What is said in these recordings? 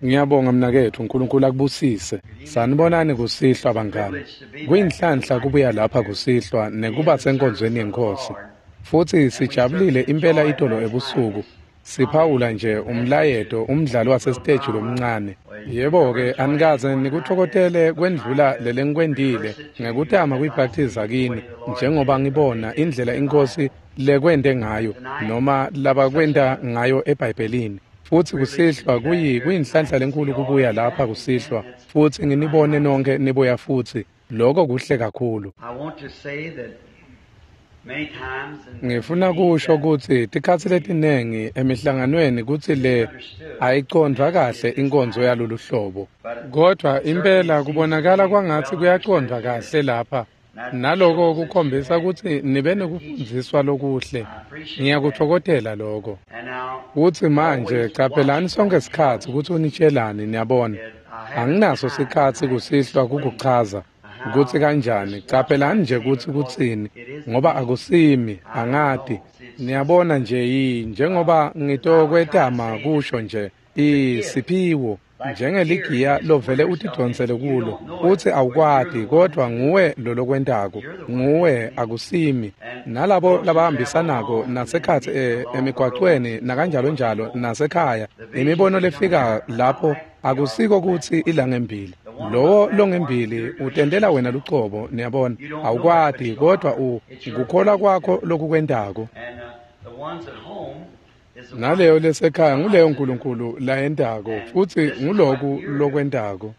Ngiyabonga mnaketfu, uNkulunkulu akubusise. Sanibonani kusihlwa bangani. Kuyinhlanhla kubuya lapha kusihlwa nekuba senkonzweni yeNkhosi. Futsi sijabulile impela itolo ebusuku. Siphawula nje umlayeto umdlalo wasesiteji lomncane. Yebo-ke, anikaze nikutfokotele kwendlula lelengikwentile ngekutama kuyibhaptiza kini, njengoba ngibona indlela iNkhosi lekwente ngayo noma labakwenta ngayo eBhayibhelini. Futsi kusihlwa kuyinhlanhla lenkulu kubuya lapha kusihlwa futsi nginibone nonke nibuya futsi. Loko kuhle kakhulu. Ngifuna kusho kutsi tikhatsi letinengi emihlanganweni kutsi le ayicondvwa kahle inkonzo yalolu hlobo. Kodvwa impela kubonakala kwangatsi kuyacondvwa kahle lapha. Naloko kukhombisa kutsi nibe nekufundziswa lokuhle. Ngiyakutfokotela loko. Kutsi manje caphelani sonkhe sikhatsi kutsi unitshelani, niyabona. Anginaso sikhatsi kusihlwa kukuchaza kutsi kanjani. Caphelani nje kutsi kutsini, ngoba akusimi, angati. Niyabona nje njengoba ngitokwetama kusho nje, isiphiwo njengeligiya lovele utidvonsele kulo, utsi awukwati, kodvwa nguwe lolokwentako, nguwe, akusimi. Nalabo labahambisanako nasekhatsi emigwacweni nakanjalonjalo nasekhaya, imibono lefika lapho akusiko kutsi ilangembili. Lowo longembili utentela wena lucobo, niyabona, awukwati, kodvwa kukholwa kwakho lokukwentako. Naleyo lesekhaya nguleyo uNkulunkulu layentako, futsi nguloku lokwentako.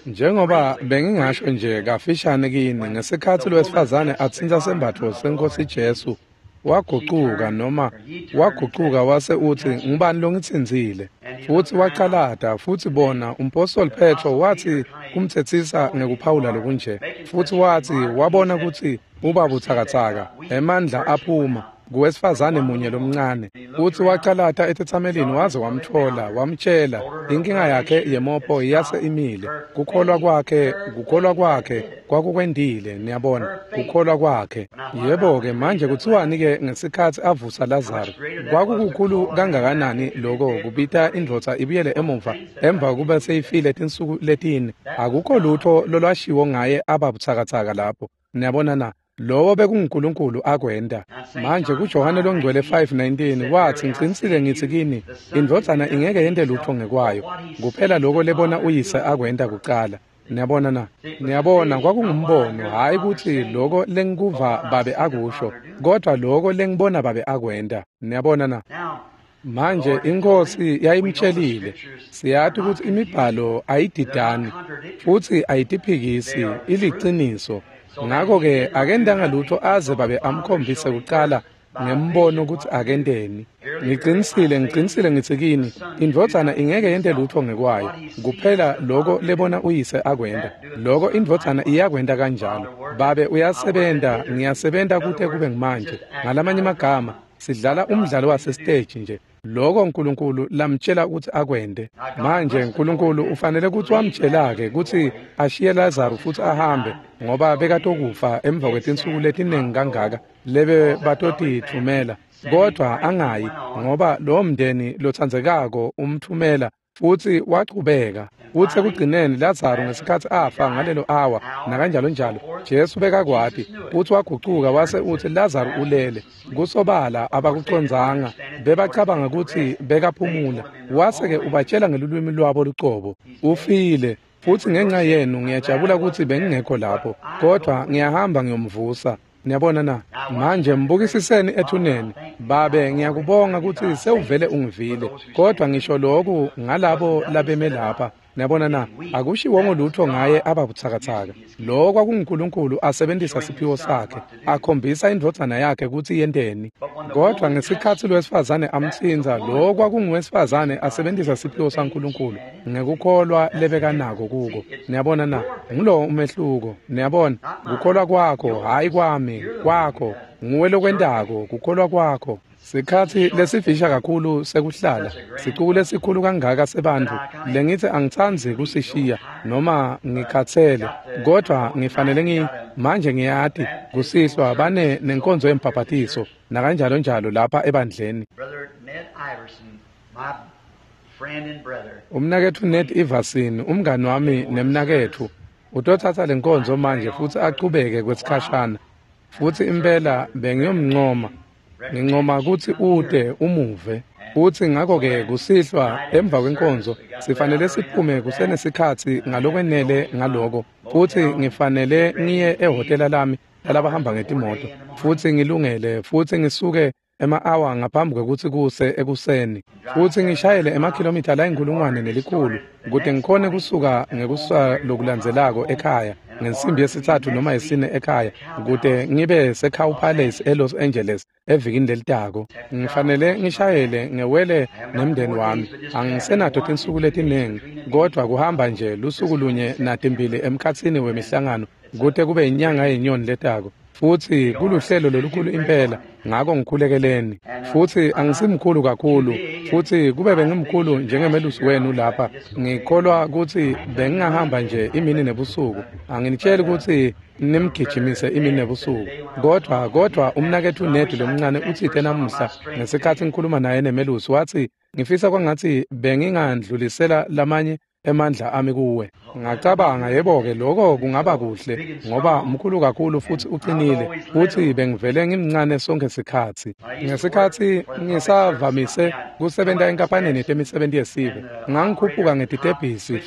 Njengoba bengingasho nje kafishane kini, ngesikhatsi lowesifazane atsintsa sembatfo seNkhosi Jesu, wagucuka noma wagucuka wase utsi, ngubani longitsintsile? Futsi wacalata, futsi bona umpostoli Petro watsi kumtsetsisa ngekuphawula lokunje. Futsi watsi wabona kutsi uba butsakatsaka, emandla aphuma kuwesifazane munye lomncane. Futsi wacalata etetsamelini waze wamtfola, wamtjela inkinga yakhe yemopho yase imile. Kukholwa kwakhe kwakukwendile, niyabona, kukholwa kwakhe. Yebo-ke, manje kutsiwani-ke ngesikhatsi avusa Lazaro? Kwakukukhulu kangakanani loko kubita indvodza ibuyele emuva emva kube seyifile tinsuku letine? Akukho lutfo lolwashiwo ngaye aba butsakatsaka lapho. Niyabona na? Lowo bekunguNkulunkulu akwenta. Manje kuJohane longcwele 5:19 watsi, ngicinisile ngitsi kini, indvodzana ingeke yente lutfo ngekwayo, kuphela loko lebona uyise akwenta kucala. Niyabona na? Niyabona, kwakungumbono, hhayi kutsi loko lengikuva babe akusho, kodvwa loko lengibona babe akwenta. Niyabona na? Manje iNkhosi yayimtshelile, siyati kutsi imibhalo ayididani futsi ayitiphikisi, iliciniso. Ngakho-ke akentanga lutfo aze babe amkhombise kucala ngembono kutsi akenteni. Ngicinisile ngitsi kini, indvodzana ingeke yente lutfo ngekwayo, kuphela loko lebona uyise akwenta. Loko indvodzana iyakwenta kanjalo. Babe uyasebenta, ngiyasebenta kute kube ngimanje. Ngalamanye amagama, sidlala umdlalo wasesiteji nje. Loko uNkulunkulu lamtjela ukuthi akwente. Manje uNkulunkulu ufanele kutsi wamtjela-ke kutsi ashiye Lazaro futsi ahambe, ngoba bekatokufa emva kwetinsuku letinengi kangaka lebe batotitfumela, kodvwa angayi, ngoba lowo mndeni lotsandzekako umtfumela. Futsi wachubeka. Futsi ekugcineni Lazaro ngesikhatsi afa ngalelo awa nakanjalonjalo, Jesu bekakwati, futsi wagucuka wase utsi Lazaro ulele. Kusobala abakucondzanga, bebacabanga kutsi bekaphumula. Wase-ke ubatjela ngelulwimi lwabo lucobo, ufile. Futsi ngenxa yenu ngiyajabula kutsi bengingekho lapho, kodvwa ngiyahamba ngiyomvusa. Niyabona na? Manje mbukisiseni ethuneni. Babe, ngiyakubonga kutsi sewuvele ungivile, kodvwa ngisho loku ngalabo labeme lapha. Niyabona na? Akushiwongo lutfo ngaye ababutsakatsaka. Lo kwakunguNkulunkulu asebentisa siphiwo sakhe, akhombisa indvodzana yakhe kutsi yenteni. Kodvwa ngesikhatsi lowesifazane amtsintsa, lo kwakunguwesifazane asebentisa siphiwo saNkulunkulu ngekukholwa lebekanako kuko. Niyabona na? Ngulowo umehluko. Niyabona? Kukholwa kwakho, hhayi kwami, kwakho. Nguwe lokwentako, kukholwa kwakho. Sikhatsi lesifisha kakhulu sekuhlala, sicuku lesikhulu kangaka sebantfu lengitsi angitsandzi kusishiya noma ngikhatsele, kodvwa ngifanele manje ngiyati kusihlwa bane nenkonzo yembhaphathiso nakanjalonjalo lapha ebandleni. Brother Ned Iverson, my Umnaketfu Ned Iverson, umngani wami nemnaketfu, utotsatsa lenkonzo manje futsi achubeke kwesikhashana. Futsi impela bengiyomncoma. Ngincoma kutsi ute umuve. Futsi ngakho-ke kusihlwa emva kwenkonzo sifanele siphume kusenesikhatsi ngalokwenele ngaloko. Futsi ngifanele ngiye ehhotela lami lalabahamba ngetimoto. Futsi ngilungele futsi ngisuke ema-awa ngaphambi kwekutsi kuse ekuseni. Futsi ngishayele emakhilomitha layinkhulungwane nelikhulu kute ngikhone kusuka ngekusa lokulandzelako ekhaya ngensimbi yesitsatfu noma yesine ekhaya kute ngibe seCow Palace eLos Angeles evikini lelitako. Ngifanele ngishayele ngewele nemndeni wami. Angisenato tinsuku letinengi kodvwa kuhamba nje lusuku lunye natimbili emkhatsini wemihlangano kute kube inyanga yenyoni letako. Futsi kuluhlelo lolukhulu impela, ngako ngikhulekeleni. Futsi angisimkhulu kakhulu, futsi kube bengimkhulu njengemelusi wenu lapha, ngikholwa kutsi bengingahamba nje imini nebusuku. Anginitsheli kutsi nimgijimise imini nebusuku, kodvwa umnaketfu Ned lomncane utsite namuhla ngesikhatsi ngikhuluma naye nemelusi, watsi ngifisa kwangatsi bengingandlulisela lamanye emandla ami kuwe. Ngacabanga, yebo-ke, lokho kungaba kuhle ngoba mkhulu kakhulu futsi ucinile, futsi bengivele ngimncane sonkhe sikhatsi. Ngesikhatsi ngisavamise kusebenta enkampanini yetemisebenti yesive, ngangikhuphuka ngetitebhisi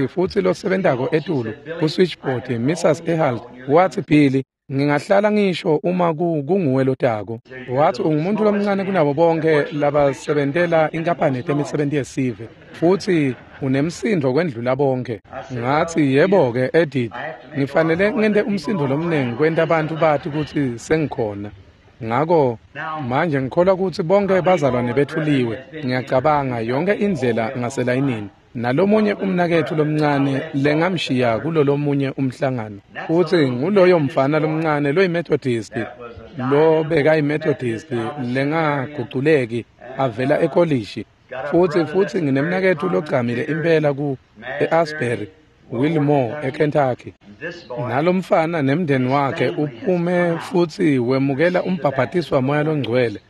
futsi losebentako etulu ku-switchboard, Mrs. Ehalt, watsi, "Billy, ngingahlala ngisho uma kunguwe lotako." Watsi ungumuntu lomncane kunabo bonke labasebentela inkampani yetemisebenti yesive, futsi unemsindo kwendlula bonke. Ngatsi, yebo-ke, Edith, ngifanele ngente umsindo lomnengi kwenta abantu bati kutsi sengikhona. Ngako manje ngikholwa kutsi bonke bazalwane bethuliwe, ngiyacabanga yonke indlela ngaselayinini. Nalomunye umnaketfu lomncane lengamshiya kulolomunye umhlangano. Futsi nguloyo mfana lomncane loyiMethodist, lo bekayiMethodist lengaguculeki avela ekolishi. Futsi nginemnaketfu logcamile impela ku e-Asbury, Wilmore eKentucky. Nalomfana nemndeni wakhe uphume futsi wemukela umbhabhatiso waMoya loNgcwele,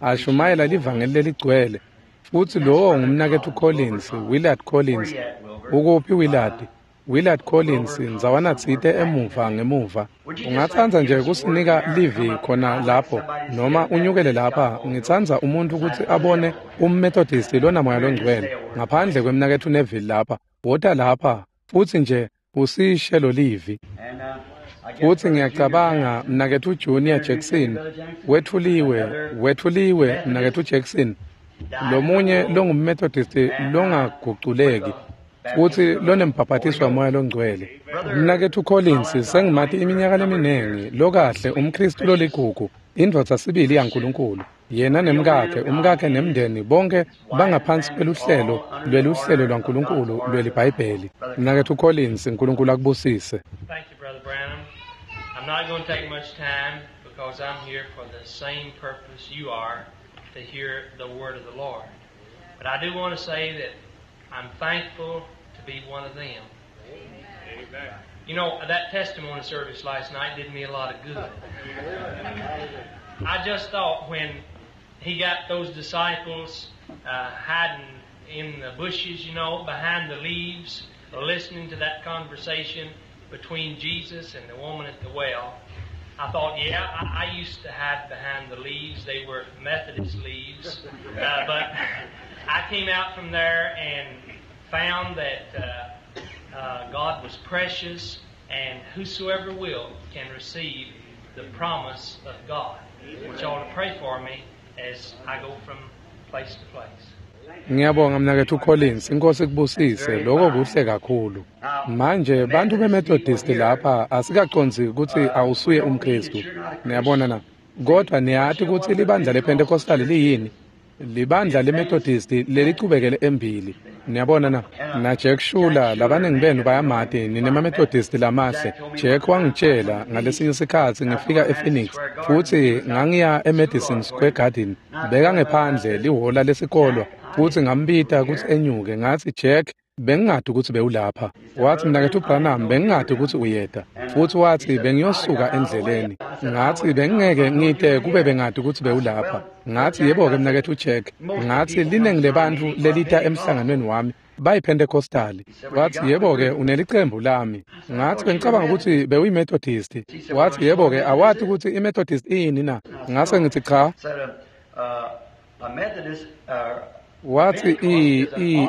ashumayela livangeli leligcwele. Futsi lowo ngumnaketfu Collins, Willard Collins. Ukuphi Willard? Willard Collins, ndzawana tsite emuva ngemuva. Ungatsandza nje kusinika livi khona lapho noma unyukele lapha? Ngitsandza umuntu kutsi abone umMethodist lonaMoya loNgcwele ngaphandle kwemnaketfu Neville lapha. Wota lapha futsi nje usishe lo livi. Futsi ngiyacabanga mnaketfu Junior Jackson wetfuliwe mnaketfu Jackson, lomunye longumMethodist longaguculeki futsi lonembhabhatiso waMoya loNgcwele. Mnaketfu Collins sengimati iminyaka leminingi, lokahle, umKhristu loligugu, indvodza sibili yaNkulunkulu. Yena nemkakhe, umkakhe nemndeni bonke bangaphansi kweluhlelo lweluhlelo lwaNkulunkulu lweliBhayibheli. Mnaketfu Collins, uNkulunkulu akubusise. Thank you, Brother Branham. I'm not going to take much time because I'm here for the same purpose you are, to hear the word of the Lord. But I do want to say that I'm thankful to be one of them. Amen. You know, that testimony service last night did me a lot of good. I just thought when he got those disciples hiding in the bushes, you know, behind the leaves, listening to that conversation between Jesus and the woman at the well, I thought, yeah, I used to hide behind the leaves. They were Methodist leaves. But I came out from there and found that God was precious, and whosoever will can receive the promise of God. I want y'all to pray for me as I go from place to place. Ngiyabonga mnaketfu Collins, inkosi ikubusise, lokho kuhle kakhulu. Manje bantu beMethodist lapha asikacondzi kutsi awusuye umKhristu. Niyabona na? Kodwa niyati kutsi libandla lePentecostal liyini? Libandla leMethodist lelicubekele embili. Niyabona na? Na Jack Shuler, labaningi benu bayamati, ninema-Methodist lamahle. Jack wangitshela ngalesinye sikhatsi ngifika ePhoenix futsi ngangiya eMadison Square Garden. Beka ngephandle lihhola lesikolwa futsi ngambita kutsi enyuke, ngatsi, "Jack, Bengingati ukuthi bewulapha. Wathi, Mnaketfu Branham, bengingati ukuthi uyeta. Futhi wathi, bengiyosuka endleleni. Ngathi, bengingeke ngite kube bengati ukuthi bewulapha. Ngathi, yebo-ke Mnaketfu Jack. Ngathi, liningi lebantfu lelita emhlanganweni wami bayiPentecostali. Wathi, yebo-ke unelicembu lami. Ngathi, bengicabanga ukuthi bewuyiMethodist. Wathi, yebo-ke awati ukuthi iMethodist iyini na? Ngase ngithi cha. Wathi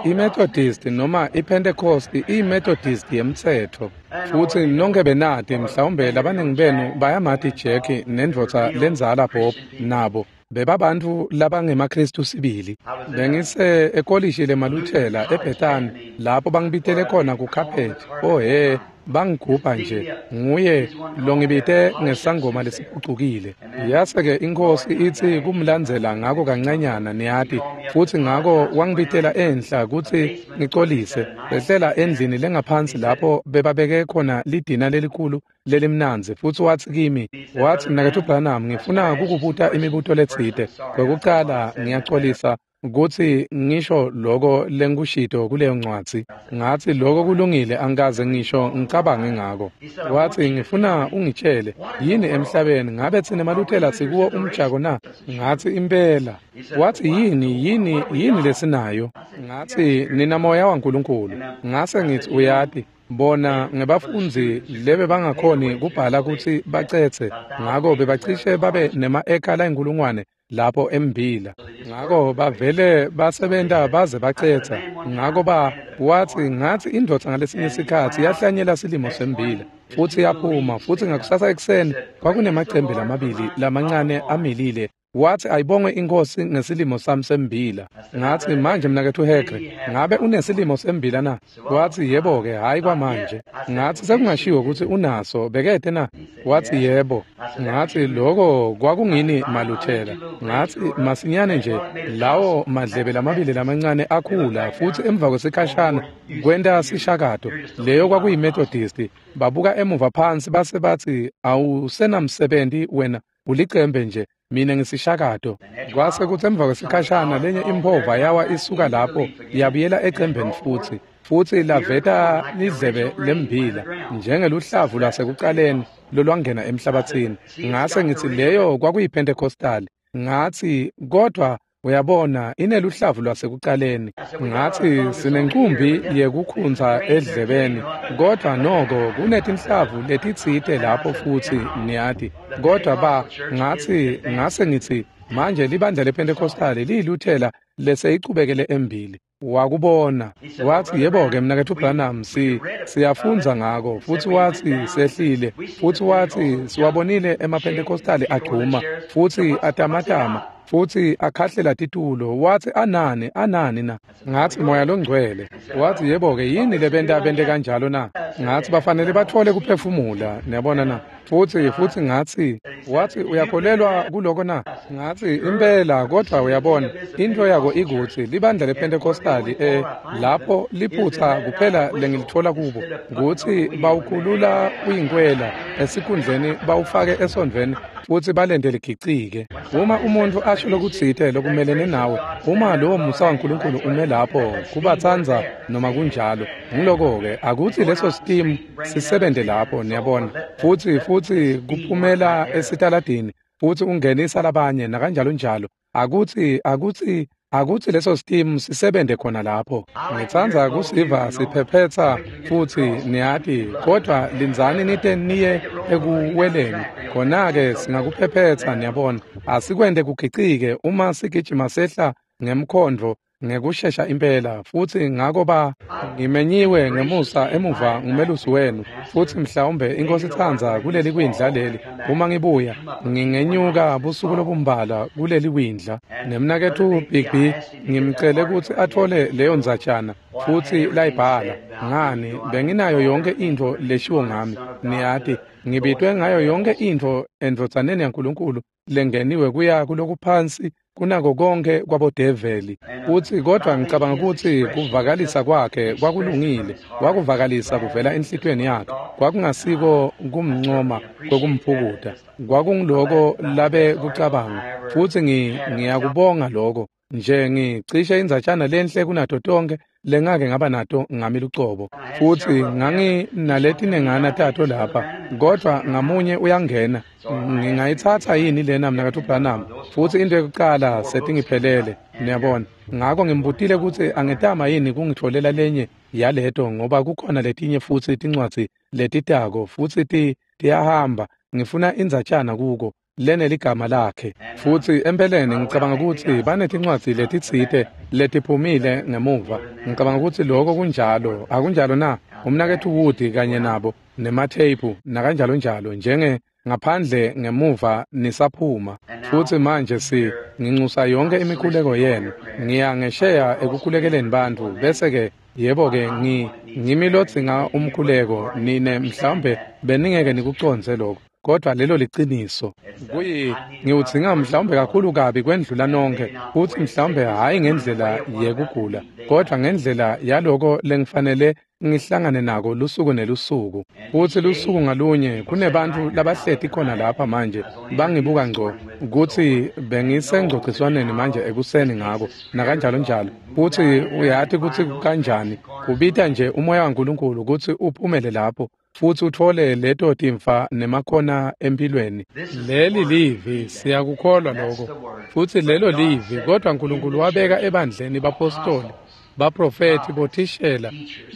iMethodist noma iPentecost iMethodist yemtsetfo. Futhi nonke benati mhlawumbe labaningi benu bayamati Jack nendvodza lenzala Bob nabo. Bebabantfu labangemaKristu sibili. Bengise ekolishi lemaLuthela eBethany lapho bangibitele khona kukhaphethi. Oh he, bangigubha nje. Nguye longibite ngesangoma lesiphucukile. Yase-ke inkosi itsi kumlandzela ngako kancanyana niyati, futhi ngako wangibitela enhla kutsi ngicolise. Behlela endlini lengaphansi lapho bebabeke khona lidina lelikhulu lelimnandzi, futhi wathi kimi, wathi, Mnaketfu Branham, ngifuna kukubuta imibuto letsite. Kwekucala ngiyacolisa kutsi ngisho loko lengikushito kuleyo ncwadzi. Ngathi, loko kulungile, angikaze ngisho ngicabange ngako. Wathi, ngifuna ungitshele, yini emhlabeni ngabe tsine maLuthela sikuwo umjako na? Ngathi, impela. Wathi, yini lesinayo? Ngathi, nina moya waNkulunkulu. Ngase ngithi, uyati, bona ngebafundzi lebe bangakhoni kubhala kutsi bacetse, ngako bebacishe babe nema-eka layinkulungwane lapho embila. Ngako bavele basebenta baze bacetsa. Ngako wathi, ngathi indvodza ngalesinye sikhatsi yahlanyela silimo sembila futhi yaphuma, futhi ngakusasa ekuseni kwakunemacembe lamabili lamancane amilile. Wathi, ayibongwe inkosi ngesilimo sami sembila. Ngathi, manje Mnaketfu Hegre, ngabe unesilimo sembila na? Wathi, yebo-ke, hhayi kwamanje. Ngathi, sekungashiwo ukuthi unaso, bekete na? Wathi, yebo. Ngathi, loko kwakungini maLuthela. Ngathi, masinyane nje lawo madlebe lamabili lamancane akhula, futhi emva kwesikhashana kwenta sishakato. Leyo kwakuyiMethodist. Babuka emuva phansi base bathi, awusenamsebenzi wena, ulicembe nje. Mina ngisishakato. Kwase kuthi emva kwesikhashana lenye imphova yawa isuka lapho yabuyela ecembeni futhi. Futhi laveta lidlebe lembila njengeluhlavu lwasekucaleni lolwangena emhlabathini. Ngase ngithi, leyo kwakuyiPentecostal. Ngathi, kodwa uyabona ineluhlavu lwasekucaleni. Ngathi, sinencumbi yekukhunza edlebeni, kodwa noko kunetinhlavu letitsite lapho futhi niyati. Kodwa ngathi, ngase ngithi, manje libandla lePentecostal liyiLuthela leseyicubekele embili. Wakubona. Wathi, yebo-ke Mnaketfu Branham, siyafundza ngako. Futhi wathi, sehlile. Futhi wathi, siwabonile emaPentecostali agcuma futhi atamatama futhi akhahlela titulo. Wathi, anani na? Ngathi, moya longcwele. Wathi, yebo-ke, yini lebenta bente kanjalo na? Ngathi, bafanele batfole kuphefumula, niyabona na? Futhi ngathi, wathi, uyakholelwa kuloko na? Ngathi, impela, kodwa uyabona, into yako ikutsi libandla lePentecostali lapho liphutha kuphela lengilithola kubo kutsi bawukhulula uyinkwela esikhundleni bawufake esondvweni futhi balente ligicike. Uma umuntu asho lokutsite lokumelene nawe, uma lowo musa waNkulunkulu ume lapho kubatsandza noma kunjalo, ngiloko-ke akutsi leso steam sisebente lapho, niyabona, futhi kuphumela esitaladini futhi ungenisa labanye nakanjalo njalo. Akutsi leso steam sisebente khona lapho. Ngitsandza kusiva siphephetsa futhi niyati, kodwa lindzani nite niye ekuweleni. Khona-ke singakuphephetsa, niyabona. Asikwente kugicike uma sigijima sehla ngemkhondvo ngekushesha impela. Futhi ngako ngimenyiwe ngemusa emuva ngumelusi wenu, futhi mhlawumbe inkosi itsandza kuleli kwindla leli. Uma ngibuya ngingenyuka busuku lobumbala kuleli kwindla. Nemnaketfu Bigby ngimcele kutsi atfole leyo ndzatjana futhi layibhala. Ngani, benginayo yonke intfo leshiwo ngami, niyati, ngibitwe ngayo yonke intfo endvodzaneni yaNkulunkulu lengeniwe kuya kulokuphansi kunako konke kwabodeveli. Futhi kodwa ngicabanga ukuthi kuvakalisa kwakhe kwakulungile, wakuvakalisa kuvela enhlitiyweni yakhe. Kwakungasiko kumncoma kwekumphukuta, kwakungiloko labe kucabanga. Futhi ngiyakubonga lokho. Nje ngicishe indzatshana lenhle kunato tonke lengake ngaba nato ngami lucobo. Futhi nganginaletinengana tato lapha, kodwa ngamunye uyangena. Ngingayitsatsa yini lena mnakatfu Branham? Futhi into yokucala setingiphelele, niyabona. Ngako ngimbutile kutsi angetama yini kungitfolela lenye yaleto, ngoba kukhona letinye futsi tincwadzi letitako futsi tiyahamba. Ngifuna indzatshana kuko leneligama lakhe. Futhi empeleni ngicabanga ukuthi banetincwadzi letitsite letiphumile ngemuva. Ngicabanga ukuthi lokho kunjalo, akunjalo na? Umnaketfu Wood kanye nabo nematheyiphu nakanjalo njalo, njenge ngaphandle ngemuva nisaphuma. Futhi manje nginxusa yonke imikhuleko yenu. Ngiya ngesheya ekukhulekeleni bantfu, bese-ke yebo-ke ngimi lodzinga umkhuleko. Nine mhlawumbe beningeke nikucondze lokho, kodwa lelo liciniso. Ngiwudzinga mhlawumbe kakhulu kabi kwendlula nonke, futhi mhlawumbe hhayi ngendlela yekugula, kodwa ngendlela yaloko lengifanele ngihlangane nako lusuku nelusuku. Futhi lusuku ngalunye kunebantfu labahleti khona lapha manje bangibuka ngco kutsi bengisengcogciswaneni manje ekuseni ngako nakanjalo njalo. Futhi uyati kutsi kanjani kubita nje umoya waNkulunkulu kutsi uphumele lapho futhi uthole leto timfa nemakhona empilweni. Leli livi, siyakukholwa lokho. Futhi lelo livi, kodwa uNkulunkulu wabeka ebandleni bapostoli, baprofethi, bothishela,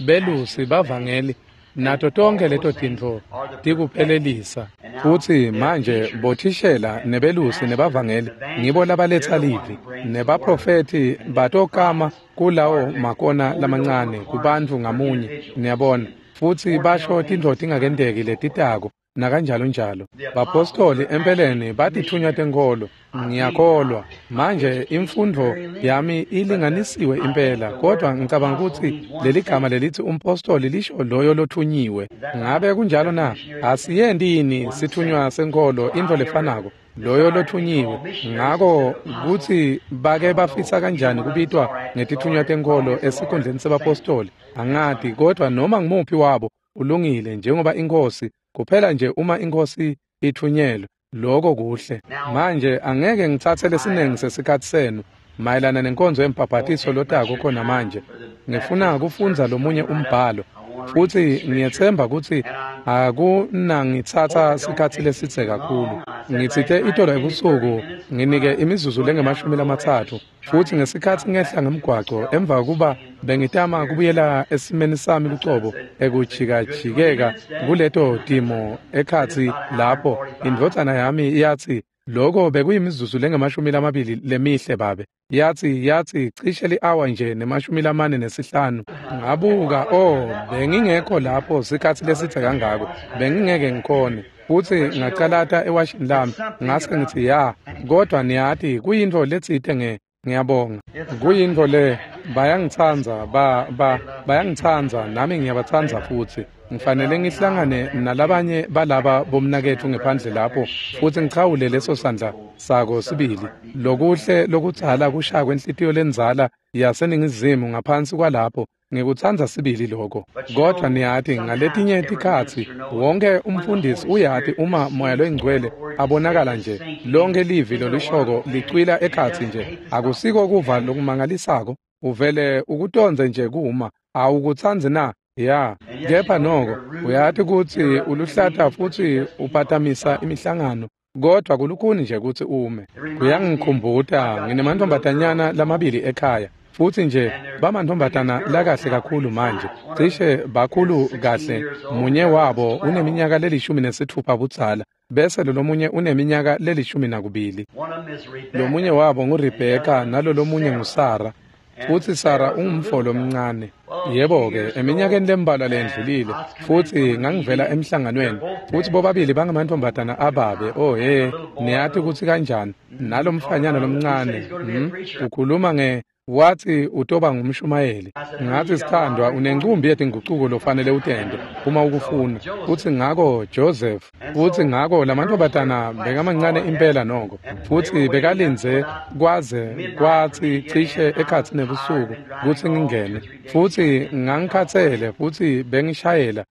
belusi, bavangeli, nato tonke leto tintfo tikuphelelisa. Futhi manje bothishela nebelusi nebavangeli ngibo labaletsa livi, nebaprofethi batokama kulawo makona lamancane kubantfu ngamunye, niyabona. Futhi basho tintfo tingakenteki letitako nakanjalo njalo. Bapostoli empeleni batithunywa tenkholo, ngiyakholwa. Manje imfundvo yami ilinganisiwe impela, kodwa ngicabanga ukuthi leligama lelithi umpostoli lisho loyo lothunyiwe. Ngabe kunjalo na? Asiyendi yini sithunywa senkholo intfo lefanako, loyo lothunyiwe? Ngako kutsi bake bafisa kanjani kubitwa ngetithunywa tenkholo esikhundleni sebapostoli, angati, kodwa noma ngumuphi wabo ulungile, njengoba iNkhosi kuphela nje uma iNkhosi ithunyelwe, lokho kuhle. Manje angeke ngitsatse lesinengi sesikhatsi senu mayelana nenkonzo yembhabhatiso lotako khona manje. Ngifuna kufundza lomunye umbhalo, futhi ngiyetsemba kutsi akunangitsatsa sikhatsi lesidze kakhulu. Ngitsite itolo ebusuku nginike imizuzu lengamashumi-30, futhi ngesikhatsi ngehla ngemgwaco emva kuba bengitama kubuyela esimeni sami lucobo ekujikajikeka kuleto timo ekhatsi lapho, indvodzana yami yatsi, lokho bekuyimizuzu lengamashumi-20 lemihle babe. Yathi cishe li-hour nje ne-45. Ngabuka, oh, bengingekho lapho sikhatsi lesidze kangako, bengingeke ngikhone. Futhi ngacalata ewashini lami, ngase ngithi ya, kodwa niyati kuyintfo letsite ngiyabonga. Kuyintfo le, bayangitsandza, bayangitsandza, nami ngiyabatsandza futhi. Ngifanele ngihlangane nalabanye balaba bomnaketfu ngephandle lapho futhi ngichawule leso sandla sako sibili. Lokuhle lokudzala kushaya kwenhlitiyo lendzala yaseningizimu ngaphansi kwalapho. Ngikutsandza sibili lokho. Kodwa niyati ngaletinye tikhatsi wonke umfundisi uyati uma moya loyingcwele abonakala nje, lonke livi lolishoko licwila ekhatsi nje. Akusiko kuva lokumangalisako, uvele ukutondze nje kuma. Awukutsandzi na? Ya, kepha noko uyati kutsi uluhlata futhi uphatamisa imihlangano, kodwa kulukhuni nje kutsi ume. Kuyangikhumbuta nginemantfombatanyana lamabili ekhaya, futhi nje bamantfombatana lakahle kakhulu manje, cishe bakhulu kahle. Munye wabo uneminyaka le-16 budzala, bese lolomunye uneminyaka le-12. Lomunye wabo nguRebecca nalolomunye nguSara. Futhi Sara ungumfo lomncane. Yebo-ke, eminyakeni lembalwa lendlulile, futhi ngangivela emhlanganweni, futhi bobabili bangamantfombatana ababe. Oh he, niyati kutsi kanjani nalomfanyana lomncane, ukhuluma nge wathi utoba ngumshumayeli. Ngathi, sithandwa, unencumbi yetingucuko lofanele utente uma ukufuna. Futhi ngako Joseph, futhi ngako lamantfombatana bekamancane impela noko, futhi bekalindze kwaze kwathi cishe ekhatsi nebusuku kutsi ngingene. Futhi ngangikhatsele futhi bengishayela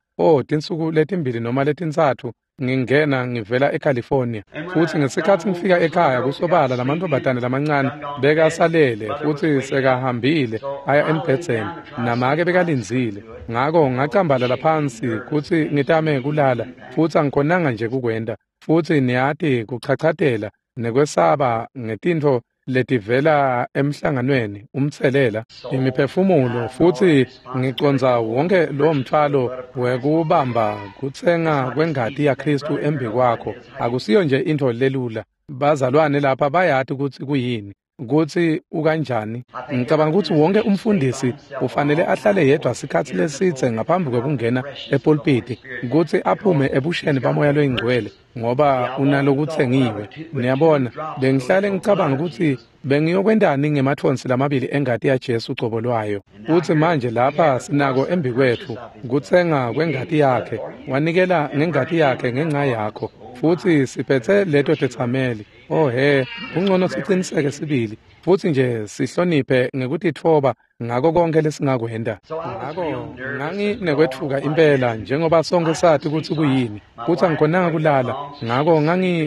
tinsuku letimbili noma letintsatfu Ngingena ngivela eCalifornia. Futhi ngesikhathi ngifika ekhaya kusobala lamantfombatane lamancane bekasalele futhi sekahambile aya embhedzeni namake bekalindzile. Ngako ngacambalala phansi kutsi ngitame kulala futhi angikhonanga nje kukwenta. Futhi niyati kuchachatela nekwesaba ngetintfo letivela emhlanganweni umtselela imiphefumulo futhi ngicondza wonke lo mthwalo wekubamba kutsenga kwengati yaKristu embikwakho. Akusiyo nje intfo lelula. Bazalwane lapha bayati kutsi kuyini, kutsi ukanjani. Ngicabanga kutsi wonke umfundisi ufanele ahlale yedwa sikhatsi lesitse ngaphambi kwekungena epulpiti kutsi aphume ebusheni bamoya loyingcwele ngoba unalokutsengiwe. Niyabona, bengihlale ngicabanga kutsi bengiyokwentani ngemathonsi lamabili engati yaJesu cobo lwayo. Futsi manje lapha sinako embikwetfu kutsenga kwengati yakhe, wanikela ngengati yakhe ngenxa yakho. Futhi siphethe leto tetsameli. Oh he, kungcono siciniseke sibili futhi nje sihloniphe ngekutitfoba ngako konke lesingakwenta. Ngako nganginekwetfuka impela njengoba sonke sathi kutsi kuyini, kutsi angikhonanga kulala. Ngako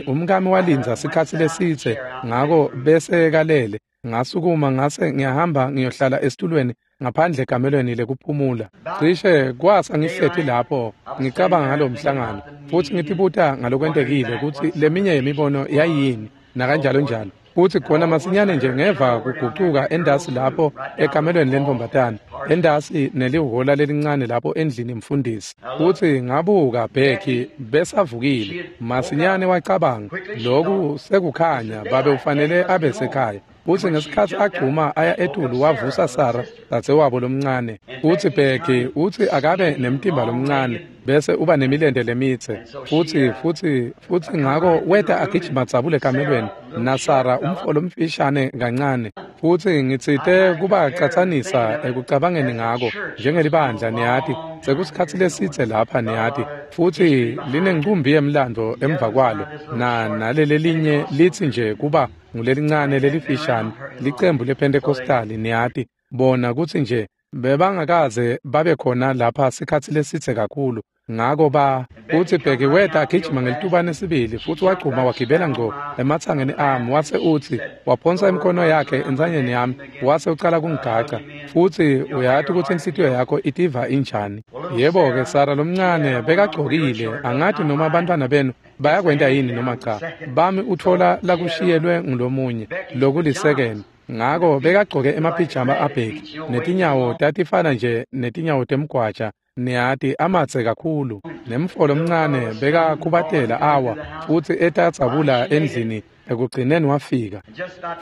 umkami walindza sikhatsi lesitse, ngako bese kalele. Ngasukuma ngase ngiyahamba ngiyohlala esitulweni ngaphandle ekamelweni lekuphumula. Cishe kwasa ngihleti lapho ngicabanga ngalo mhlangano futhi ngitibuta ngalokwentekile kutsi leminye yemibono yayini nakanjalo njalo. Futhi khona masinyane nje ngeva kugucuka endasi lapho ekamelweni lentfombatane, endasi nelihola lelincane lapho endlini mfundisi. Futhi ngabuka Becky besavukile. Masinyane wacabanga, loku sekukhanya, babe ufanele abe sekhaya. Futhi ngesikhatsi agcuma aya etulu wavusa Sara dzadzewabo lomncane. Uthi Becky uthi akabe nemtimba lomncane bese uba nemilente lemitse. Futhi ngako weta agijima dzabule ekamelweni naSara umfo lomfishane kancane. Futhi ngitsite kubacatsanisa ekucabangeni ngako njengelibandla niyati sekusikhatsi lesitse lapha niyati futhi linencumbi yemlando emva kwalo na nalelelinye litsi nje kuba ngulelincane lelifishane licembu lePentecostali niyati bona kutsi nje bebangakaze babe khona lapha sikhatsi lesitse kakhulu. Ngako ba uthi Becky weta agijima ngelitubane sibili futhi wagcuma wagibela ngco ematsangeni ami wase uthi waphonsa imikhono yakhe entsanyeni yami wase ucala kungigaca. Futhi uyati kutsi inhlitiyo yakho itiva injani. Yebo-ke Sara lomncane bekagcokile, angati noma abantwana benu bayakwenta yini noma cha. Bami utfola lakushiyelwe ngulomunye lokulisekeni. Ngako bekagcoke emapijama aBheki netinyawo tatifana nje netinyawo temgwaja niyati amatse kakhulu. Nemfo lomncane bekakhubatela awa futhi etadzabula endlini ekugcineni wafika.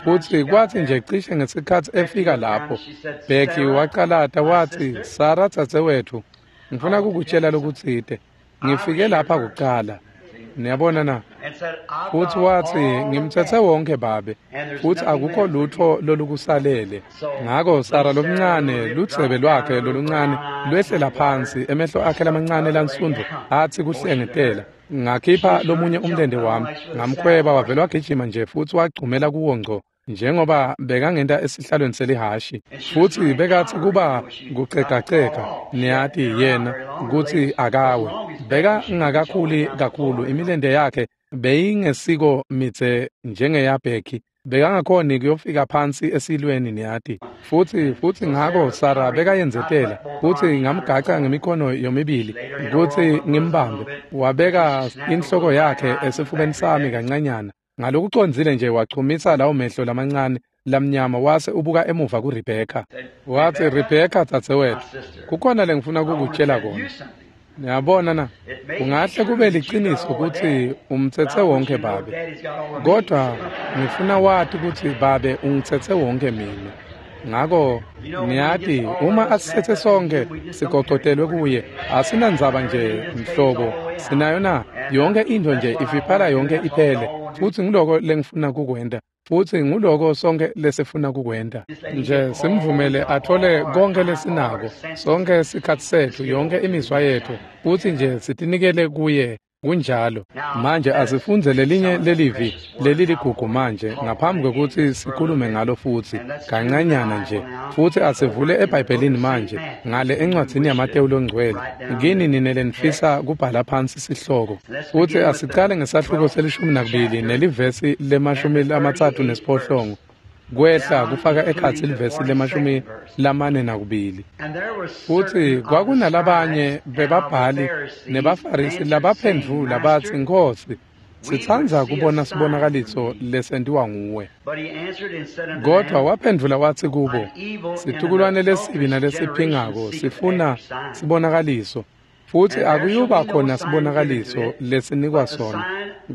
Futhi kwathi nje cishe ngesikhatsi efika lapho Becky wacalata wathi, Sara dzadzewetfu, ngifuna kukutshela lokutsite. Ngifike lapha kucala. Niyabona na? Futhi wathi ngimthethe wonke babe futhi akukho lutho lolukusalele. Ngako Sara lomncane lutsebe lwakhe loluncane lwehlela phansi, emehlo akhe lamancane lansundvu athi kuhlengetela. Ngakhipha lomunye umlente wami ngamkhweba wavele wagijima nje futhi wagcumela kuwo ngco njengoba bekangenta esihlalweni selihashi. Futhi bekathi kuba kucegacega niyati yena kutsi akawe. Bekangakakhuli kakhulu, imilente yakhe beyingesiko mitse njengeyaBheki. Bekangakhoni kuyofika phansi esilweni niyati. Futhi ngako Sara bekayenzetela futhi ngamgaca ngemikhono yomibili kutsi ngimbambe. Wabeka inhloko yakhe esifubeni sami kancanyana. Ngalokucondzile nje wachumisa lawo mehlo lamancane lamnyama wase ubuka emuva kuRebecca. Wathi, Rebecca dzadzewetfu, kukhona lengifuna kukutshela kona. Niyabona na, kungahle kube liciniso kutsi umtsetse wonke babe, kodwa ngifuna wati kutsi babe ungitsetse wonke mina. Ngako niyati uma asithethe sonke sigocotelwe kuye, asinandzaba nje mhlobo sinayo na, yonke into nje ifiphala yonke iphele. Futhi ngiloko lengifuna kukwenta, futhi nguloko sonke lesifuna kukwenta. Nje simvumele athole konke lesinako, sonke sikhatsi setfu, yonke imizwa yetfu, futhi nje sitinikele kuye Kunjalo. Manje asifundze lelinye lelivi leliligugu manje ngaphambi kwekutsi sikhulume ngalo futsi kancanyana nje. Futsi asivule eBhayibhelini manje ngale encwadzini yaMatewu longcwele. Kini nine lenifisa kubhala phansi sihloko. Futsi asicale ngesahluko se-12 nelivesi le-38 kwehla kufaka ekhatsi livesi le-42. Futsi kwakunalabanye bebabhali nebaFarisi labaphendvula batsi, Nkhosi, sitsandza kubona sibonakaliso lesentiwa nguwe. Kodvwa waphendvula watsi kubo, situkulwane lesibi nalesiphingako sifuna sibonakaliso, futsi akuyuba khona sibonakaliso lesinikwa sona,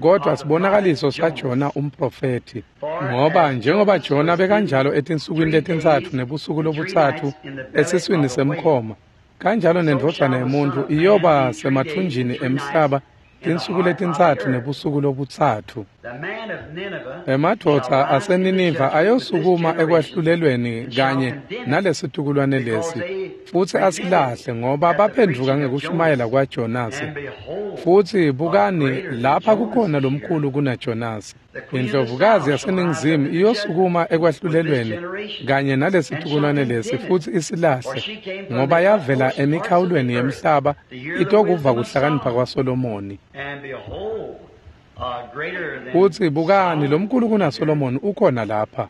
kodvwa sibonakaliso saJona umprofethi. Ngoba njengoba Jona bekanjalo etinsukwini letintsatfu nebusuku lobutsatfu esiswini semkhoma, kanjalo nendvodzana yemuntfu iyoba semathunjini emhlaba tinsuku letintsatfu nebusuku lobutsatfu. Emadvodza aseNiniva ayosukuma ekwahlulelweni kanye nalesitukulwane lesi, futsi asilahle ngoba baphendvuka ngekushumayela kwaJonasi. Futsi bukani, lapha kukhona lomkhulu kunaJonasi. Indlovukazi yaseNingizimu iyosukuma ekwahlulelweni kanye nalesitukulwane lesi futsi isilahle, ngoba yavela emikhawulweni yemhlaba itokuva kuhlakanipha kwaSolomoni. Futsi bukani, lomkhulu kunaSolomoni ukhona lapha.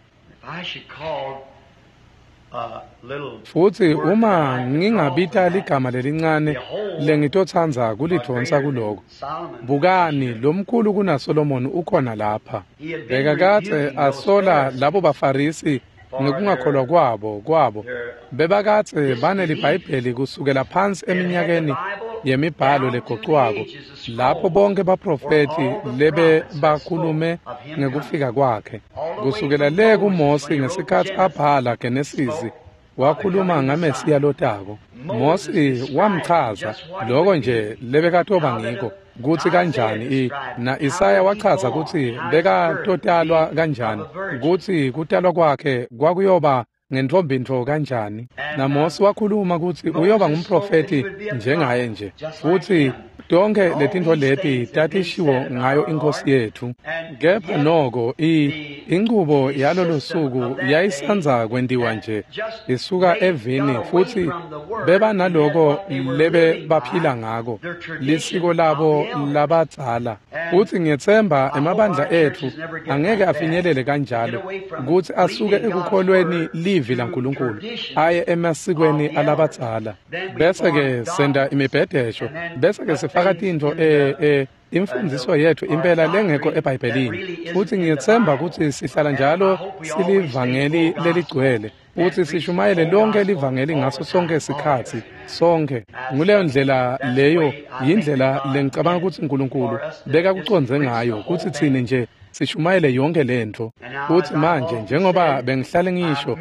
Futsi uma ngingabita ligama lelincane lengitotsandza kulidvonsa kuloko, bukani, lomkhulu kunaSolomoni ukhona lapha. Bekakadze asola labo baFarisi ngekungakholwa kwabo. Bebakadze baneliBhayibheli kusukela phansi eminyakeni yemibhalo legocwako, lapho bonke baprofethi lebe bakhulume ngekufika kwakhe. Kusukela le kuMosi ngesikhatsi abhala Genesisi, wakhuluma ngaMesiya lotako. Mosi wamchaza loko nje lebekatoba ngiko, kutsi kanjani na Isaya wachaza kutsi bekatotalwa kanjani, kutsi kutalwa kwakhe kwakuyoba ngentfombintfo kanjani. Na Mosi wakhuluma kutsi uyoba ngumprofethi njengaye nje. Futsi tonke letintfo leti tatishiwo ngayo iNkhosi yetfu. Kepha noko inchubo yalolo suku yayisandza kwentiwa nje isuka evini, futsi bebanaloko lebe baphila ngako, lisiko labo labadzala. Futsi ngiyetsemba emabandla etfu angeke afinyelele kanjalo kutsi asuke ekukholweni livi laNkulunkulu aye emasikweni alabadzala. Bese-ke senta imibhedesho, bese-ke sifaka tintfo imfundiso yetfu impela lengekho eBhayibhelini. Futsi ngiyetsemba kutsi sihlala njalo silivangeli leligcwele, futsi sishumayele lonke livangeli ngaso sonke sikhatsi, sonke. Nguleyo ndlela leyo, yindlela lengicabanga kutsi uNkulunkulu bekakucondze ngayo, kutsi tsine nje sishumayele yonke lentfo. Futsi manje njengoba bengihlale ngisho,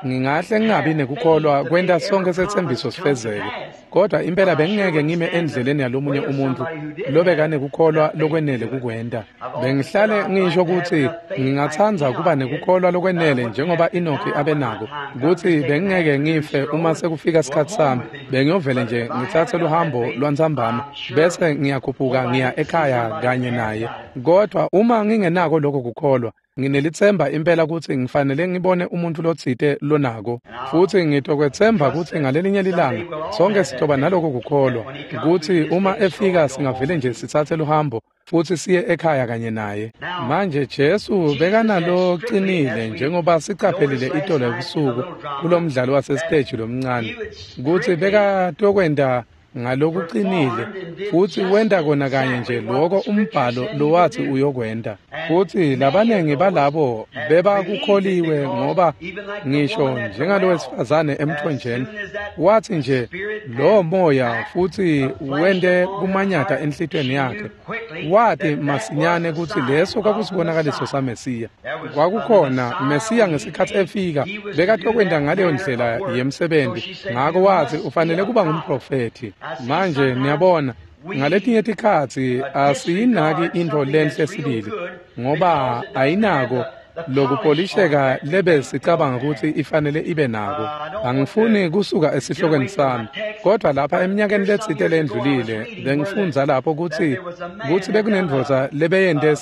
ngingahle ngingabi nekukholwa kwenta sonke setsembiso sifezeke, kodwa impela bengingeke ngime endleleni yalomunye umuntfu lobekanekukholwa lokwenele kukwenta. Bengihlale ngisho kutsi ngingatsandza kuba nekukholwa lokwenele njengoba Enoki abenako, kutsi bengingeke ngife uma sekufika sikhatsi sami, bengiyovele nje ngitsatse luhambo lwantsambama bese ngiyakhuphuka ngiya ekhaya kanye naye. Kodwa uma ngingenako lokho kukholwa, nginelitsemba impela kutsi ngifanele ngibone umuntfu lotsite lonako. Futsi ngitokwetsemba kutsi ngalelinye lilanga sonke sitoba naloko kukholwa, kutsi uma efika singavele nje sitsatse luhambo futsi siye ekhaya kanye naye. Manje Jesu bekanalocinile njengoba sicaphelile itolo ebusuku kulomdlalo wasesiteji lomncane, kutsi bekatokwenta ngalokucinile, futsi wenta kona kanye nje loko umbhalo lowatsi uyokwenta. Futsi labanengi balabo bebakukholiwe, ngoba ngisho njengalowesifazane emthonjeni watsi nje lowo moya futsi wente kumanyata enhlitiyweni yakhe, wati masinyane kutsi leso kwakusibonakaliso saMesiya. Kwakukhona Mesiya ngesikhatsi efika bekatokwenta ngaleyo ndlela yemsebenzi, ngako watsi ufanele kuba ngumprofethi. Manje niyabona, ngaletinye tikhatsi asiyinaki intfo lenhle sibili, ngoba ayinako lokupolisheka lebe sicabanga kutsi ifanele ibe nako. Angifuni kusuka esihlokweni sami, kodwa lapha eminyakeni letsite lendlulile bengifundza lapho kutsi bekunendvodza lebeyente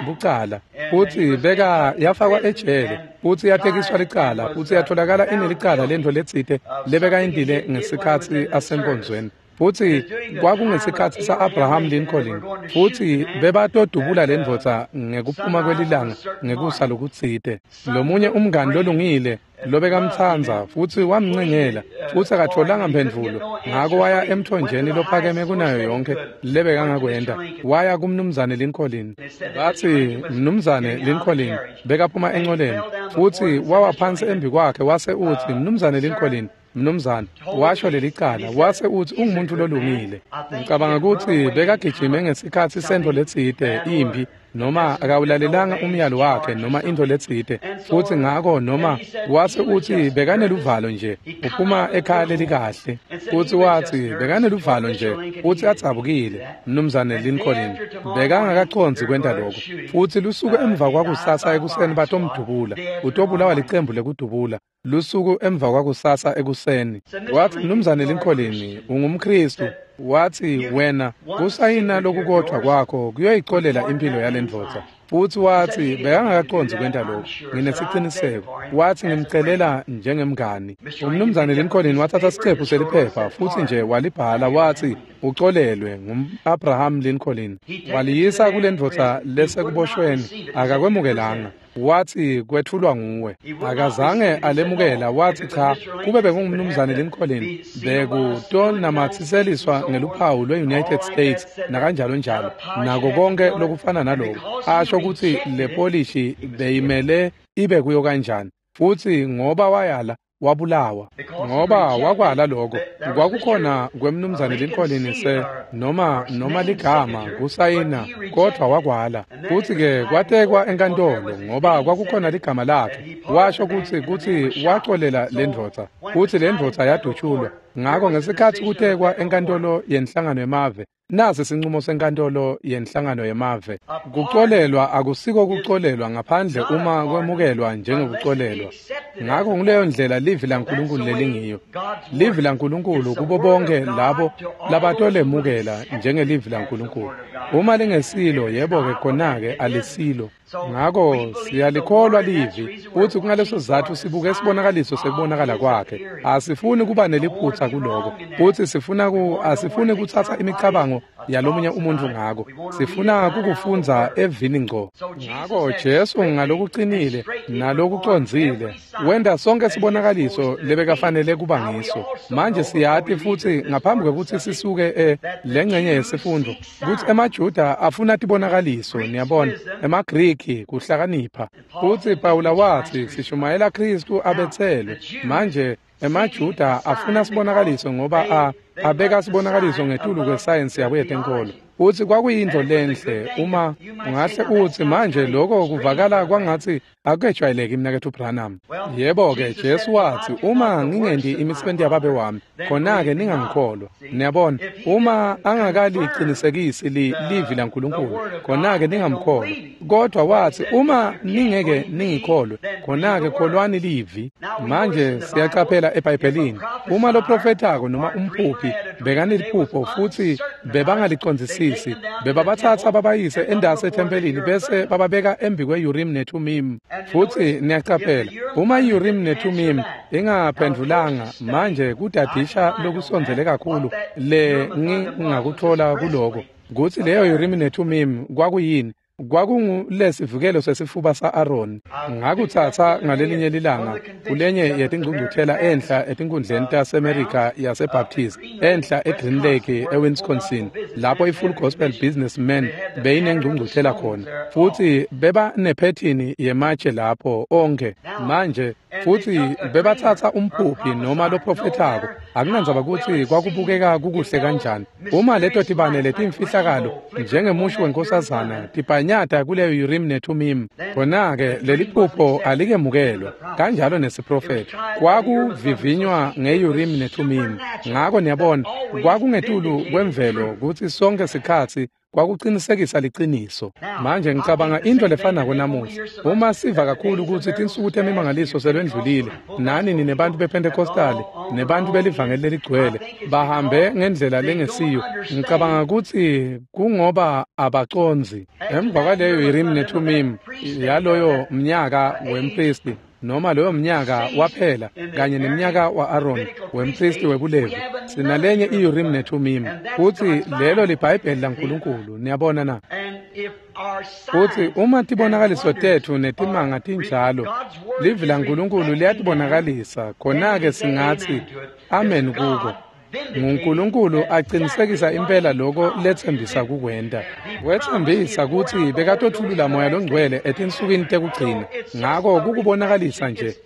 bucala, futsi beka yafakwa ejele, futsi yatekiswa licala, futsi yatholakala inelicala lentfo letsite lebekayentile ngesikhatsi asenkonzweni. Futsi kwakungesikhatsi sa-Abraham Lincoln, futsi bebatodubula lendvodza ngekuphuma kwelilanga ngekusa lokutsite. Lomunye umngani lolungile lobekamtsandza futsi wamncengela, futsi akatfolanga mphendvulo, ngako waya emthonjeni lophakeme kunayo yonke lebekangakwenta, waya kumnumzane Lincoln. Batsi mnumzane Lincoln bekaphuma encoleni, futsi wawa phansi embi kwakhe wase utsi, mnumzane Lincoln, mnumzane, washo lelicala, wase utsi ungumuntu lolungile. Ngicabanga kutsi bekagijime ngesikhatsi sentfo letsite impi, noma akawulalelanga umyalo wakhe noma intfo letsite, futsi ngako noma wase utsi bekaneluvalo nje, uphuma ekhaya lelikahle, futsi watsi bekaneluvalo nje, futsi adzabukile mnumzane Lincoln bekangakacondzi kwenta lokho. Futsi lusuku emva kwakusasa ekuseni batomdubula, utobulawa licembu lekudubula. Lusuku emva kwakusasa ekuseni wathi, mnumzane Lincoln, ungumKristu. Wathi, wena kusayina lokukodvwa kwakho kuyoyicolela impilo yalendvodza. Futsi wathi bekangakacondzi kwenta lokho, nginesiciniseko. Wathi, ngimcelela njengemngani. Umnumzane Lincoln wathatha sicephu seliphepha futsi nje walibhala, wathi ucolelwe ngu-Abraham Lincoln. Waliyisa kulendvodza lesekuboshweni, akakwemukelanga. Wathi kwethulwa nguwe. Akazange alemukela, wathi cha, kube bekungumnumzane Lincoln bekutonamatsiseliswa ngeluphawu lwe-United States nakanjalo njalo, nako konke lokufana naloko, asho kutsi le polishi beyimele ibe kuyo kanjani. Futsi ngoba wayala wabulawa, ngoba wakwala lokho kwakukhona kwemnumzane Lincoln se noma ligama kusayina, kodwa wakwala. Futsi ke kwatekwa enkantolo ngoba kwakukhona ligama lakhe, washo kutsi wacolela lendvodza, futsi lendvodza yadutshulwa. Ngako ngesikhatsi kutekwa enkantolo yenhlangano yemave, nasi sinqumo senkantolo yenhlangano yemave: kucolelwa akusiko kucolelwa ngaphandle uma kwemukelwa njengekucolelwa. Ngako nguleyo ndlela livi laNkulunkulu lelingiyo. Livi laNkulunkulu kubo bonke labo labatolemukela njengelivi laNkulunkulu. Uma lingesilo, yebo-ke khona-ke alisilo. Ngako siyalikholwa livi, futsi kungaleso sizatfu sibuke sibonakaliso sekubonakala kwakhe. Asifuni kuba neliphutsa kuloko, futsi asifuni kutsatsa imicabango yalomunye umuntu ngako. Sifuna kukufundza evini ngco. Ngako Jesu ngalokuqinile nalokucondzile wenta sonke sibonakaliso lebekafanele kuba ngiso. Manje siyati futsi ngaphambi kwekutsi sisuke lengcenye yesifundo kutsi emaJuda afuna tibonakaliso, niyabona, emaGriki kuhlakanipha. Futsi Pawula wathi sishumayela Kristu abethelwe. Manje emaJuda afuna sibonakaliso ngoba abeka sibonakaliso ngetulu kwesayensi yabo yetenkolo. Futsi kwakuyintfo lenhle uma ungahle utsi manje lokho kuvakala kwangatsi akukejwayeleki mnaketfu Branham. Yebo-ke, Jesu wathi uma ngingenti imisebenti yababe wami, khona-ke ningangikholwa. Niyabona, uma angakalicinisekisi livi laNkulunkulu, khona-ke ningamkholwa. Kodwa wathi uma ningeke ningikholwe, khona-ke kholwani livi. Manje siyacaphela eBhayibhelini, uma lo profetako noma umphuphi bekaneliphupho futsi bebangalicondzisisi, bebabathatha babayise endase ethempelini bese bababeka embi kwe-Urim neThumim. Futsi niyacaphela, uma i-Urim neThumim ingaphendvulanga, manje kudadisha lokusondzele kakhulu le ngingakuthola kuloko kutsi leyo Urim neThumim kwakuyini. Kwakungulesivikelo sesifuba sa-Aroni. Ngakutsatsa ngalelinye lilanga kulenye yetingcungcuthela enhla etinkundleni taseMerica yaseBaptist, enhla eGreen Lake eWisconsin, lapho i-Full Gospel Businessmen beyinengcungcuthela khona. Futsi beba nephethini yematshe lapho onke. Manje futsi bebatsatsa umphuphi noma loprofethako, akunandzaba kutsi kwakubukeka kukuhle kanjani. Uma leto tibane letimfihlakalo njengemusho wenkosazana tibhanyata kuleyo Urim neThumim, khona-ke leliphupho alikemukelwa, kanjalo nesiprofetho. Kwakuvivinywa nge-Urim neThumim. Ngako niyabona, kwakungetulu kwemvelo kutsi sonke sikhatsi Kwakucinisekisa liciniso. Manje ngicabanga into lefanako namuhla. Uma siva kakhulu kutsi tinsuku temimangaliso selwendlulile, nani ninebantu bePentecostali nebantu belivangeli leligcwele bahambe ngendlela lengesiyo. Ngicabanga kutsi kungoba abacondzi. Emva kwaleyo Urim neThumim yaloyo mnyaka wempristi, noma loyo mnyaka waphela kanye nemnyaka wa-Aaron wempristi webuLevi, sinalenye i-Urim neThumim, futsi lelo liBhayibheli laNkulunkulu. Niyabona na? Futsi uma tibonakaliso tetfu netimanga tinjalo, livi laNkulunkulu liyatibonakalisa, khona-ke singatsi amen kuko. NguNkulunkulu aqinisekisa impela lokho letsembisa kukwenta. Wetsembisa kutsi bekatotfulula Moya Longcwele etinsukwini tekugcina. Ngako kukubonakalisa nje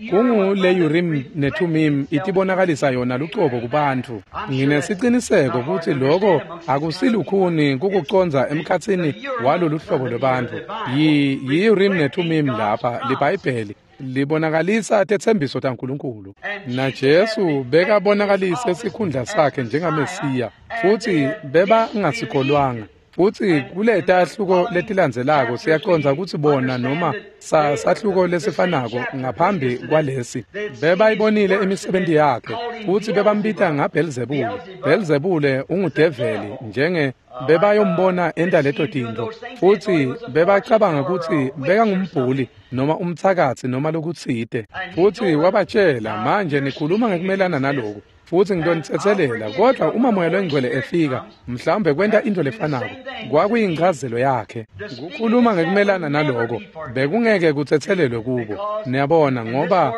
kungule Urim neThumim itibonakalisa yona lucobo kubantfu. Nginesiciniseko kutsi lokho akusilukhuni kukucondza emkhatsini walolu hlobo lwebantfu. Yi-Urim neThumim lapha liBhayibheli libonakalisa tetsembiso taNkulunkulu. NaJesu bekabonakalise sikhundla sakhe njengaMesiya, futsi bebangasikholwanga. Futsi kuletahluko letilandzelako siyacondza kutsi bona noma sahluko lesifanako ngaphambi kwalesi bebayibonile imisebenti yakhe, futsi bebambita ngaBhelzebule. Bhelzebule ungudeveli, njenge bebayombona enta leto tintfo, futsi bebacabanga kutsi bekangumbhuli noma umtsakatsi noma lokutsite. Futsi wabatshela, manje nikhuluma ngekumelana naloku, futsi ngitonitsetselela, kodwa uma Moya Longcwele efika, mhlawumbe kwenta into lefanako. Kwakuyinchazelo yakhe. Kukhuluma ngekumelana naloko bekungeke kutsetselelwe kubo. Niyabona, ngoba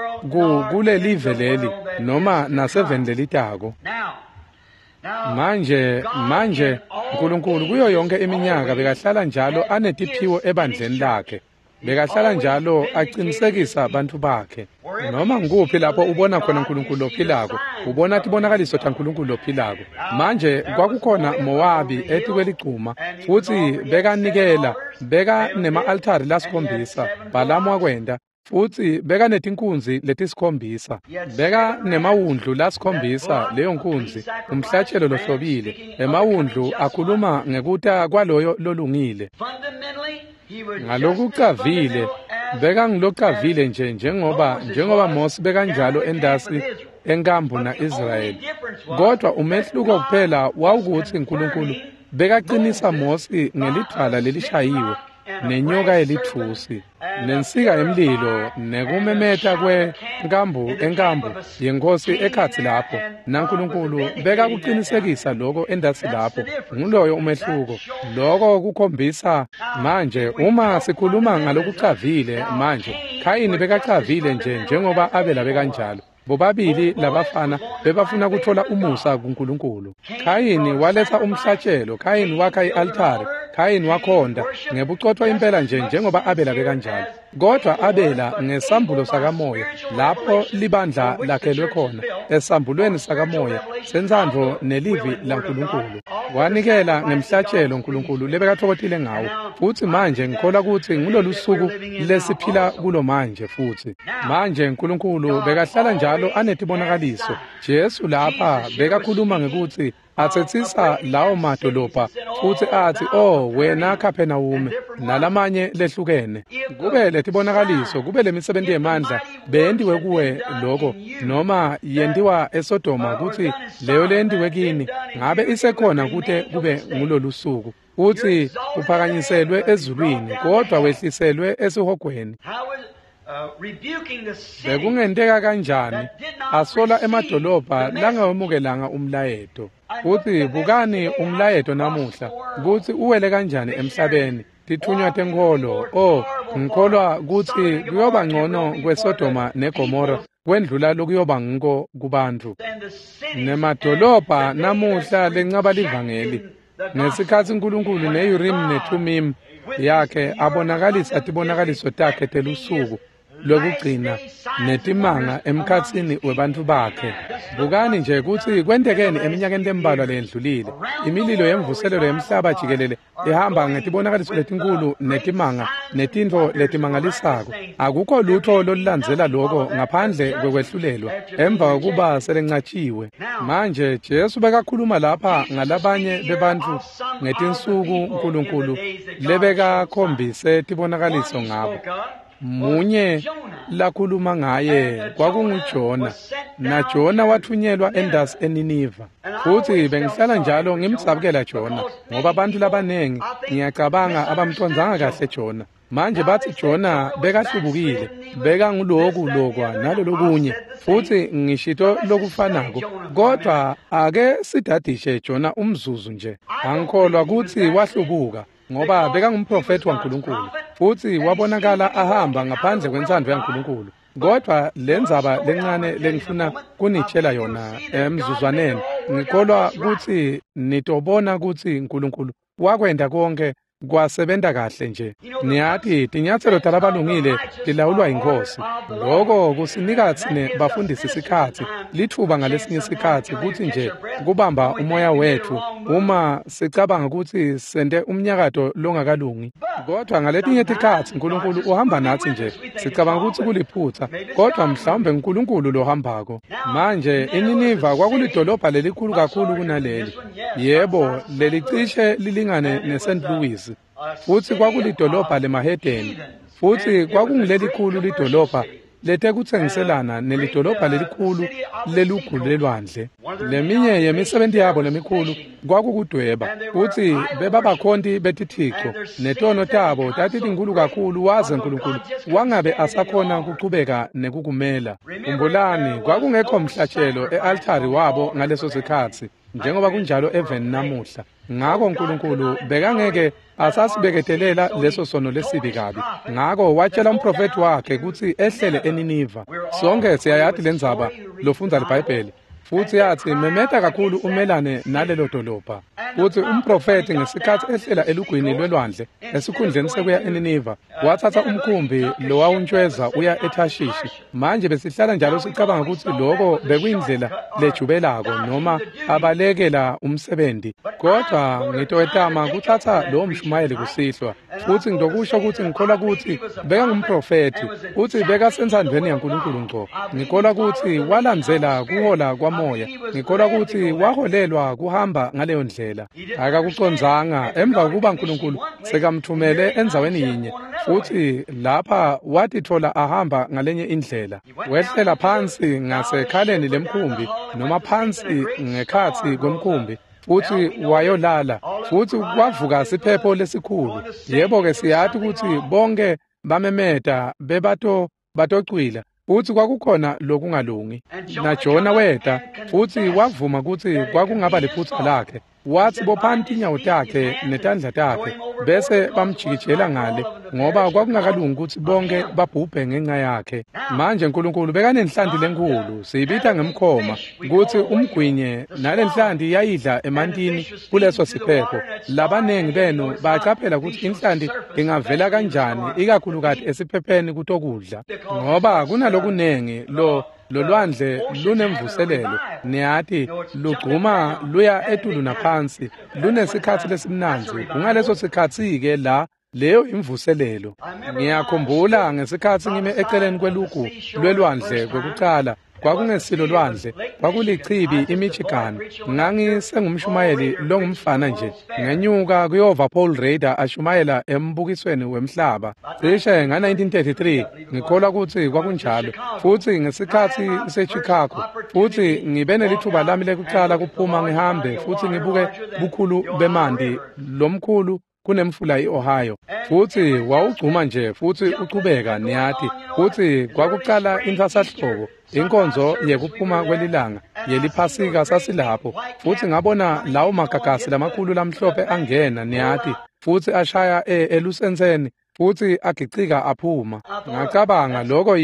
kulelive leli noma naseveni lelitako. Manje uNkulunkulu kuyo yonke iminyaka bekahlala njalo anetiphiwo ebandleni lakhe. Bekahlala njalo aqinisekisa bantu bakhe. Noma ngikuphi lapho ubona khona uNkulunkulu lophilako, ubona tibonakaliso taNkulunkulu lophilako. Manje kwakukhona Mowabi etikweligcuma, futsi bekanikela, beka nema-altari lasikhombisa, Bhalamu wakwenta, futsi beka netinkunzi letisikhombisa, beka nemawundlu lasikhombisa, leyo nkunzi, umhlatshelo lohlobile. Emawundlu akhuluma ngekuta kwaloyo lolungile. Ngalokucavile, bekangilocavile nje njengoba Mose bekanjalo endasi enkambu na-Israyeli. Kodwa umehluko kuphela wawukutsi uNkulunkulu bekaqinisa Mose ngelidvwala lelishayiwe, nenyoka yelitfusi, nensika yemlilo, nekumemeta kwenkambu enkambu yenkosi ekhatsi lapho. NaNkulunkulu bekakuqinisekisa lokho endasi lapho. Nguloyo umehluko. Lokho kukhombisa. Manje uma sikhuluma ngalokucavile manje, Khayini bekacavile nje njengoba Abela bekanjalo. Bobabili labafana bebafuna kuthola umusa kuNkulunkulu. Khayini waletha umhlatshelo, Khayini wakha i-altare, Khayini wakhonda ngebucotfo impela nje njengoba Abela bekanjalo. Kodwa Abela ngesambulo sakamoya, lapho libandla lakhelwe khona, esambulweni sakamoya sentsandvo nelivi laNkulunkulu, wanikela ngemhlatshelo uNkulunkulu lebekatfokotile ngawo. Futsi manje ngikholwa kutsi ngulolu suku lesiphila kulo manje. Futsi manje uNkulunkulu bekahlala njalo anetibonakaliso. Jesu lapha bekakhuluma ngekutsi atsetsisa lawo madolobha, futsi atsi, "Oh wena Kaphenawume," nalamanye lehlukene. Kube letibonakaliso, kube lemisebenti yemandla beyentiwe kuwe lokho, noma yentiwa eSodoma, kutsi leyo leyentiwe kini ngabe isekhona kute kube ngulolu suku. Utsi uphakanyiselwe ezulwini, kodwa wehliselwe esihogweni. Bekungenteka kanjani asola emadolobha langawemukelanga umlayeto? Futsi bukani umlayeto namuhla kutsi uwele kanjani emhlabeni. Tithunywa tenkholo, oh, ngikholwa kutsi kuyoba ngcono kweSodoma neGomora kwendlula lokuyoba ngiko kubantfu. Nemadolobha namuhla lencaba livangeli. Ngesikhatsi uNkulunkulu ne-Urim neThumim yakhe abonakalisa tibonakaliso takhe telusuku, lwekugcina netimanga emkhatsini webantfu bakhe. Bukani nje kutsi kwentekeni eminyakeni lembalwa leyendlulile. Imililo yemvuselelo yemhlaba jikelele ihamba ngetibonakaliso letinkulu netimanga netintfo letimangalisako. Akukho lutho lolulandzela loko ngaphandle kwekwehlulelwa emva kokuba selencatshiwe. Manje Jesu bekakhuluma lapha ngalabanye bebantfu ngetinsuku uNkulunkulu lebekakhombise tibonakaliso ngabo. Munye lakhuluma ngaye kwakunguJona, naJona wathunyelwa endasi eNiniva. Futhi bengihlala njalo ngimdzabukela Jona, ngoba abantu labanengi ngiyacabanga abamcondzanga kahle Jona. Manje bathi Jona bekahlubukile, bekanguloku lokwa nalolokunye, futhi ngishito lokufanako. Kodwa ake sidadishe Jona umzuzu nje. Angikholwa kutsi wahlubuka, ngoba bekangumprofethi waNkulunkulu, futhi wabonakala ahamba ngaphandle kwentsandvo yaNkulunkulu. Kodwa lendzaba lencane lengifuna kunitshela yona emzuzwaneni, ngikholwa kutsi nitobona kutsi uNkulunkulu wakwenta konke kwasebenta kahle nje. Niyati tinyatselo talabalungile tilawulwa yiNkhosi. Loko kusinika tsine bafundisi sikhatsi, litfuba ngalesinye sikhatsi kutsi nje kubamba umoya wetfu uma sicabanga kutsi sente umnyakato longakalungi. Kodwa ngaletinye tikhatsi uNkulunkulu uhamba natsi nje, sicabanga kutsi kuliphutsa, kodwa mhlawumbe uNkulunkulu lohambako. Manje iNiniva kwakulidolobha lelikhulu kakhulu kunaleli. Yebo, lelicishe lilingane neSt. Louis. Futhi kwakulidolobha lemahedeni, futhi kwakungulelikhulu lidolobha letekutsengiselana nelidolobha lelikhulu lelugu lelwandle. Leminye yemisebenti yabo lemikhulu kwakukudweba, futhi bebabakhonti betithixo, netono tabo tatitinkhulu kakhulu waze uNkulunkulu wangabe asakhona kuchubeka nekukumela. Khumbulani, kwakungekho mhlatshelo e-altari wabo ngaleso sikhatsi, njengoba kunjalo eveni namuhla. Ngako uNkulunkulu bekangeke asasibeketelela leso sono lesibi kabi. Ngako watshela umprofethi wakhe kutsi ehlele eNiniva. Sonke siyayati lendzaba lofundza liBhayibheli. Futhi yathi memeta kakhulu umelane nalelo dolobha. Futhi umprofethi ngesikhatsi ehlela elugwini lwelwandle esikhundleni sekuya eNiniva, wathatha umkhumbi lowawuntshweza uya eThashishi. Manje besihlala njalo sicabanga kutsi loko bekuyindlela lejubelako noma abalekela umsebenzi. Kodwa ngitowetama kutsatsa lowo mshumayeli kusihlwa, futhi ngitokusho kutsi ngikholwa kutsi bekangumprofethi, kutsi bekasentsandvweni yaNkulunkulu ngco. Ngikholwa kutsi walandzela kuhola kwamoya. Ngikholwa kutsi waholelwa kuhamba ngaleyo ndlela. Akakucondzanga emva kokuba uNkulunkulu sekamthumele endzaweni yinye, futhi lapha watitfola ahamba ngalenye indlela. Wehlela phansi ngasekhaleni lemkhumbi noma phansi ngekhatsi kwemkhumbi, futhi wayolala, futhi kwavuka siphepho lesikhulu. Yebo-ke siyati kutsi bonke bamemeta bebatocwila, futhi kwakukhona lokungalungi. NaJona weta futhi wavuma kutsi kwakungaba liphutsa lakhe. Wathi bophani tinyawo takhe netandla takhe, bese bamjikijela ngale, ngoba kwakungakalungi kutsi bonke babhubhe ngenxa yakhe. Manje uNkulunkulu bekanenhlanti lenkhulu, siyibita ngemkhoma, kutsi umgwinye, nalenhlanti yayidla emantini kuleso siphepho. Labanengi benu bacaphela kutsi inhlanti ingavela kanjani ikakhulukati esiphepheni kutokudla, ngoba kunalokunengi lolwandle lunemvuselelo, niyati, lugcuma luya etulu naphansi, lunesikhatsi lesimnandzi. Kungaleso sikhatsi-ke la leyo imvuselelo. Ngiyakhumbula ngesikhatsi ngime eceleni kwelugu lwelwandle kwekucala, kwakungesilo lwandle, kwakulichibi iMichigan. Ngangisengumshumayeli longumfana nje, ngenyuka kuyova Paul Rader ashumayela embukisweni wemhlaba cishe nga-1933, ngikholwa kutsi kwakunjalo. Futhi ngesikhatsi seChicago, futhi ngibe nelithuba lami lekucala kuphuma ngihambe futhi ngibuke bukhulu bemanti lomkhulu kunemfula i-Ohio. Futhi wawugcuma nje futhi uchubeka, niyati, futhi kwakucala intsasahlobo, inkonzo yekuphuma kwelilanga yeliphasika sasilapho. Futhi ngabona lawo magagasi lamakhulu lamhlophe angena, niyati, futhi ashaya elusenseni futhi agicika aphuma. Ngacabanga loko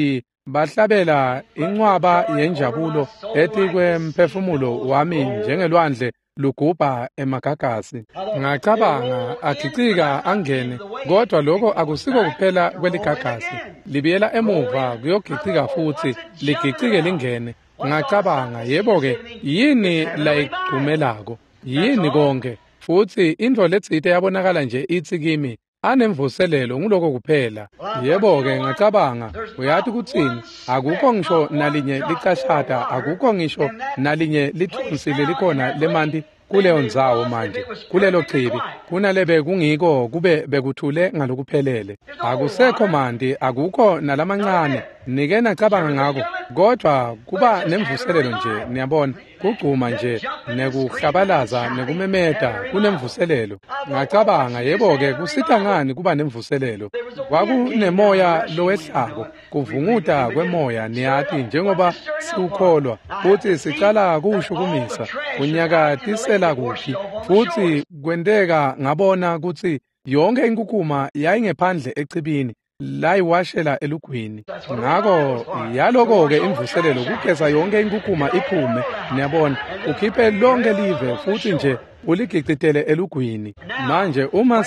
bahlabela incwaba yenjabulo etikwemphefumulo wami njengelwandle lugubha emagagasi. Ngacabanga agicika angene, kodwa lokho akusiko kuphela kweligagasi, libiyela emuva kuyogicika futhi ligicike lingene. Ngacabanga, yebo-ke, yini layigcumelako? Yini konke? Futhi intfo letsite yabonakala nje itsi kimi, anemvuselelo, nguloko kuphela. Yebo-ke, ngacabanga, uyati kutsini? Akukho ngisho nalinye licashata, akukho ngisho nalinye lithunsi lelikhona lemanti kuleyo ndzawo manje, kulelo chibi, kunalebe kungiko kube bekuthule ngalokuphelele. Akusekho manti, akukho nalamancane. Nike nacabanga ngako, kodwa kuba nemvuselelo nje, niyabona, kugcuma nje, nekuhlabalaza, nekumemeta, kunemvuselelo. Ngacabanga, yebo-ke, kusita ngani kuba nemvuselelo? Kwakunemoya lowehlako, kuvunguta kwemoya, niyati, njengoba siwukholwa, futhi sicala kuwushukumisa, kunyakatisela kuphi. Futhi kwenteka ngabona kutsi yonke inkukuma yayingephandle echibini, layiwashela elugwini. Ngako yaloko-ke imvuselelo, kugeza yonke inkukuma iphume, niyabona, ukhiphe lonke live futhi nje uligicitele elugwini. Manje uma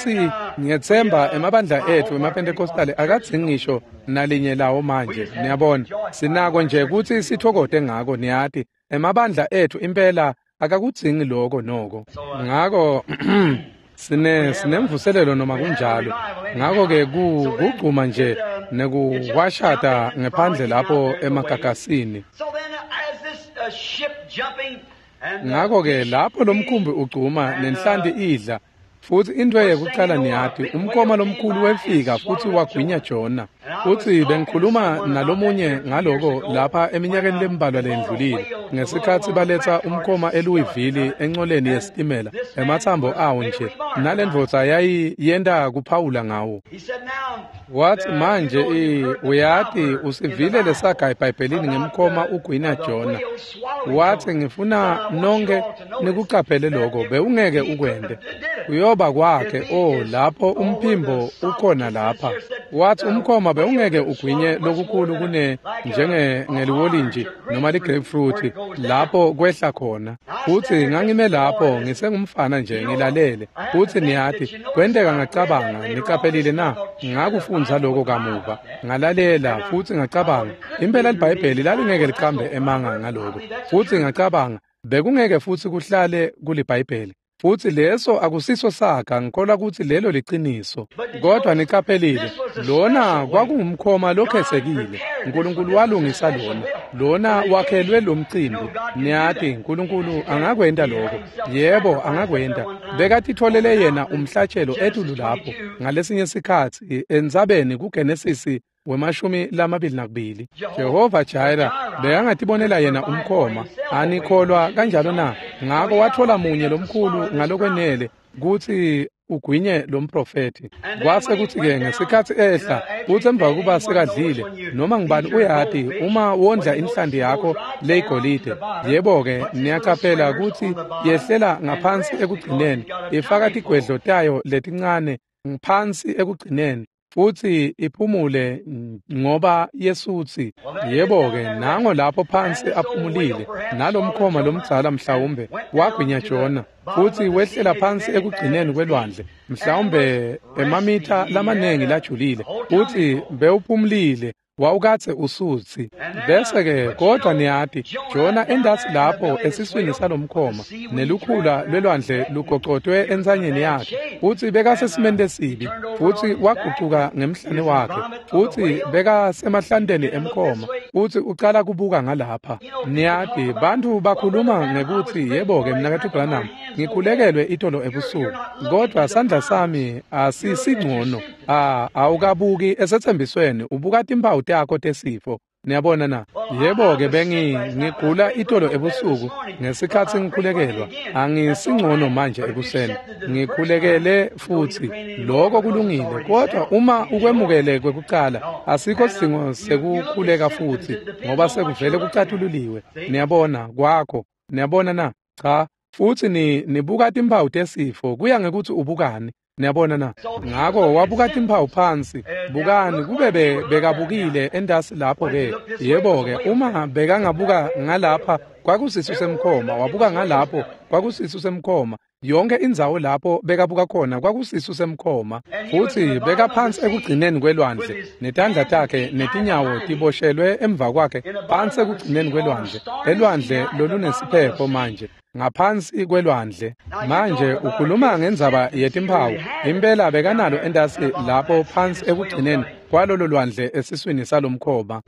ngiyetsemba emabandla ethu emaPentecostali akadzingi ngisho nalinye lawo manje, niyabona, sinako nje kutsi sithokote ngako, niyati, emabandla ethu impela akakudzingi loko noko. Ngako sinemvuselelo noma kunjalo. Ngako-ke kugcuma nje nekuwashata ngephandle lapho emagagasini. Ngako-ke lapho lomkhumbi ugcuma nenhlanti idla, futhi into yekucala niyati, umkhoma lomkhulu wefika futhi wagwinya Jona. Futhi bengikhuluma nalomunye ngaloko lapha eminyakeni lembalwa lendlulile, ngesikhatsi baletsa umkhoma eLouisville encoleni yesitimela, ematsambo awo nje, nalendvodza yayiyenta kuphawula ngawo. Wathi, manje uyati usivile lesaga eBhayibhelini ngemkhoma ugwinya Jona. Wathi, ngifuna nonke nikucaphele lokho, bewungeke ukwente. Kuyoba kwakhe, oh, lapho umphimbo ukhona lapha. Wathi umkhoma bewungeke ugwinye lokukhulu kune njenge ngeliwolintshi noma ligrapefruit lapho kwehla khona. Futhi ngangime lapho ngisengumfana nje ngilalele. Futhi niyati, kwenteka ngacabanga, niqaphelile na? Ngakufundza lokho kamuva. Ngalalela futhi ngacabanga, impela iBhayibheli lalingeke liqambe emanga ngaloko. Futhi ngacabanga, bekungeke futhi kuhlale kuliBhayibheli. Futhi leso akusiso saga, ngikholwa ukuthi lelo liqiniso. Kodwa niqaphelile, lona kwakungumkhoma lokhesekile. uNkulunkulu walungisa lona. Lona wakhelwe lo mcimbi. Niyati, uNkulunkulu angakwenta lokho. Yebo, angakwenta. Bekatitholele yena umhlatshelo etulu lapho ngalesinye sikhatsi entsabeni kuGenesisi 22. Jehova Jireh bekangatibonela yena umkhoma. Anikholwa kanjalo na? Ngako wathola munye lomkhulu ngalokwenele kutsi ugwinye lo mprofethi. Kwase kuthi-ke ngesikhatsi ehla, kutsi emva kokuba sekadlile, noma ngubani uyati, uma wondla inhlanti yakho leyigolide, yebo-ke, niyacaphela kutsi yehlela ngaphansi ekugcineni, ifaka tigwedlo tayo letincane phansi ekugcineni, futhi iphumule ngoba yesutsi. Yebo-ke, nango lapho phansi aphumulile, nalomkhoma lomdzala mhlawumbe wagwinya Jona, futhi wehlela phansi ekugcineni kwelwandle, mhlawumbe emamitha lamaningi lajulile, futhi bewuphumulile, wawukatse usutsi. Bese-ke kodwa niyati, Jona endasi lapho esiswini salomkhoma, nelukhula lwelwandle lugocotwe entsanyeni yakhe, futhi bekasesimeni lesibi, futhi wagucuka ngemhlane wakhe, futhi bekasemahlanteni emkhoma, futhi ucala kubuka ngalapha. Niyati, bantfu bakhuluma ngekuthi, yebo-ke, mnaketfu Branham, ngikhulekelwe itolo ebusuku, kodwa sandla sami asisingcono. Awukabuki esetsembisweni, ubuka timphawu takho tesifo. Niyabona na? Yebo-ke, bengigula itolo ebusuku ngesikhatsi ngikhulekelwa. Angisingcono manje ekuseni. Ngikhulekele futhi. Lokho kulungile, kodwa uma ukwemukele kwekucala, asikho sidingo sekukhuleka futhi, ngoba sekuvele kucatululiwe. Niyabona, kwakho. Niyabona na? Cha, futhi nibuka timphawu tesifo, kuya ngekuthi ubukani. Niyabona na? Ngako wabuka timphawu phansi. Bukani, kube bekabukile endasi lapho ke. Yebo-ke, uma bekangabuka ngalapha Kwakusisu semkhoma, wabuka ngalapho, kwakusisu semkhoma. Yonke indzawo lapho bekabuka khona kwakusisu semkhoma. Futsi bekaphansi ekugcineni kwelwandle, netandla takhe netinyawo tiboshelwe emva kwakhe phansi ekugcineni kwelwandle, elwandle lolunesiphepho manje, ngaphansi kwelwandle. Manje ukhuluma ngendzaba yetimphawu, impela bekanalo entasi lapho phansi ekugcineni kwalolo lwandle esiswini salomkhoba.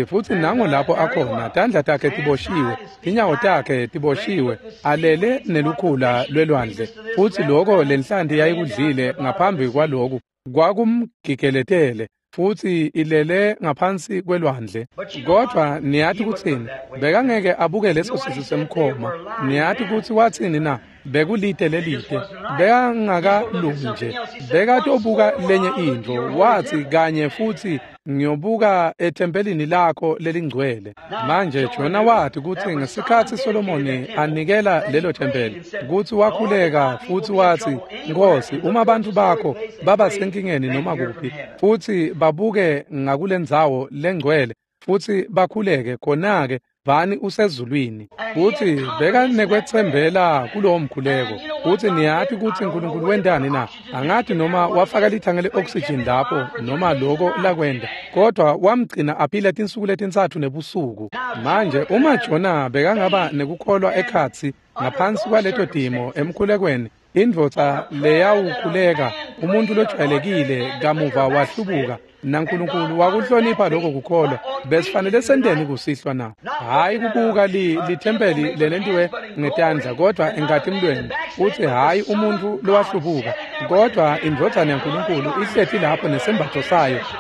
Futsi nango lapho akhona, tandla takhe tiboshiwe, tinyawo takhe tiboshiwe, alele nelukhula lwelwandle. Futsi loko lenhlanti yayikudlile ngaphambi kwaloku kwakumgigeletele, futsi ilele ngaphansi kwelwandle. Kodwa niyati kutsini? Bekangeke abuke leso sisu semkhoma. Niyati kutsi watsini na? Bekulite lelite. Bekangakalungi nje. Bekatobuka lenye intfo. Watsi kanye futsi ngiyobuka ethempelini lakho lelingcwele. Manje Jona wati kutsi ngesikhatsi Solomoni anikela lelo thempeli, kutsi wakhuleka futsi watsi, Nkosi, uma bantfu bakho baba senkingeni noma kuphi, futsi babuke ngakulendzawo lengcwele, futsi bakhuleke, khona-ke vani usezulwini. Futsi bekanekwetsembela kulowo mkhuleko. Futsi niyati kutsi uNkulunkulu wentani na? Angati noma wafaka lithange le-oxygen lapho noma loko lakwenta, kodwa wamgcina aphila tinsuku letintsatfu nebusuku. Manje uma Jona bekangaba nekukholwa ekhatsi ngaphansi kwaleto timo emkhulekweni, indvodza leyawukhuleka, umuntu lojwayelekile kamuva wahlubuka, naNkulunkulu wakuhlonipha lokho kukholwa. Besifanele senteni kusihlwa na? Hhayi kubuka lithempeli lelentiwe ngetandla, kodwa enkatimulweni. Futsi hhayi umuntu lowahlubuka, kodwa indvodzana yaNkulunkulu ihleti lapho nesembatfo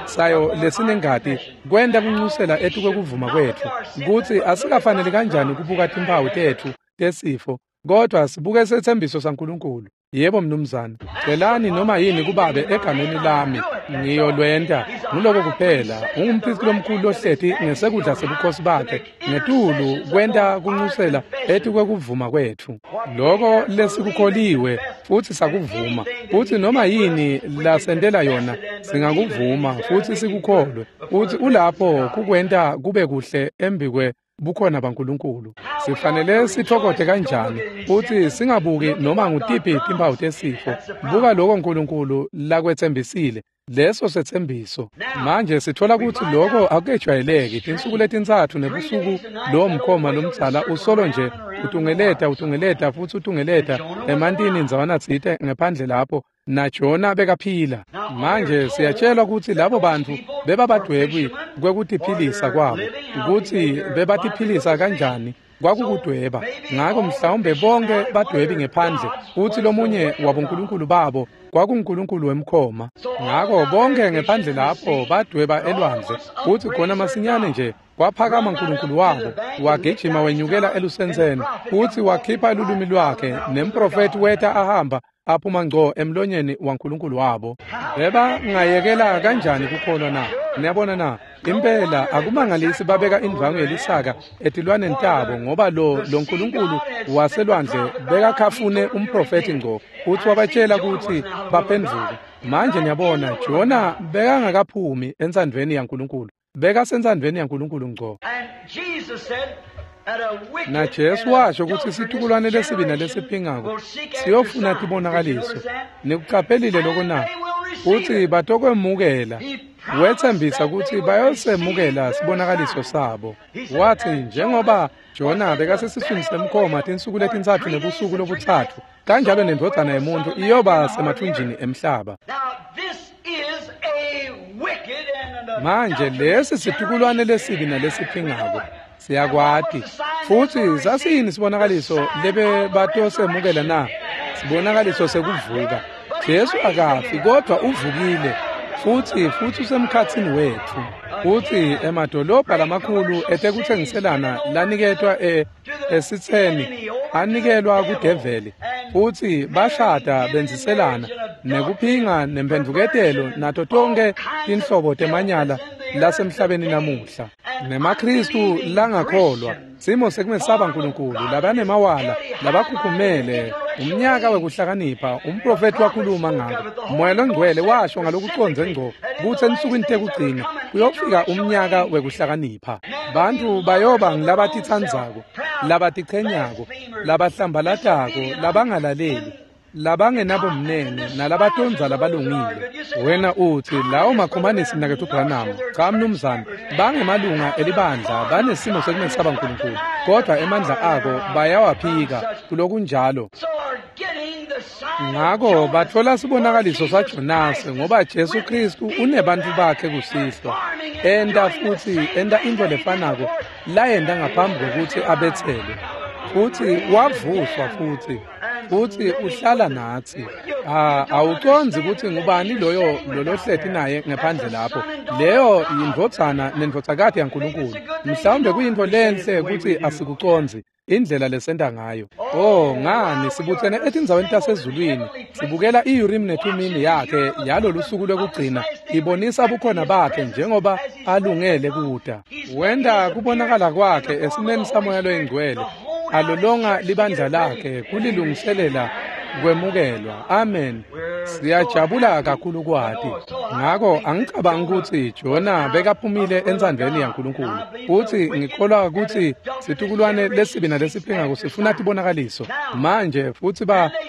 sayo lesinengati, kwenta kuncusela etukwekuvuma kwetfu, kutsi asikafaneli kanjani kubuka timphawu tetfu tesifo, kodwa sibuke setsembiso saNkulunkulu. Yebo mnumzane, celani noma yini kubabe egameni lami, ngiyolwenta. Nguloko kuphela. Ungumphristi lomkhulu lohleti ngesekudla sebukhosi bakhe, ngetulu kwenta kuncusela etukwekuvuma kwetfu. Loko lesikukholiwe futsi sakuvuma, futsi noma yini lasentela yona singakuvuma futsi sikukholwe. Futsi ulapho kukwenta kube kuhle embikwe bukhona baNkulunkulu. Sifanele sithokote kanjani futsi singabuki noma ngutiphi timphawu tesifo. Buka lokho uNkulunkulu lakwetsembisile, leso setsembiso. Manje sithola kutsi lokho akukejwayeleki. Tinsuku letintsatfu nebusuku lowo mkhoma lomdzala usolo nje utungeleta futsi utungeleta emantini ndzawana tsite ngephandle lapho, naJona bekaphila. Manje siyatshelwa kutsi labo bantfu bebabadwebi kwekutiphilisa kwabo, kutsi bebatiphilisa kanjani kwakukudweba. Ngako mhlawumbe bonke badwebi ngephandle, futsi lomunye wabonkulunkulu babo kwakungunkulunkulu wemkhoma. Ngako bonke ngephandle lapho badweba elwandle, futsi khona masinyane nje kwaphakama uNkulunkulu wabo, wagijima wenyukela elusentseni, futsi wakhipha lulwimi lwakhe, nemprofethi weta ahamba aphuma ngco emlonyeni waNkulunkulu wabo. Bebangayekela kanjani kukholwa na? Niyabona na? Impela akumangalisi babeka indvwangu yelisaka etilwaneni tabo, ngoba lo Nkulunkulu waselwandle bekakhafune umprofethi ngco, futsi wabatshela kutsi baphendvuke. Manje niyabona, Jona bekangakaphumi entsandvweni yaNkulunkulu, bekasentsandvweni yaNkulunkulu ngco. NaJesu washo kutsi situkulwane lesibi nalesiphingako siyofuna tibonakaliso. Nikucaphelile loko na? Futsi batokwemukela. Wetsembisa kutsi bayosemukela sibonakaliso sabo. Watsi njengoba Jona bekasesiswini semkhoma tinsuku letintsatfu nebusuku lobutsatfu, kanjalo nendvodzana yemuntfu iyoba semathunjini emhlaba. Manje lesi situkulwane lesibi nalesiphingako siyakwati. Futsi sasiyini sibonakaliso lebebatosemukela na? Sibonakaliso sekuvuka. Jesu akafi, kodwa uvukile, futsi usemkhatsini wetfu. Futsi emadolobha lamakhulu etekutsengiselana laniketwa esitseni anikelwa kudeveli, futsi bashada benziselana nekuphinga nemphendvuketelo nato tonke tinhlobo temanyala lasemhlabeni namuhla. NemaKristu langakholwa, simo sekumesaba uNkulunkulu, labanemawala, labakhukhumele, umnyaka wekuhlakanipha, umprofethi wakhuluma ngako. Moya longcwele washo ngalokucondze ngco kutsi ensukwini tekugcina kuyofika umnyaka wekuhlakanipha. Bantfu bayoba ngilabatitsandzako, labatichenyako, labahlambalatako, labangalaleli, labangenabumnene nalabatondza labalungile. Wena uthi lawo makhomanisi, mnaketfu Branham. Cha mnumzane, bangemalunga elibandla, banesimo sekumesaba Nkulunkulu, kodwa emandla ako bayawaphika kulokunjalo. Ngako batfola sibonakaliso saJonase, ngoba Jesu Kristu unebantfu bakhe kusihlwa, enta futsi enta intfo lefanako layenta ngaphambi kwekutsi abetselwe, futsi wavuswa futsi uhlala natsi. Awucondzi kutsi ngubani loyo lolohleti naye ngephandle lapho. Leyo yindvodzana nendvodzakati yaNkulunkulu. Mhlawumbe kuyintfo lenhle kutsi asikucondzi indlela lesenta ngayo. Oh, ngani sibutsene etindzaweni tasezulwini, sibukela i-Urim neThumimi yakhe yalolu suku lwekugcina ibonisa bukhona bakhe njengoba alungele kuta. Wenta kubonakala kwakhe esimeni saMoya loyiNgcwele, alolonga libandla lakhe kulilungiselela kwemukelwa. Amen. Siyajabula kakhulu kwati. Ngako angicabangi kutsi Jona bekaphumile entsandvweni yaNkulunkulu. Futsi ngikholwa kutsi situkulwane lesibi nalesiphingako sifuna tibonakaliso. Manje futsi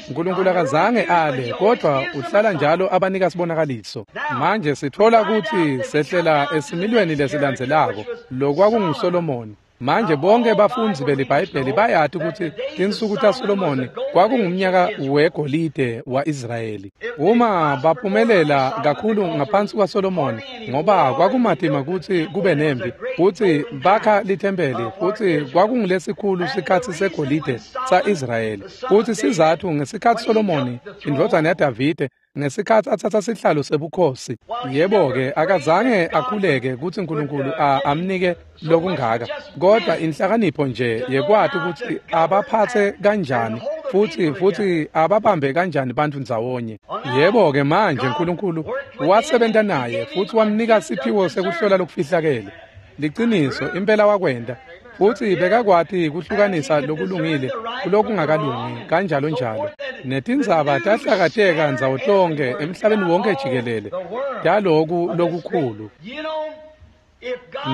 Nkulunkulu akazange ale, kodwa uhlala njalo abanika sibonakaliso. Manje sitfola kutsi sehlela esimilweni lesilandzelako, lokwakunguSolomoni. Manje bonke bafundzi beliBhayibheli bayati kutsi tinsuku taSolomoni kwakungumnyaka wegolide wa-Israyeli. Uma baphumelela kakhulu ngaphansi kwaSolomoni, ngoba kwakumatima kutsi kube nempi, futsi bakha lithempeli, futsi kwakungulesikhulu sikhatsi segolide sa-Israyeli. Futsi sizatfu ngesikhatsi Solomoni, indvodzana yaDavide, ngesikhatsi atsatsa sihlalo sebukhosi, yebo-ke akazange akhuleke kutsi Nkulunkulu amnike lokungaka, kodwa inhlakanipho nje yekwati kutsi abaphatse kanjani futsi ababambe kanjani bantfu ndzawonye. Yebo-ke manje Nkulunkulu wasebenta naye futsi wamnika siphiwo sekuhlola lokufihlakele. Liciniso impela wakwenta, futsi bekakwati kuhlukanisa lokulungile kulokungakalungi kanjalo njalo. Netindzaba tahlakateka ndzawo tonke emhlabeni wonke jikelele taloku lokukhulu.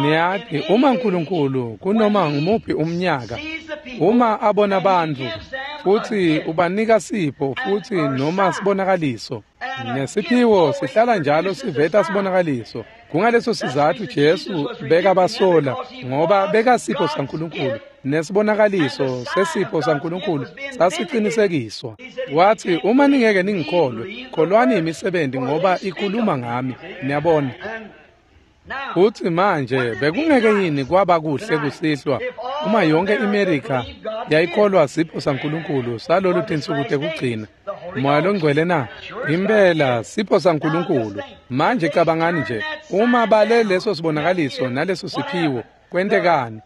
Niyati, uma Nkulunkulu kunoma ngumuphi umnyaka, uma abona bantfu futsi ubanika sipho futsi noma sibonakaliso, nesiphiwo sihlala njalo siveta sibonakaliso. Kungaleso sizatfu Jesu bekabasola, ngoba bekasipho saNkulunkulu, nesibonakaliso sesipho saNkulunkulu sasicinisekiswa. Wathi, uma ningeke ningikholwe, kholwani imisebenti ngoba ikhuluma ngami. Niyabona? Futsi manje bekungeke yini kwaba kuhle kusihlwa uma yonke iMerika yayikholwa sipho saNkulunkulu salolu tinsuku tekugcina, Moya loNgcwele na? Impela sipho saNkulunkulu. Manje cabangani nje, uma bale leso sibonakaliso naleso siphiwo, kwentekani?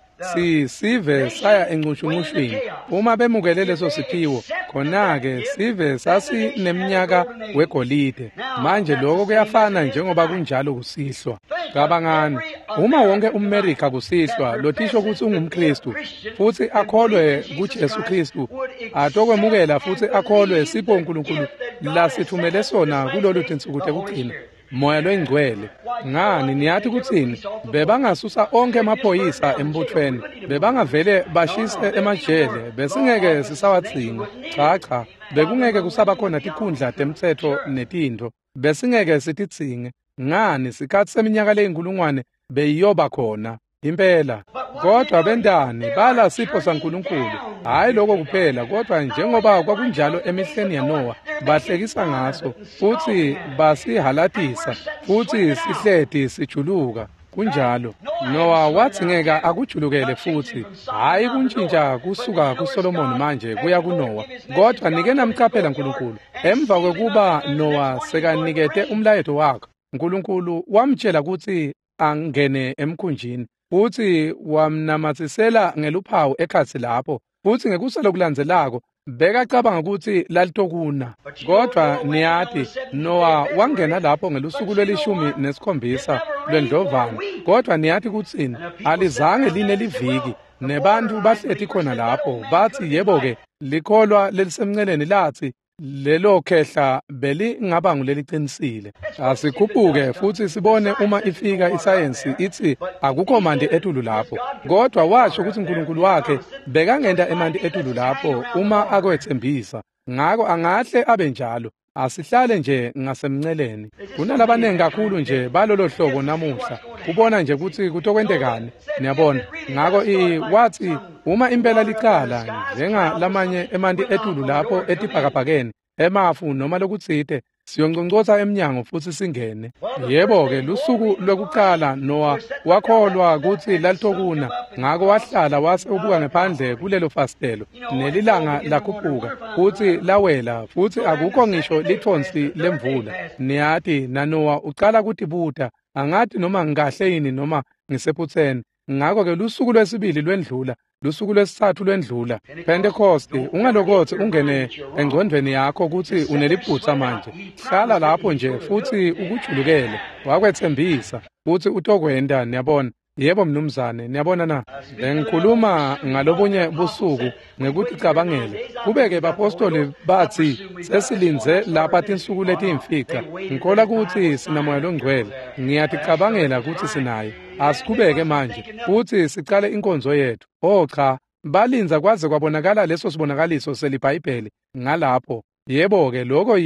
Sive saya encushuncushwini. Uma bemukele leso siphiwo, khona-ke sive sasineminyaka wegolide. Manje lokho kuyafana njengoba kunjalo kusihlwa. Cabangani, uma wonke umMerika kusihlwa lotisho kutsi ungumKristu futsi akholwe kuJesu Kristu, atokwemukela futsi akholwe sipho uNkulunkulu lasithumele sona kulolu tinsuku tekugcina, Moya loyiNgcwele. Ngani, niyati kutsini? Bebangasusa onke emaphoyisa embuthweni, bebangavele bashise emajele, besingeke sisawadzinga. Cha cha, bekungeke kusaba khona tikhundla temtsetfo netintfo, besingeke sitidzinge. Ngani, sikhatsi seminyaka leyinkulungwane beyiyoba khona impela. Kodwa bentani? Bala sipho saNkulunkulu. Hhayi lokho kuphela, kodwa njengoba kwakunjalo emihleni yaNowa, bahlekisa ngaso futsi basihalatisa, futsi sihleti sijuluka. Kunjalo. Nowa wadzingeka akujulukele futsi, hhayi kuntjintja kusuka kuSolomoni manje kuya kuNowa. Kodwa nike namcaphela Nkulunkulu, emva kwekuba Nowa sekanikete umlayeto wakhe, Nkulunkulu wamtjela kutsi angene emkhunjini, futsi wamnamatsisela ngeluphawu ekhatsi lapho, futsi ngekusa lokulandzelako bekacabanga kutsi lalitokuna. Kodwa niyati, Nowa wangena lapho ngelusuku lwe-17 lwendlovana. Kodwa niyati kutsini? Alizange line liviki, nebantfu bahleti khona lapho bathi, yebo-ke, likholwa lelisemnceleni latsi, Lelo khehla belingaba nguleliqinisile. Asikhuphuke futhi sibone uma ifika isayensi ithi akukho manti etulu lapho. Kodwa washo ukuthi uNkulunkulu wakhe bekangenta emanti etulu lapho uma akwethembisa. Ngako angahle abe njalo. Asihlale nje ngasemnceleni. Kunalabanengi kakhulu nje balolo hlobo namuhla. Kubona nje ukuthi kutokwentekani. Niyabona. Ngako wathi uma impela liqala njengalamanye emanti etulu lapho etibhakabhakeni, emafu noma lokutsite, siyonconcotsa emnyango futhi singene. Yebo-ke lusuku lwekuqala Noah wakholwa kutsi lalitokuna, ngako wahlala wase ubuka ngephandle kulelo fasitelo, nelilanga lakhuphuka futsi lawela futhi akukho ngisho lithonsi lemvula. Niyati naNoah ucala kutibuta, angati noma ngikahle yini noma ngisephutseni. Ngako-ke lusuku lwesibili lwendlula, lusuku lwesithathu lwendlula. Pentecost, ungalokothi ungene engcondvweni yakho kutsi uneliphutsa manje. Hlala lapho nje futhi ukujulukele. Wakwethembisa futhi utokwenta, niyabona. Yebo mnumzane, niyabona na? Bengikhuluma ngalobunye busuku ngekuticabangela. Kube-ke bapostoli bathi sesilindze lapha tinsuku letiyimfica. Ngikholwa kutsi sinamoya longcwele. Ngiyaticabangela kutsi sinaye. Asikhubeke manje futhi sicale inkonzo yethu. Oh cha, balindza kwaze kwabonakala leso sibonakaliso seliBhayibheli ngalapho. Yebo-ke lokho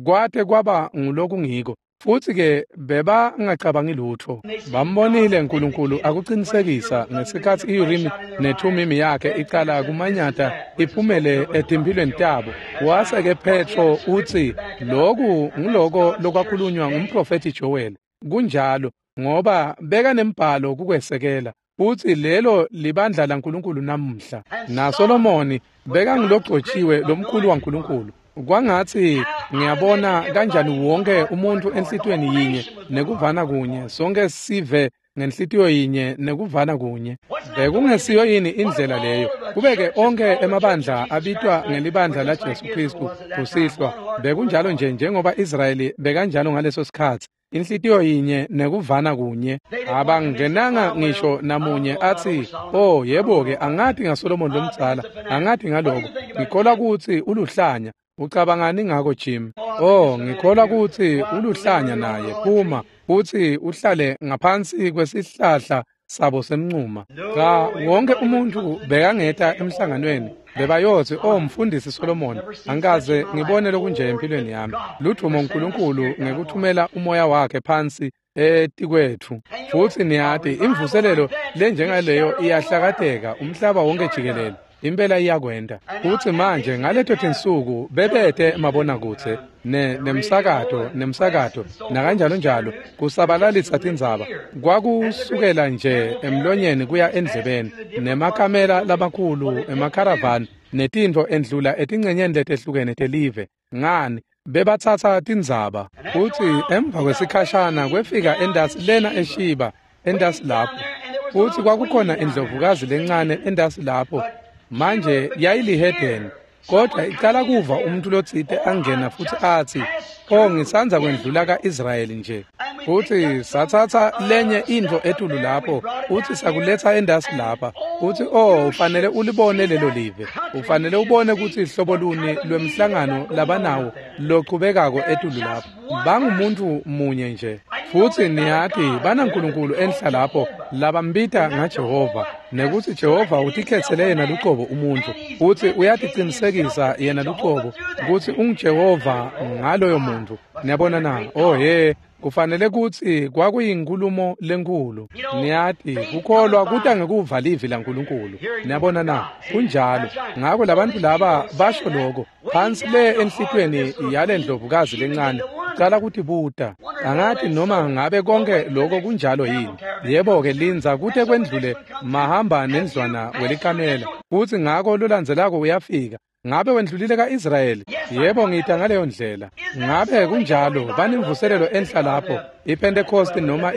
kwate kwaba ngulokungiko. Futhi-ke bebangacabangi lutho. Bambonile uNkulunkulu akuqinisekisa ngesikhathi iUrimi neThumimi yakhe icala kumanyata iphumele etimphilweni tabo. Wase-ke Petro utsi loku nguloko lokwakhulunywa ngumprofethi Joel. Kunjalo ngoba bekanembhalo kukwesekela. Futhi lelo libandla laNkulunkulu namuhla. NaSolomoni bekangilogcotshiwe lomkhulu waNkulunkulu. Kwangathi ngiyabona kanjani wonke umuntu enhlitiyweni yinye nekuvana kunye, sonke sive ngenhlitiyo yinye nekuvana kunye. Bekungesiyo yini indlela leyo? Kube-ke onke emabandla abitwa ngelibandla laJesu Kristu kusihlwa. Bekunjalo nje njengoba Israyeli bekanjalo ngaleso sikhatsi. Inhlitiyo yinye nekuvana kunye. Abangenanga ngisho namunye athi, oh yebo-ke angati ngaSolomon lomdzala, angati ngaloko. Ngikholwa kutsi uluhlanya. Ucabangani ngako Jim? Oh, ngikholwa kutsi uluhlanya naye. Phuma futhi uhlale ngaphansi kwesihlahla sabo semncuma. Cha, wonke umuntu bekangeta emhlanganweni bebayotsi, oh mfundisi Solomon, angikaze ngibone lokunje empilweni yami. Ludvumo uNkulunkulu ngekuthumela umoya wakhe phansi etikwethu. Futhi niyati imvuselelo lenjengaleyo iyahlakateka umhlaba wonke jikelele. Impela iyakwenta. Futhi manje ngaleto tinsuku bebete mabonakudze nemsakato nakanjalo njalo kusabalalisa tindzaba. Kwakusukela nje emlonyeni kuya endlebeni nemakamela lamakhulu emakharavani netintfo endlula etincenyeni letehlukene telive. Ngani bebatsatsa tindzaba. Futhi emva kwesikhashana kwefika endasi lena eShiba, endasi lapho. Futhi kwakukhona indlovukazi lencane endasi lapho. Manje yayilihedeni, kodwa icala kuva umuntu lotsite angena futhi athi, oh ngisandza kwendlula ka-Israyeli nje. Futhi sathatha lenye intfo etulu lapho, futhi sakuletha endasi lapha. Futhi oh ufanele ulibone lelo live. Ufanele ubone kutsi hlobo luni lwemhlangano labanawo lochubekako etulu lapho. Bangumuntu munye nje. Futhi niyati banaNkulunkulu enhla lapho labambita ngaJehova, nekuthi Jehova utikhetsele yena lucobo umuntfu, futhi uyatiqinisekisa yena lucobo kutsi unguJehova ngaloyo muntu. Niyabona na? Oh he, kufanele kutsi kwakuyinkulumo lenkulu. Niyati kukholwa kuta ngekuva livi laNkulunkulu. Niyabona na? Kunjalo. Ngako labantu laba basho lokho phansi le enhlitiyweni yale ndlovukazi lencane. Cala kutibuta, angati noma ngabe konke lokho kunjalo yini. Yebo-ke lindza kute kwendlule mahamba nendlwana welikamela. Futhi ngako lolandzelako uyafika. Ngabe wendlulile ka-Israyeli? Yebo, ngita ngaleyo ndlela. Ngabe kunjalo banemvuselelo enhla lapho, iPentecost noma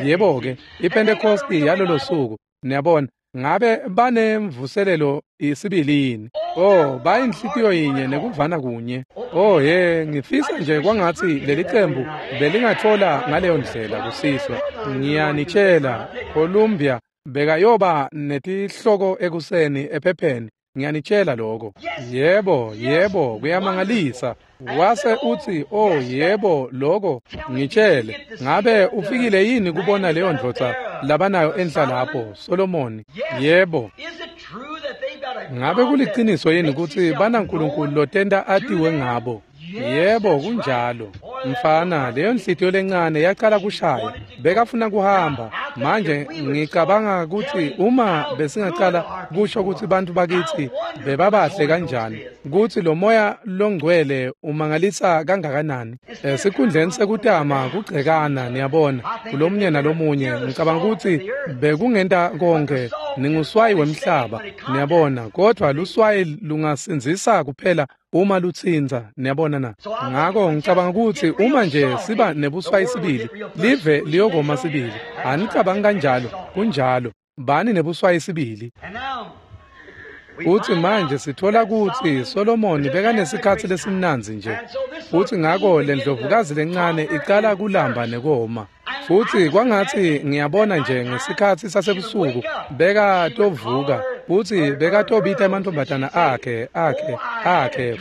yebo-ke, iPentecost yalolo suku. Niyabona, ngabe banemvuselelo isibili yini? Oh, bayinhlitiyo yinye nekuvana kunye. Oh he, ngifisa nje kwangatsi leli cembu belingathola ngaleyo ndlela kusihlwa. Ngiyanitshela, Columbia bekayoba netihloko ekuseni ephepheni. Ngiyanitshela lokho. Yebo, yebo, kuyamangalisa. Wase uthi, "Oh yebo, lokho ngitshele. Ngabe ufikile yini kubona leyo ndvodza labanayo enhla lapho, Solomoni?" Yebo. Ngabe kuliciniso yini kutsi banaNkulunkulu lotenta atiwe ngabo? Yebo, kunjalo. Mfana, leyo nhliziyo lencane yaqala kushaya. Bekafuna kuhamba. Manje ngicabanga kutsi uma besingaqala kusho kutsi bantfu bakitsi bebabahle kanjani, kutsi lo moya longcwele umangalisa kangakanani. Esikhundleni sekutama kugcekana, niyabona, kulomunye nalomunye, ngicabanga kutsi bekungenta konke. Ninguswayi wemhlaba, niyabona, kodvwa luswayi lungasindzisa kuphela uma lutsintsa, niyabona na. Ngako ngicabanga kutsi uma nje siba nebuswayi sibili, live liyokoma sibili. Anicabangi kanjalo? Kunjalo. Bani nebuswayi sibili. Futsi manje sithola kutsi Solomoni bekanesikhatsi lesimnandzi nje. Futsi ngako le ndlovukazi lencane icala kulamba nekoma. Futsi kwangatsi ngiyabona nje ngesikhatsi sasebusuku bekatovuka futsi bekatobita emantfombatana akhe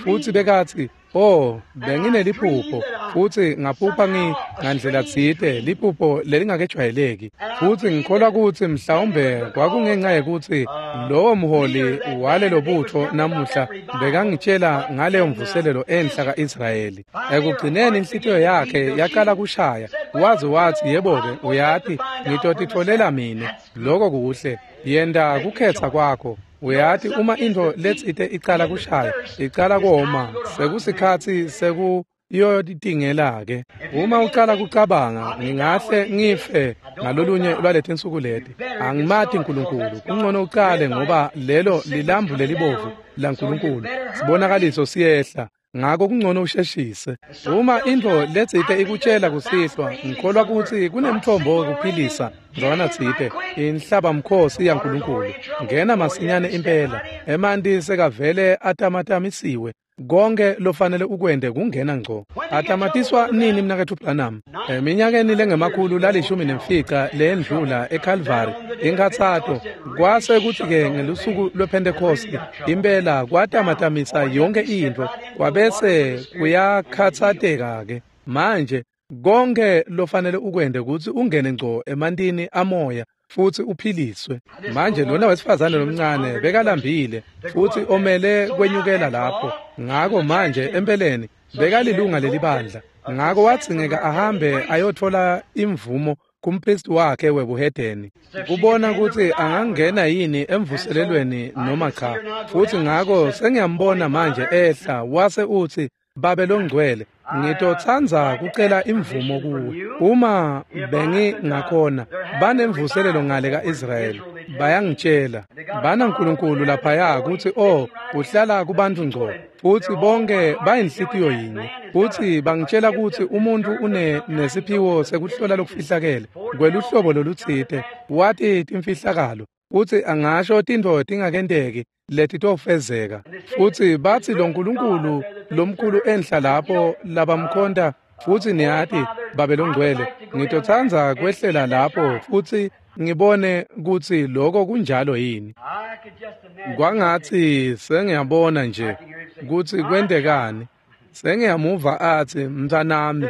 futsi bekatsi, "Oh, bengineliphupho futsi ngaphupha ngandlela tsite liphupho lelingakejwayeleki." Futsi ngikholwa kutsi mhlawumbe kwakungenxa yekutsi lowo mholi walelo butfo namuhla bekangitshela ngaleyo mvuselelo enhla ka-Israyeli. Ekugcineni inhlitiyo yakhe yaqala kushaya. Waze watsi, "Yebo-ke, uyati, ngitotitfolela mine." Loko kuhle. Yenta kukhetsa kwakho. Uyati, uma intfo letsite icala kushaya, icala koma, sekusikhatsi sekuyotingela-ke. Uma ucala kucabanga, ngingahle ngife ngalolunye lwaletinsuku leti. Angimati Nkulunkulu. Kungcono ucale ngoba lelo lilambu lelibovu laNkulunkulu. Sibonakaliso siyehla. Ngako kungcono usheshise. Uma intfo letsite ikutshela kusihlwa, ngikholwa kutsi kunemthombo wekuphilisa ndzawana tsite, inhlabamkhosi yaNkulunkulu. Ngena masinyane impela. Emanti sekavele atamatamisiwe. Konke lofanele ukwente kungena ngco. Atamatiswa nini, mnaketfu Branham? Eminyakeni lengemakhulu lalishumi nemfica leyendlula eCalvary, inkhatsato. Kwase kutsi-ke ngelusuku lwePhentekhosti, impela kwatamatamisa yonke intfo, kwabese kuyakhatsateka-ke. Manje konke lofanele ukwente kutsi ungene ngco emantini amoya futsi uphiliswe. Manje lona wesifazane lomncane bekalambile futsi omele kwenyukela lapho. Ngako manje empeleni bekalilunga lelibandla. Ngako wadzingeka ahambe ayotfola imvumo kumpristi wakhe webuhedeni kubona kutsi angangena yini emvuselelweni noma cha. Futsi ngako sengiyambona manje ehla wase utsi, "Babe longcwele, ngitotsandza kucela imvumo kuwe. Uma bengingakhona, banemvuselelo ngale ka-Israyeli. Bayangitshela, banaNkulunkulu laphaya kutsi oh, uhlala kubantu ngco, futsi bonke bayinhlitiyo yinye. Futsi bangitshela kutsi umuntfu une nesiphiwo sekuhlola lokufihlakele kweluhlobo lolutsite, wati timfihlakalo, futsi angasho tintfo tingakenteki letitofezeka. Futsi batsi lo Nkulunkulu lomkhulu enhla lapho labamkhonta, futsi niyati, Babe longcwele, ngitotsandza kwehlela lapho futsi ngibone kutsi lokho kunjalo yini." Kwangatsi sengiyabona nje kutsi kwentekani. Sengiyamuva atsi, "Mntfwanami,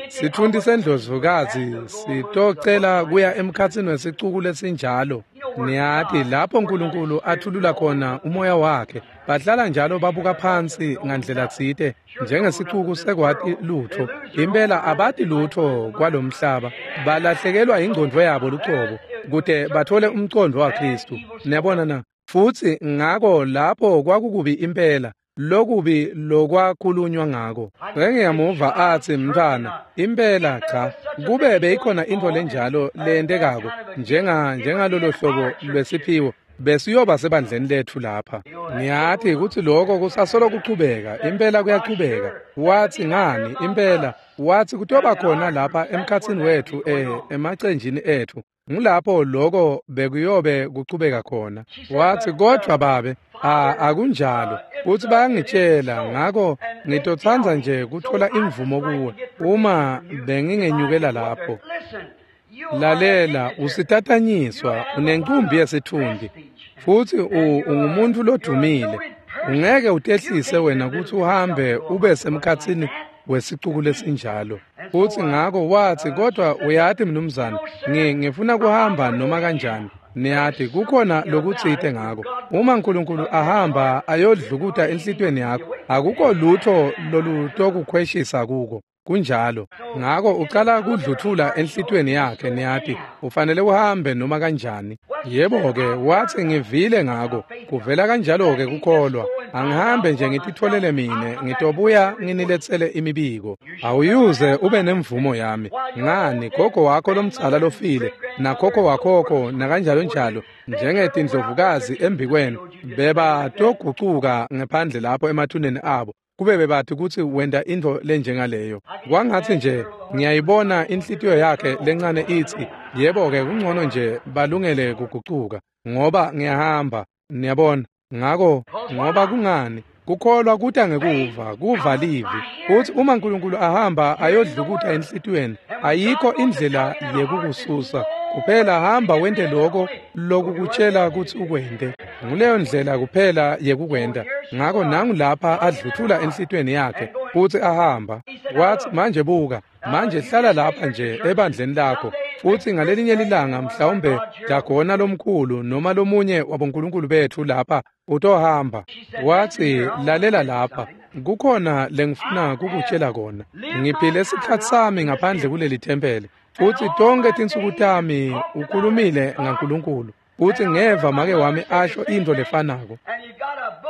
sitfunti sendlovukazi sitocela kuya emkhatsini wesicuku lesinjalo. Niyati, lapho Nkulunkulu athulula khona umoya wakhe, bahlala njalo babuka phansi ngandlela tsite njengesicuku sekwati lutfo. Impela abati lutfo kwalomhlaba. Balahlekelwa ingcondvo yabo lucobo kute bathole umcondvo waKhristu. Niyabona na? Futsi ngako lapho kwakukubi impela, lokubi lokwakhulunywa ngako. Sengiyamuva atsi, 'Mntfwana, impela cha. Kube beyikhona intfo lenjalo leyentekako njengalolo hlobo lwesiphiwo, besiyoba sebandleni letfu lapha. Niyati kutsi loko kusasolo kuchubeka, impela kuyachubeka.' Watsi, 'Ngani, impela, watsi kutoba khona lapha emkhatsini wetfu emacenjini etfu. Ngulapho loko bekuyobe kuchubeka khona.' Watsi, 'Kodvwa babe, akunjalo. Futsi bayangitshela, ngako ngitotsandza nje kutfola imvumo kuwe, uma bengingenyukela lapho.' Lalela, usitatanyiswa, unencumbi yesitfunti. Futhi ungumuntu lodumile. Ungeke utehlise wena ukuthi uhambe ube semkhatsini wesicuku lesinjalo. Futhi ngakho wathi, kodwa uyathi mnumzane, ngifuna kuhamba noma kanjani. Niyathi kukhona lokutsite ngako. Uma uNkulunkulu ahamba ayodlukuta enhlitweni yakho, akukho lutho lolutokukhweshisa kuko. Kunjalo. Ngako ucala kudluthula enhlitweni yakhe, niyathi ufanele uhambe noma kanjani. Yebo-ke, wathi ngivile ngako. Kuvela kanjalo-ke kukholwa. Angihambe nje ngititholele mine, ngitobuya nginiletsele imibiko. Awuyuze ube nemvumo yami. Ngani, gogo wakho lomdzala lofile, nakhokho wakhokho, nakanjalo njalo, njengetindlovukazi embikwenu, beba togucuka ngephandle lapho emathuneni abo. Kube bebathi kutsi wenta intfo lenjengaleyo. Kwangatsi nje ngiyayibona inhlitiyo yakhe lencane itsi, yebo-ke kungcono nje balungele kugucuka, ngoba ngiyahamba, niyabona. Ngako ngoba kungani? Kukholwa kuta ngekuva, kuva livi. Futsi uma uNkulunkulu ahamba ayodlukuta enhlitiyweni, ayikho indlela yekukususa. Kuphela hamba wente lokho lokukutshela kutsi ukwente. Nguleyo ndlela kuphela yekukwenta. Ngako nangu lapha adluthula enhlitiyweni yakhe futsi ahamba. Wathi, manje buka, manje hlala lapha nje ebandleni lakho. Futsi ngalelinye lilanga mhlawumbe Dagona lomkhulu noma lomunye wabonkulunkulu bethu lapha utohamba. Wathi, lalela lapha, kukhona lengifuna kukutshela kona. Ngiphile isikhatsi sami ngaphandle kuleli thempeli. Futsi tonke tinsuku tami ukhulumile ngaNkulunkulu. Futsi ngeva make wami asho intfo lefanako.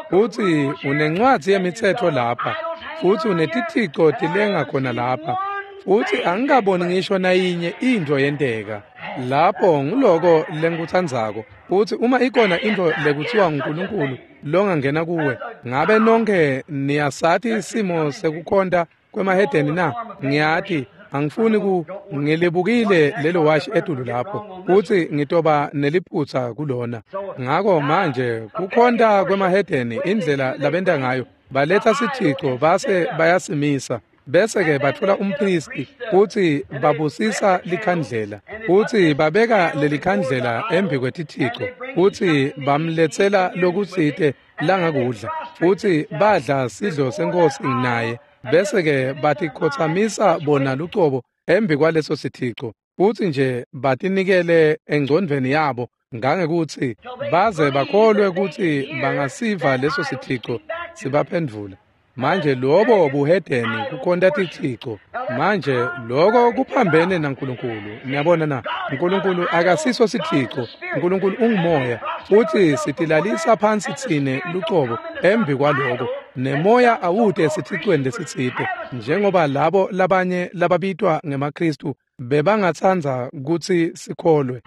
Futsi unencwadzi yemitsetfo lapha. Futsi unetithico tilenga khona lapha. Futsi angikaboni ngisho nayinye intfo yenteka. Lapho nguloko lengikutsandzako. Futsi uma ikhona intfo lekutsiwa nguNkulunkulu longangena kuwe, ngabe nonke niyasati isimo sekukhonta kwemahedeni na? Ngiyati. Angifuni ngilibukile lelo washi etulu lapho, futsi ngitoba neliphutsa kulona. Ngako manje kukhonta kwemahedeni indlela labenta ngayo, baletha sithico base bayasimisa. Bese-ke batfola umpristi futsi babusisa likhandlela, futsi babeka lelikhandlela embi kwetithico, futsi bamletsela lokutsite langakudla, futsi badla sidlo senkosi naye. Bese-ke batikhotsamisa bona lucobo embi kwaleso sithico, futsi nje batinikele engcondvweni yabo ngangekutsi baze bakholwe kutsi bangasiva leso sithico sibaphendvula. Manje lobo buhedeni kukhonta tithico. Manje lokho kuphambene naNkulunkulu. Niyabona na? uNkulunkulu akasiso sithico. uNkulunkulu ungumoya, futsi sitilalisa phansi tsine lucobo embi kwaloko. Nemoya awute esithicweni lesitsite, njengoba labo labanye lababitwa ngemaKristu bebangatsandza kutsi sikholwe.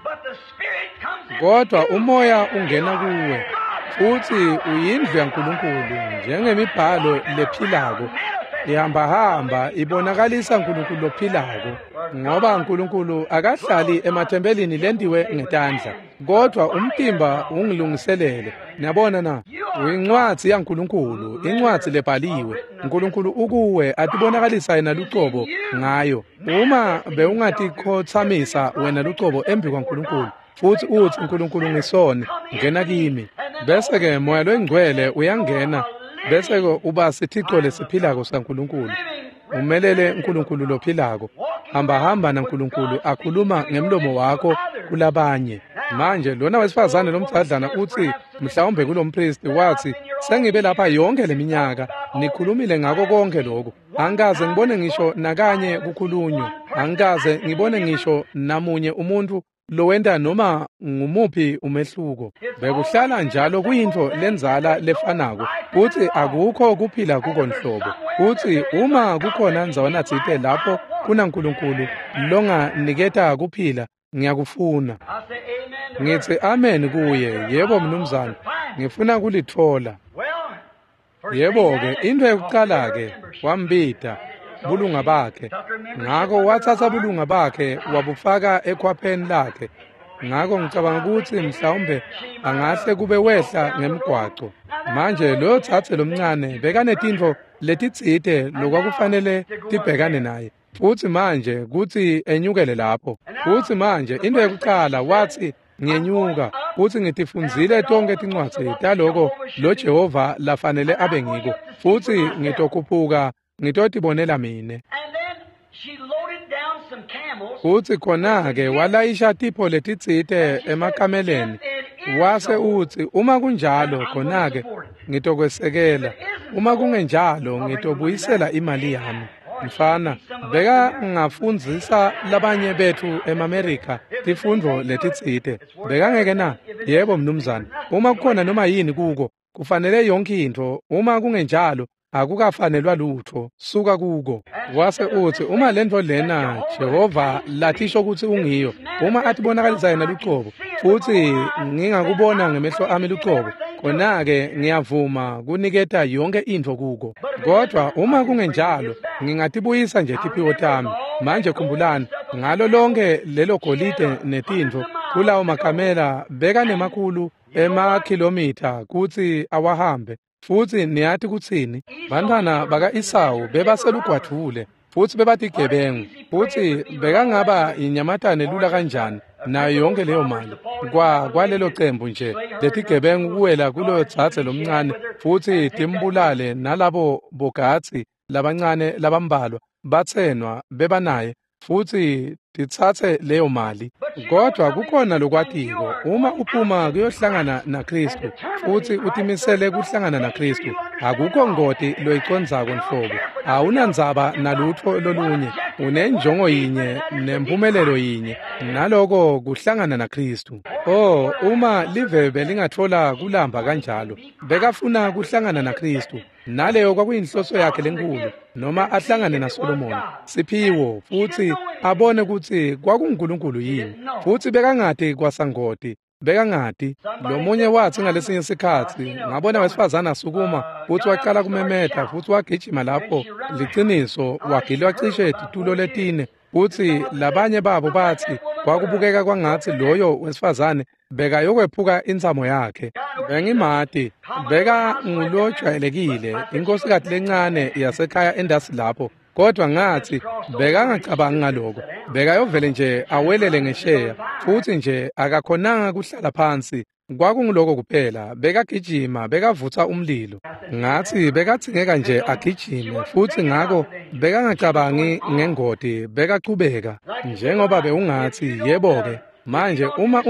Kodwa umoya ungena kuwe, futsi uyindlu yaNkulunkulu njengemibhalo lephilako. Ihambahamba ibonakalisa uNkulunkulu lophilako, ngoba uNkulunkulu akahlali emathempelini lentiwe ngetandla, kodwa umtimba ungilungiselele. Niyabona na? Uyincwadzi yaNkulunkulu, incwadzi lebhaliwe. uNkulunkulu ukuwe atibonakalisa yena lucobo ngayo. Uma bewungatikhotsamisa wena lucobo embi kwaNkulunkulu, futsi utsi, uNkulunkulu ngisoni, ngena kimi. Bese-ke moya loyingcwele uyangena, bese-ke uba sithico lesiphilako saNkulunkulu. Umelele uNkulunkulu lophilako. Hamba naNkulunkulu akhuluma ngemlomo wakho kulabanye. Manje lona wesifazane lomdzadlana utsi, mhlawumbe kulompristi, wathi, sengibe lapha yonke leminyaka, nikhulumile ngako konke lokhu. Angikaze ngibone ngisho nakanye kukhulunywa. Angikaze ngibone ngisho namunye umuntu lowenta noma ngumuphi umehluko. Bekuhlala njalo kuyintfo lendzala lefanako, futsi akukho kuphila kuko nhlobo. Futsi uma kukhona ndzawana tsite lapho kunaNkulunkulu longaniketa kuphila, ngiyakufuna. Ngitsi amen kuye. Yebo mnumzane, ngifuna kulitfola. Yebo-ke, intfo yekucala-ke wambita bulunga bakhe. Ngako watsatsa bulunga bakhe wabufaka ekhwapheni lakhe. Ngako ngicabanga kutsi mhlawumbe angahle kube wehla ngemgwaco. Manje loyo tsatse lomncane bekanetintfo letitsite lokwakufanele tibhekane naye. Futsi manje kutsi enyukele lapho. Futsi manje into yekucala wathi, Ngenyuka futsi ngitifundzile tonkhe tincwadzi taloko lo Jehova lafanele abe ngiko, futsi ngitokhuphuka ngitotibonela mine. Futsi khona-ke walayisha tipho letitsite emakameleni, wase utsi, uma kunjalo khona-ke ngitokwesekela, uma kungenjalo ngitobuyisela imali yami. Mfana, bekangafundzisa labanye betfu emaMerika tifundvo letitsite. Bekangeke na? Yebo mnumzane. Uma kukhona noma yini kuko, kufanele yonke intfo, uma kungenjalo akukafanelwa lutfo, suka kuko. Wase utsi, uma lentfo lena Jehova latisho kutsi ungiyo, uma atibonakalisa yena lucobo, futsi ngingakubona ngemehlo ami lucobo, khona-ke ngiyavuma kuniketa yonke intfo kuko. Kodvwa uma kungenjalo, ngingatibuyisa nje tiphiwo tami. Manje khumbulani, ngalo lonke lelo golide netintfo kulawo makamela bekanemakhulu emakhilomitha kutsi awahambe. Futsi niyati kutsini? Bantfwana baka-Esawu bebaselugwadvule futsi bebatigebengu, futsi bekangaba inyamatane lula kanjani nayo yonke leyo mali kwalelo cembu nje letigebengu kuwela kuloyo dzadze lomncane futsi timbulale, nalabo bogatsi labancane labambalwa batsenwa bebanaye futsi titsatse leyo mali. Kodwa kukhona lokwatiko, uma uphuma kuyohlangana naKristu futsi utimisele kuhlangana naKristu, akukho ngoti loyicondzako nhlobo, awunandzaba nalutfo lolunye, unenjongo yinye nempumelelo yinye, naloko kuhlangana naKristu. Oh, uma live belingatfola kulamba kanjalo, bekafuna kuhlangana naKristu, naleyo kwakuyinhloso yakhe lenkulu, noma ahlangane naSolomoni siphiwo futsi abone kutsi kwakunguNkulunkulu yini. Futsi bekangati kwasangoti, bekangati. Lomunye watsi ngalesinye sikhatsi, ngabona wesifazane asukuma futsi waqala kumemeta futsi wagijima lapho, liciniso wagilwa cishe titulo letine, futsi labanye babo batsi kwakubukeka kwangatsi loyo wesifazane bekayokwephuka intsamo yakhe. Bengimati, beka ngulojwayelekile, inkhosikati lencane yasekhaya endasi lapho, kodwa ngatsi bekangacabangi ngaloko, bekayovele nje awelele ngesheya, futsi nje akakhonanga kuhlala phansi. Kwakunguloko kuphela, bekagijima, bekavutsa umlilo. Ngatsi bekadzingeka nje agijime, futsi ngako bekangacabangi ngengoti, bekachubeka. Njengoba bewungatsi, yebo-ke, manje uma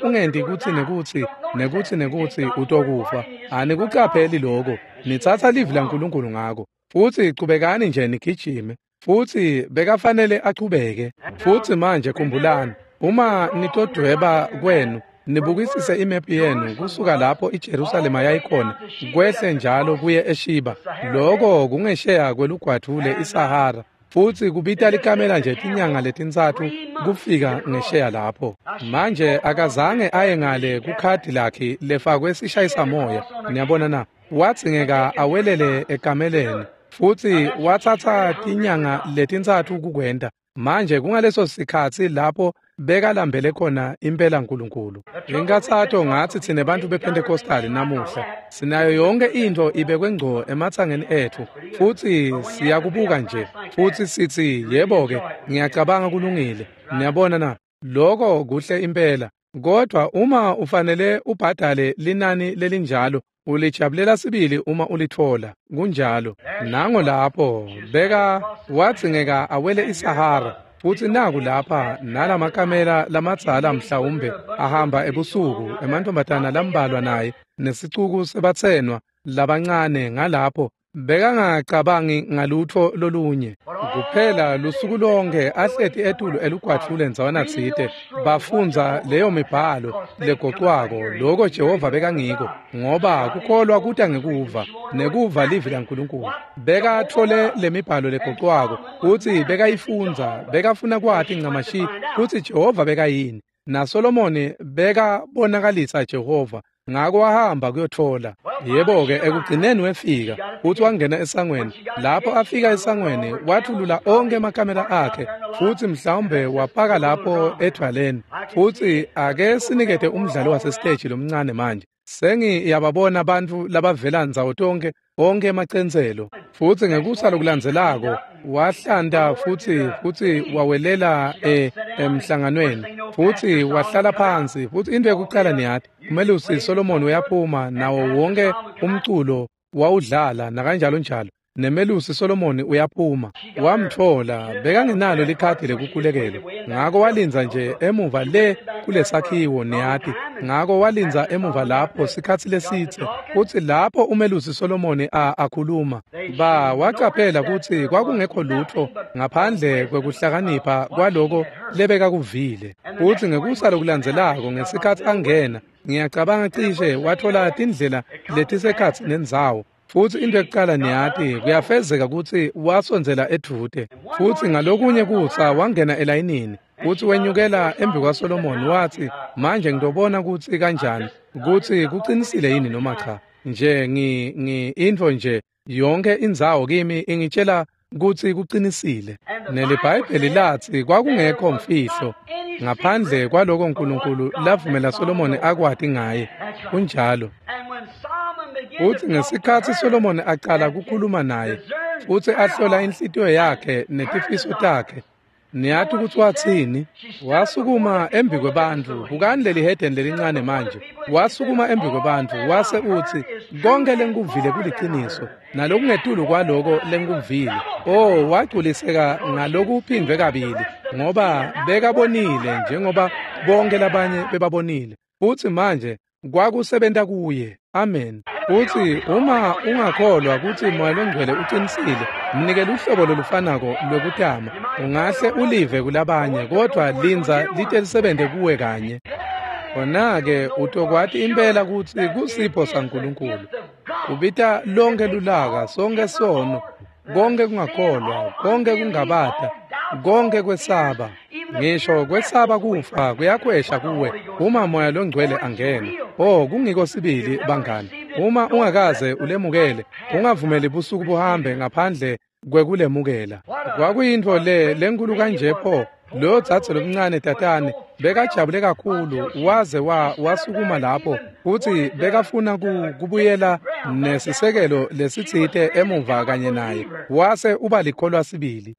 ungenti kutsi nekutsi nekutsi nekutsi utokufa, anikucapheli lokho, nitsatsa livi laNkulunkulu ngako, futsi chubekani nje nigijime. Futsi bekafanele achubeke. Futsi manje khumbulani, uma nitodweba kwenu, nibukisise imephu yenu kusuka lapho iJerusalema yayikhona kwehle njalo kuye eShiba, loko kungesheya kwelugwadvule iSahara, futsi kubita likamela nje tinyanga letintsatfu kufika ngesheya lapho. Manje akazange aye ngale kukhadi lakhe lefakwe sishayisamoya, niyabona na? Wadzingeka awelele ekameleni, futsi watsatsa tinyanga letintsatfu kukwenta. Manje kungaleso sikhatsi lapho bekalambele khona impela Nkulunkulu. Inkathato ngatsi tsine bantfu bePentecostal namuhla sinayo yonke intfo ibekwe ngco ematsangeni etfu, futsi siyakubuka nje futsi sitsi, yebo-ke, ngiyacabanga kulungile. Niyabona na? Loko kuhle impela, kodwa uma ufanele ubhadale linani lelinjalo, ulijabulela sibili uma ulitfola. Kunjalo. Nango lapho beka wadzingeka awele iSahara, futsi naku lapha nalamakamela lamadzala mhlawumbe ahamba ebusuku, emantombazana lambalwa naye nesicuku sebatsenwa labancane ngalapho, bekangacabangi ngalutfo lolunye kuphela lusuku lonke ahleti etulu elugwadvule ndzawana tsite, bafundza leyo mibhalo legocwako, loko Jehova bekangiko, ngoba kukholwa kuta ngekuva, nekuva livi laNkulunkulu. Bekatfole lemibhalo legocwako kutsi bekayifundza, bekafuna kwati ncamashi kutsi Jehova bekayini, naSolomoni bekabonakalisa Jehova. Ngako wahamba kuyotfola. Yebo-ke, ekugcineni wefika futsi wangena esangweni. Lapho afika esangweni, wathulula onkhe emakamela akhe, futsi mhlawumbe wapaka lapho edvwaleni. Futsi ake sinikete umdlalo wasesiteji lomncane manje. Sengiyababona bantfu labavela ndzawo tonkhe Onkhe emacenselo. Futsi ngekusa lokulandzelako wahlanta futsi wawelela emhlanganweni futsi wahlala phansi. Futsi into yekucala niyati, umelusi Solomon uyaphuma nawo wonke umculo wawudlala nakanjalo njalo. Nemelusi Solomon uyaphuma, wamtfola bekangenalo likhadi lekukhulekela, ngako walindza nje emuva le kulesakhiwo niyati. Ngako walindza emuva lapho sikhatsi lesitse, kutsi lapho umelusi Solomon akhuluma, wacaphela kutsi kwakungekho lutfo ngaphandle kwekuhlakanipha kwaloko lebekakuvile. Futsi ngekusa lokulandzelako ngesikhatsi angena, ngiyacabanga cishe watfola tindlela letisekhatsi nendzawo. Futsi into ekucala niyati, kuyafezeka kutsi wasondzela edvute. Futsi ngalokunye kutsa wangena elayinini, futsi wenyukela embi kwaSolomon watsi, manje ngitobona kutsi kanjani, kutsi kucinisile yini noma cha. Nje intfo nje yonke indzawo kimi ingitshela kutsi kucinisile. NeliBhayibheli latsi kwakungekho mfihlo ngaphandle kwaloko uNkulunkulu lavumela Solomon akwati ngaye. Kunjalo. Futsi ngesikhatsi Solomon aqala kukhuluma naye futsi ahlola inhlitiyo yakhe netifiso takhe, niyati kutsi watsini? Wasukuma embi kwebantfu. Bukani leli hedeni lelincane manje. Wasukuma embi kwebantfu wase utsi, konke lengikuvile kuliciniso nalokungetulu kwaloko lengikuvile. Oh, wagculiseka ngalokuphindwe kabili, ngoba bekabonile njengoba bonke labanye bebabonile. Futsi manje kwakusebenta kuye. Amen. Futsi uma ungakholwa kutsi Moya Longcwele ucinisile, mnike luhlobo lolufanako lwekutama. Ungahle ulive kulabanye, kodvwa lindza lite lisebente kuwe kanye. Khona-ke utokwati impela kutsi kusipho saNkulunkulu. Ubita lonke lulaka, sonke sono, konke kungakholwa, konke kungabata, konke kwesaba. Ngisho kwesaba kufa kuyakhwesha kuwe uma Moya Longcwele angena. Oh, kungiko sibili bangani. Uma ungakaze ulemukele, ungavumeli busuku buhambe ngaphandle kwekulemukela. Kwakuyintfo le lenkulu kanje pho. Lo dzadze lomncane tatane bekajabule kakhulu waze wasukuma lapho futsi bekafuna kubuyela nesisekelo lesitsite emuva kanye naye, wase uba likholwa sibili.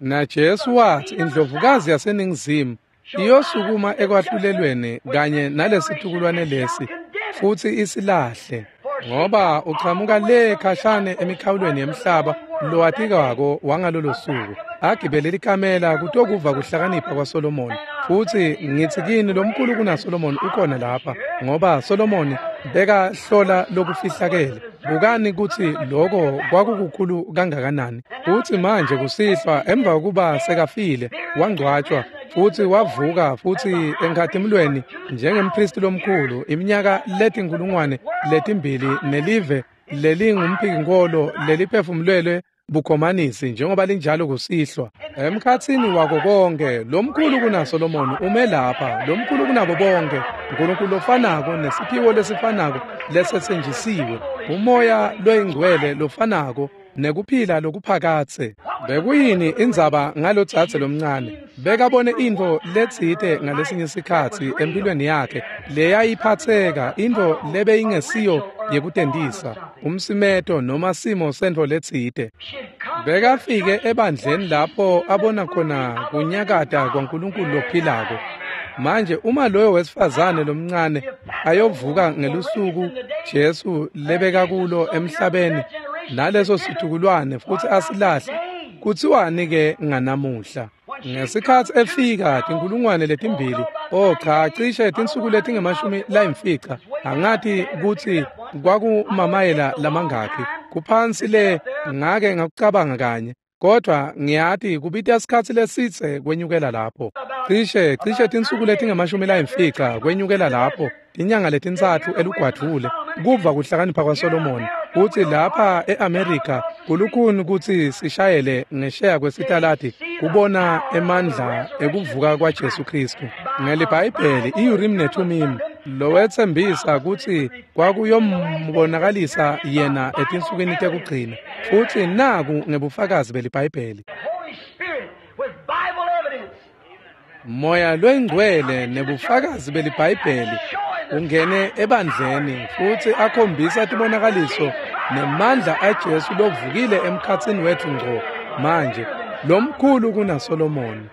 Na Jesu wathi indlovukazi yaseNingizimu iyosukuma ekwahlulelweni kanye nalesitukulwane lesi futsi isilahle, ngoba uchamuka le khashane emikhawulweni yemhlaba lowatikako wangalolo suku, agibele likamela kutokuva kuhlakanipha kwaSolomon. Futsi ngitsi kini lomkhulu kunaSolomon ukhona lapha, ngoba Solomon bekahlola lokufihlakele. Bukani kutsi loko kwakukukhulu kangakanani. Futsi manje kusihlwa emva kokuba sekafile wangcwatshwa futsi wavuka futsi enkhatimulweni njengemphristi lomkhulu iminyaka 2000 nelive lelingumphiknkolo leliphefumulelwe bukhomanisi njengoba linjalo kusihlwa. Emkhatsini wako konke lomkhulu kunaSolomon ume lapha, lomkhulu kunabo bonke, uNkulunkulu lofanako nesiphiwo lesifanako lesetsenjisiwe, umoya loyingcwele lofanako nekuphila lokuphakatse. Bekuyini indzaba ngalodzadze lomncane? Bekabone intfo letsite ngalesinye sikhatsi empilweni yakhe leyayiphatseka, intfo lebeyingesiyo yekutentisa, umsimeto noma simo sentfo letsite. Bekafike ebandleni lapho abona khona kunyakata kwaNkulunkulu lophilako. Manje uma loyo wesifazane lomncane ayovuka ngelusuku Jesu lebeka kulo emhlabeni naleso situkulwane futsi asilahle, kutsiwani ke nganamuhla? Ngesikhatsi efika 2000, oh cha, cishe tinsuku letingu-50, angati kutsi kwakumamayela lamangakhi kuphansi le, ngake ngakucabanga kanye, kodwa ngiyati kubita sikhatsi lesitse kwenyukela lapho. Cishe tinsuku letingu-50 kwenyukela lapho, tinyanga letintsatfu elugwadvule, kuva kuhlakanipha kwaSolomon. Kutsi lapha eAmerica kulukhuni kutsi sishayele ngesheya kwesitaladi kubona emandla ekuvuka kwaJesu Kristu. NgeliBhayibheli iUrim neThumim lowetsembisa kutsi kwakuyombonakalisa yena etinsukwini tekugcina, futsi naku ngebufakazi beliBhayibheli. Moya loyingcwele nebufakazi beliBhayibheli Ungene ebandleni futsi akhombisa tibonakaliso nemandla aJesu lovukile emkhatsini wetfu ngco manje, lomkhulu kunaSolomoni.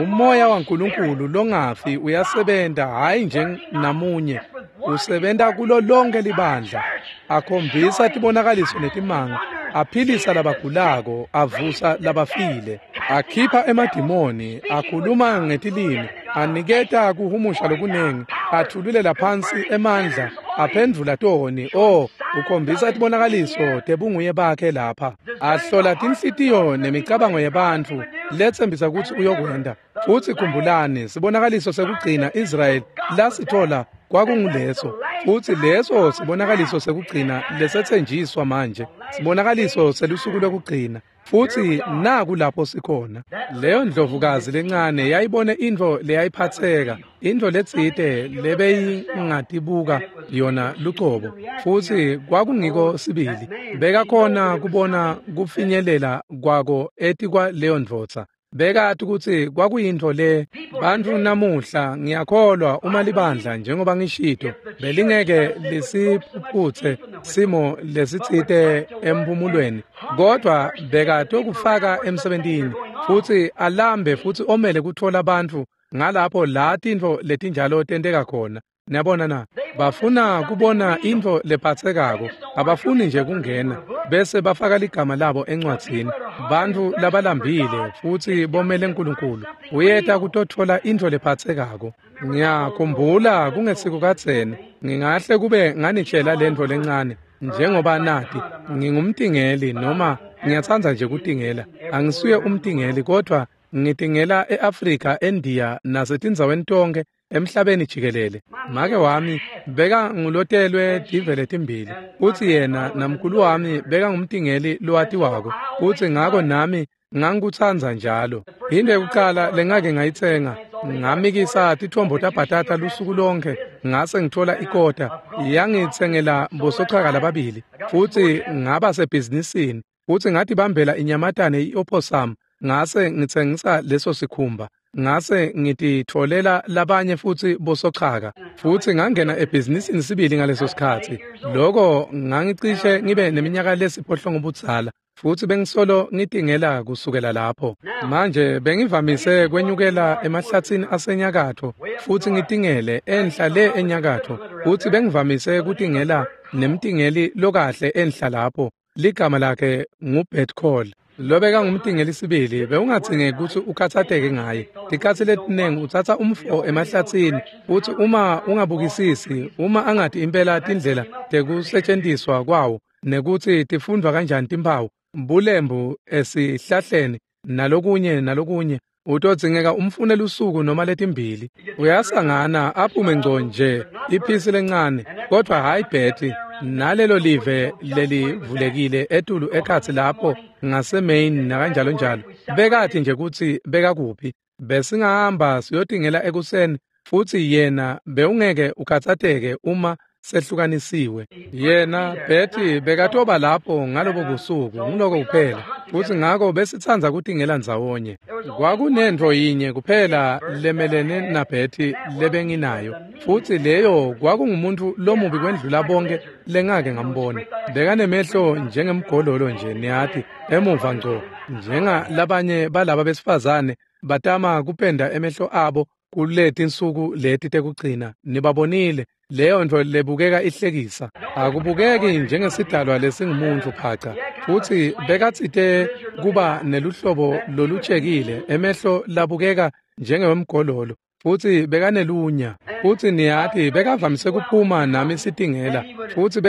Umoya waNkulunkulu longafi uyasebenta, hhayi nje namunye, usebenta kulo lonke libandla, akhombisa tibonakaliso netimanga, aphilisa labagulako, avusa labafile, akhipha emadimoni, akhuluma ngetilimi, aniketa kuhumusha lokunengi, athululela phansi emandla, aphendvula toni. Oh, ukhombisa tibonakaliso tebunguye bakhe lapha, ahlola tinhlitiyo nemicabango yebantfu letsembisa kutsi uyokwenta. Futsi khumbulani, sibonakaliso sekugcina Israyeli lasithola kwakunguleso, futsi leso sibonakaliso sekugcina lesetsenjiswa manje, sibonakaliso selusuku lwekugcina. Futsi naku lapho sikhona. Leyo ndlovukazi lencane yayibone intfo leyayiphatseka, intfo letsite lebeyingatibuka yona lucobo, futsi kwakungiko sibili. Bekakhona kubona kufinyelela kwako etikwa leyo ndvodza. Bekati kutsi kwakuyintfo le. Bantfu namuhla, ngiyakholwa, uma libandla, njengoba ngishito, belingeke lisiphuphutse simo lesitsite emphumulweni, kodwa bekatokufaka emsebentini futsi alambe futsi omele kutfola bantfu ngalapho la tintfo letinjalo tenteka khona. Niyabona na? Bafuna kubona intfo lephatsekako, abafuni nje kungena bese bafaka ligama labo encwadzini. Bantfu labalambile futsi bomele uNkulunkulu uyeta kutotfola intfo lephatsekako. Ngiyakhumbula kungesiko kadzeni, ngingahle kube nganitshela lentfo lencane, njengoba nati ngingumtingeli, noma ngiyatsandza nje kutingela. Angisuye umtingeli, kodwa ngitingela e-Afrika, eNdiya nasetindzaweni tonkhe emhlabeni jikelele. Make wami beka ngulotelwe tivele timbili, futsi yena namkhulu wami beka ngumtingeli lowatiwako, futsi ngako nami ngangikutsandza njalo. Into yekucala lengake ngayitsenga, ngamikisa titfombo tabhatata lusuku lonke, ngase ngitfola ikota, yangitsengela bosochaka lababili, futsi ngaba sebhizinisini, futsi ngatibambela inyamatane i-opossum, ngase ngitsengisa leso sikhumba. Ngase ngititfolela labanye futsi bosochaka, futsi ngangena ebhizinisini sibili ngaleso sikhatsi. Loko ngangicishe ngibe neminyaka lesiphohlongo budzala, futsi bengisolo ngitingela kusukela lapho. Manje bengivamise kwenyukela emahlatsini asenyakatfo futsi ngitingele enhla le enyakatfo, futsi bengivamise kutingela nemtingeli lokahle enhla lapho. Ligama lakhe nguBert Call. Lobeka ngumtingeli sibili, bewungadzingeki kutsi ukhatsateke ngaye. Tikhatsi letinengi utsatsa umfo emahlatsini, futsi uma ungabukisisi, uma angati impela tindlela tekusetjentiswa kwawo nekutsi tifundvwa kanjani timphawu, bulembu esihlahleni nalokunye nalokunye, utodzingeka umfune lusuku noma letimbili. Uyasangana aphume ngco nje iphisi lencane, kodwa hhayi Betty, nalelo live lelivulekile etulu ekhatsi lapho ngaseMaine nakanjalo njalo. Bekathi nje kutsi bekakuphi. Besingahamba siyotingela ekuseni, futsi yena bewungeke ukhatsateke uma sehlukanisiwe. Yena Betty bekatoba lapho ngalobo busuku, nguloko kuphela. Futsi ngako besitsandza kutingela ndzawonye. Kwakunentfo yinye kuphela lemelene naBetty lebenginayo, futsi leyo kwakungumuntfu lomubi kwendlula bonke lengake ngambona. Bekanemehlo njengemgololo nje, niyati, emuva ngco, njengalabanye balaba besifazane batama kupenda emehlo abo kuletinsuku leti tekugcina. Nibabonile, leyo ntfo lebukeka ihlekisa, akubukeki njengesidalwa lesingumuntfu phaca. Futsi bekatsite kuba neluhlobo lolutshekile, emehlo labukeka njengewemgololo, futsi bekanelunya. Futsi niyati bekavamise kuphuma nami sitingela, futsi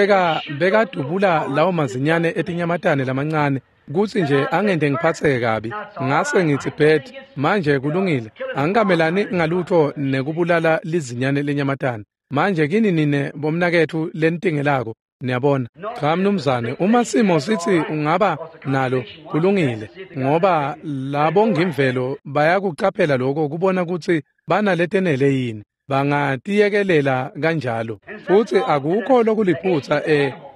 bekadubula lawo mazinyane etinyamatane lamancane kutsi nje angente ngiphatseke kabi. Ngase ngitsi, Bert, manje kulungile, angikamelani ngalutfo nekubulala lizinyane lenyamatane. Manje kini nine bomnaketfu lenitingelako, niyabona. Cha mnumzane, uma simo sitsi ungaba nalo, kulungile, ngoba labo ngimvelo bayakucaphela lokho kubona kutsi banaletenele yini, bangatiyekelela kanjalo. Futsi akukho lokuliphutsa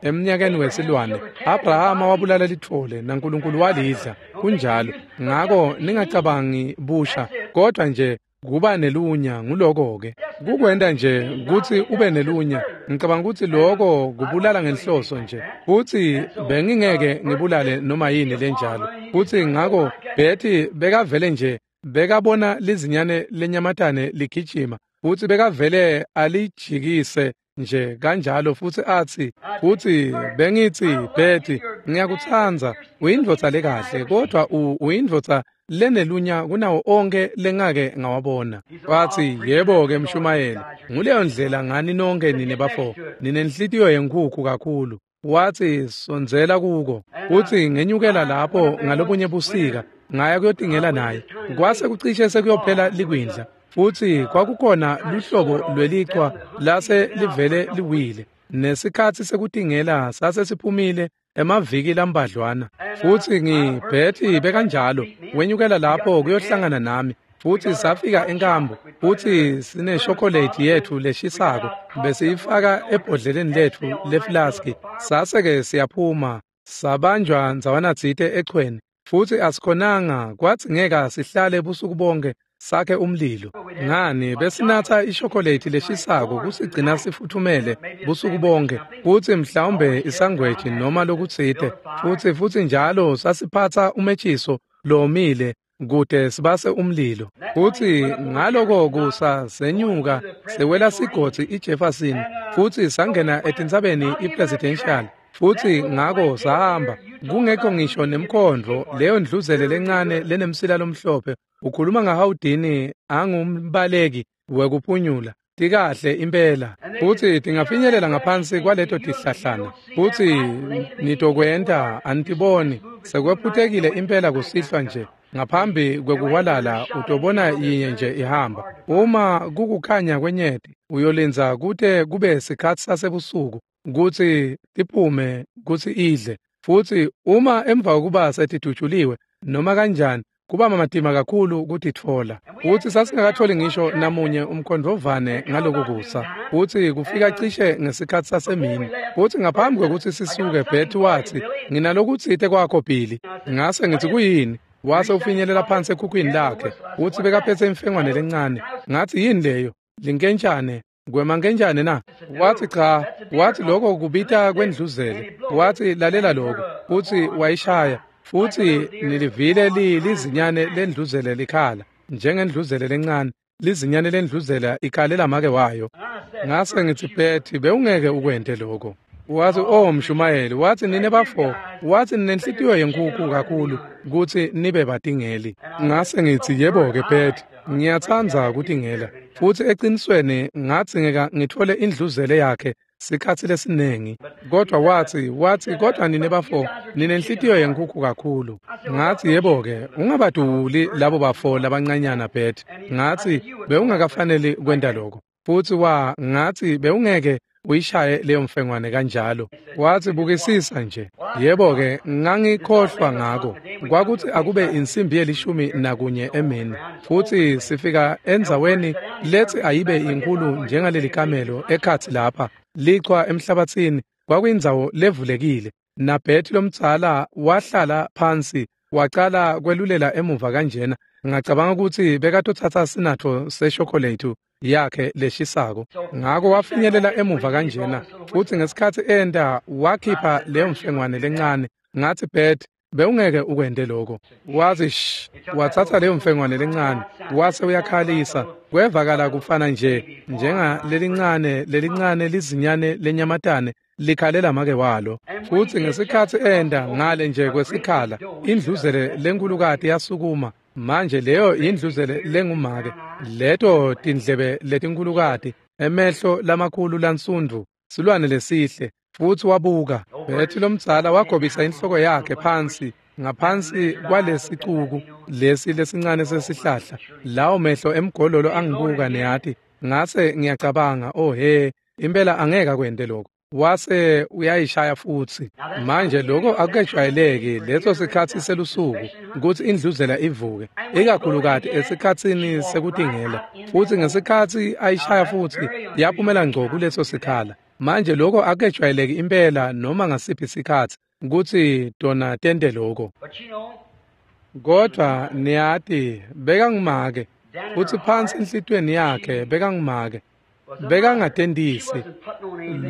emnyakeni wesilwane. Abrahama wabulala litfole naNkulunkulu walidla, kunjalo. Ngako ningacabangi busha, kodwa nje Kuba nelunya nguloko-ke. Kukwenta nje kutsi ube nelunya. Ngicabanga kutsi loko kubulala ngenhloso nje. Futsi bengingeke ngibulale noma yini lenjalo. Futsi ngako Betty bekavele nje bekabona lizinyane lenyamatane ligijima futsi bekavele alijikise nje kanjalo futsi atsi futsi bengitsi Betty ngiyakutsandza uyindvodza lekahle kodwa uyindvodza lenelunya kunawo onke lengake ngawabona. Watsi yebo-ke mshumayeli nguleyo ndlela ngani nonke nine bafo ninenhlitiyo yenkhukhu kakhulu. Watsi sondzela kuko futsi ngenyukela lapho ngalobunye busika ngaya kuyotingela naye kwase kucishe sekuyophela likwindla futsi kwakukhona luhlobo lwelichwa lase livele liwile nesikhatsi sekutingela sase siphumile emaviki lambadlwana futsi ngibhethi bekanjalo wenyukela lapho kuyohlangana nami futsi safika enkambu futsi sineshokolate yetfu leshisako besiyifaka ebhodleleni letfu leflaski sase-ke siyaphuma sabanjwa ndzawanatsite echweni futsi asikhonanga kwadzingeka sihlale busuku bonke sakhe umlilo. Ngani besinatsa ishokolate leshisako kusigcina sifuthumele busuku bonke futsi mhlawumbe isangweji noma lokutsite futsi njalo sasiphatsa umetshiso lomile kute sibase umlilo. Futsi ngaloko kusa senyuka sewela sigodzi iJefferson futsi sangena etintsabeni iPresidential futsi ngako sahamba kungekho ngisho nemkhondvo leyo ndluzele lencane lenemsila lomhlophe ukhuluma ngahawudini angumbaleki wekuphunyula tikahle impela futsi tingafinyelela ngaphansi kwaleto tihlahlana futsi nitokwenta anitiboni sekwephutekile impela kusihlwa nje ngaphambi kwekuhwalala utobona yinye nje ihamba uma kukukhanya kwenyeti uyolindza kute kube sikhatsi sasebusuku kutsi tiphume kutsi idle futsi uma emva kokuba setidutshuliwe noma kanjani kuba matima kakhulu kutitfola. Futsi sasingakatholi ngisho namunye umkhondvovane ngaloku kusa futsi kufika cishe ngesikhatsi sasemini futsi ngaphambi kwekutsi sisuke Betty watsi nginalokutsite kwakho Billy. Ngase ngitsi kuyini? Wase ufinyelela phansi ekhukhwini lakhe futsi bekaphetse imfengwane lencane. Ngatsi yini leyo? Linkentshane kwemankenjane na? Watsi cha. Watsi lokho kubita kwendluzele. Watsi lalela lokho futsi wayishaya futsi nilivile lizinyane lendluzele likhala njengendluzele lencane lizinyane lendluzela ikhalela make wayo. Ngase ngitsi Betty bewungeke ukwente lokho. Watsi oh mshumayeli watsi nine bafo watsi ninenhlitiyo yenkhukhu kakhulu kutsi nibe batingeli. Ngase ngitsi yebo-ke Betty ngiyatsandza kutingela futsi eqinisweni ngadzingeka ngitfole indluzele yakhe sikhatsi lesiningi kodwa watsi kodwa nine bafo ninenhlitiyo yenkhukhu kakhulu. Ngatsi yebo-ke ungabaduli labo bafo labancanyana Betty. Ngatsi bewungakafaneli kwenta lokho futsi ngatsi bewungeke uyishaye leyo mfengwane kanjalo. Watsi bukisisa nje. Yebo-ke ngangikhohlwa ngako kwakutsi akube insimbi ye-11 emini futsi sifika endzaweni letsi ayibe inkulu njengaleli kamelo ekhatsi lapha lichwa emhlabatsini kwakuyindzawo levulekile naBetty lomdzala wahlala phansi wacala kwelulela emuva kanjena. Ngacabanga kutsi bekatotsatsa sinatfo seshokolate yakhe leshisako ngako wafinyelela emuva kanjena futsi ngesikhatsi enta wakhipha leyo mfengwane lencane. Ngatsi Betty bewungeke ukwente lokho. Wathi shh watsatsa leyo mfengwane lencane wase uyakhalisa kwevakala kufana nje njenga lelincane lizinyane lenyamatane likhalela make walo. Futsi ngesikhatsi enta ngale nje kwesikhala indluzele lenkulukati yasukuma. Manje leyo indluzele lengumake leto tindlebe letinkulukati emehlo lamakhulu lansundvu silwane lesihle futsi wabuka. Betty lomdzala wagobisa inhloko yakhe phansi ngaphansi kwalesicuku lesi lesincane sesihlahla. Lawo mehlo emgololo angibuka neyati ngase ngiyacabanga oh he impela angeke akwente lokho. Wase uyayishaya futsi. Manje lokho akukejwayeleki leso sikhatsi selusuku kutsi indluzela ivuke ikakhulukati esikhatsini sekutingela futsi ngesikhatsi ayishaya futsi yaphumela ngco kuleso sikhala. Manje lokho akukejwayeleki impela noma ngasiphi isikhatsi kutsi tona tente lokho. Kodwa niyati bekangumake Futsi phansi enhlitiyweni yakhe bekangumake. Bekangatentisi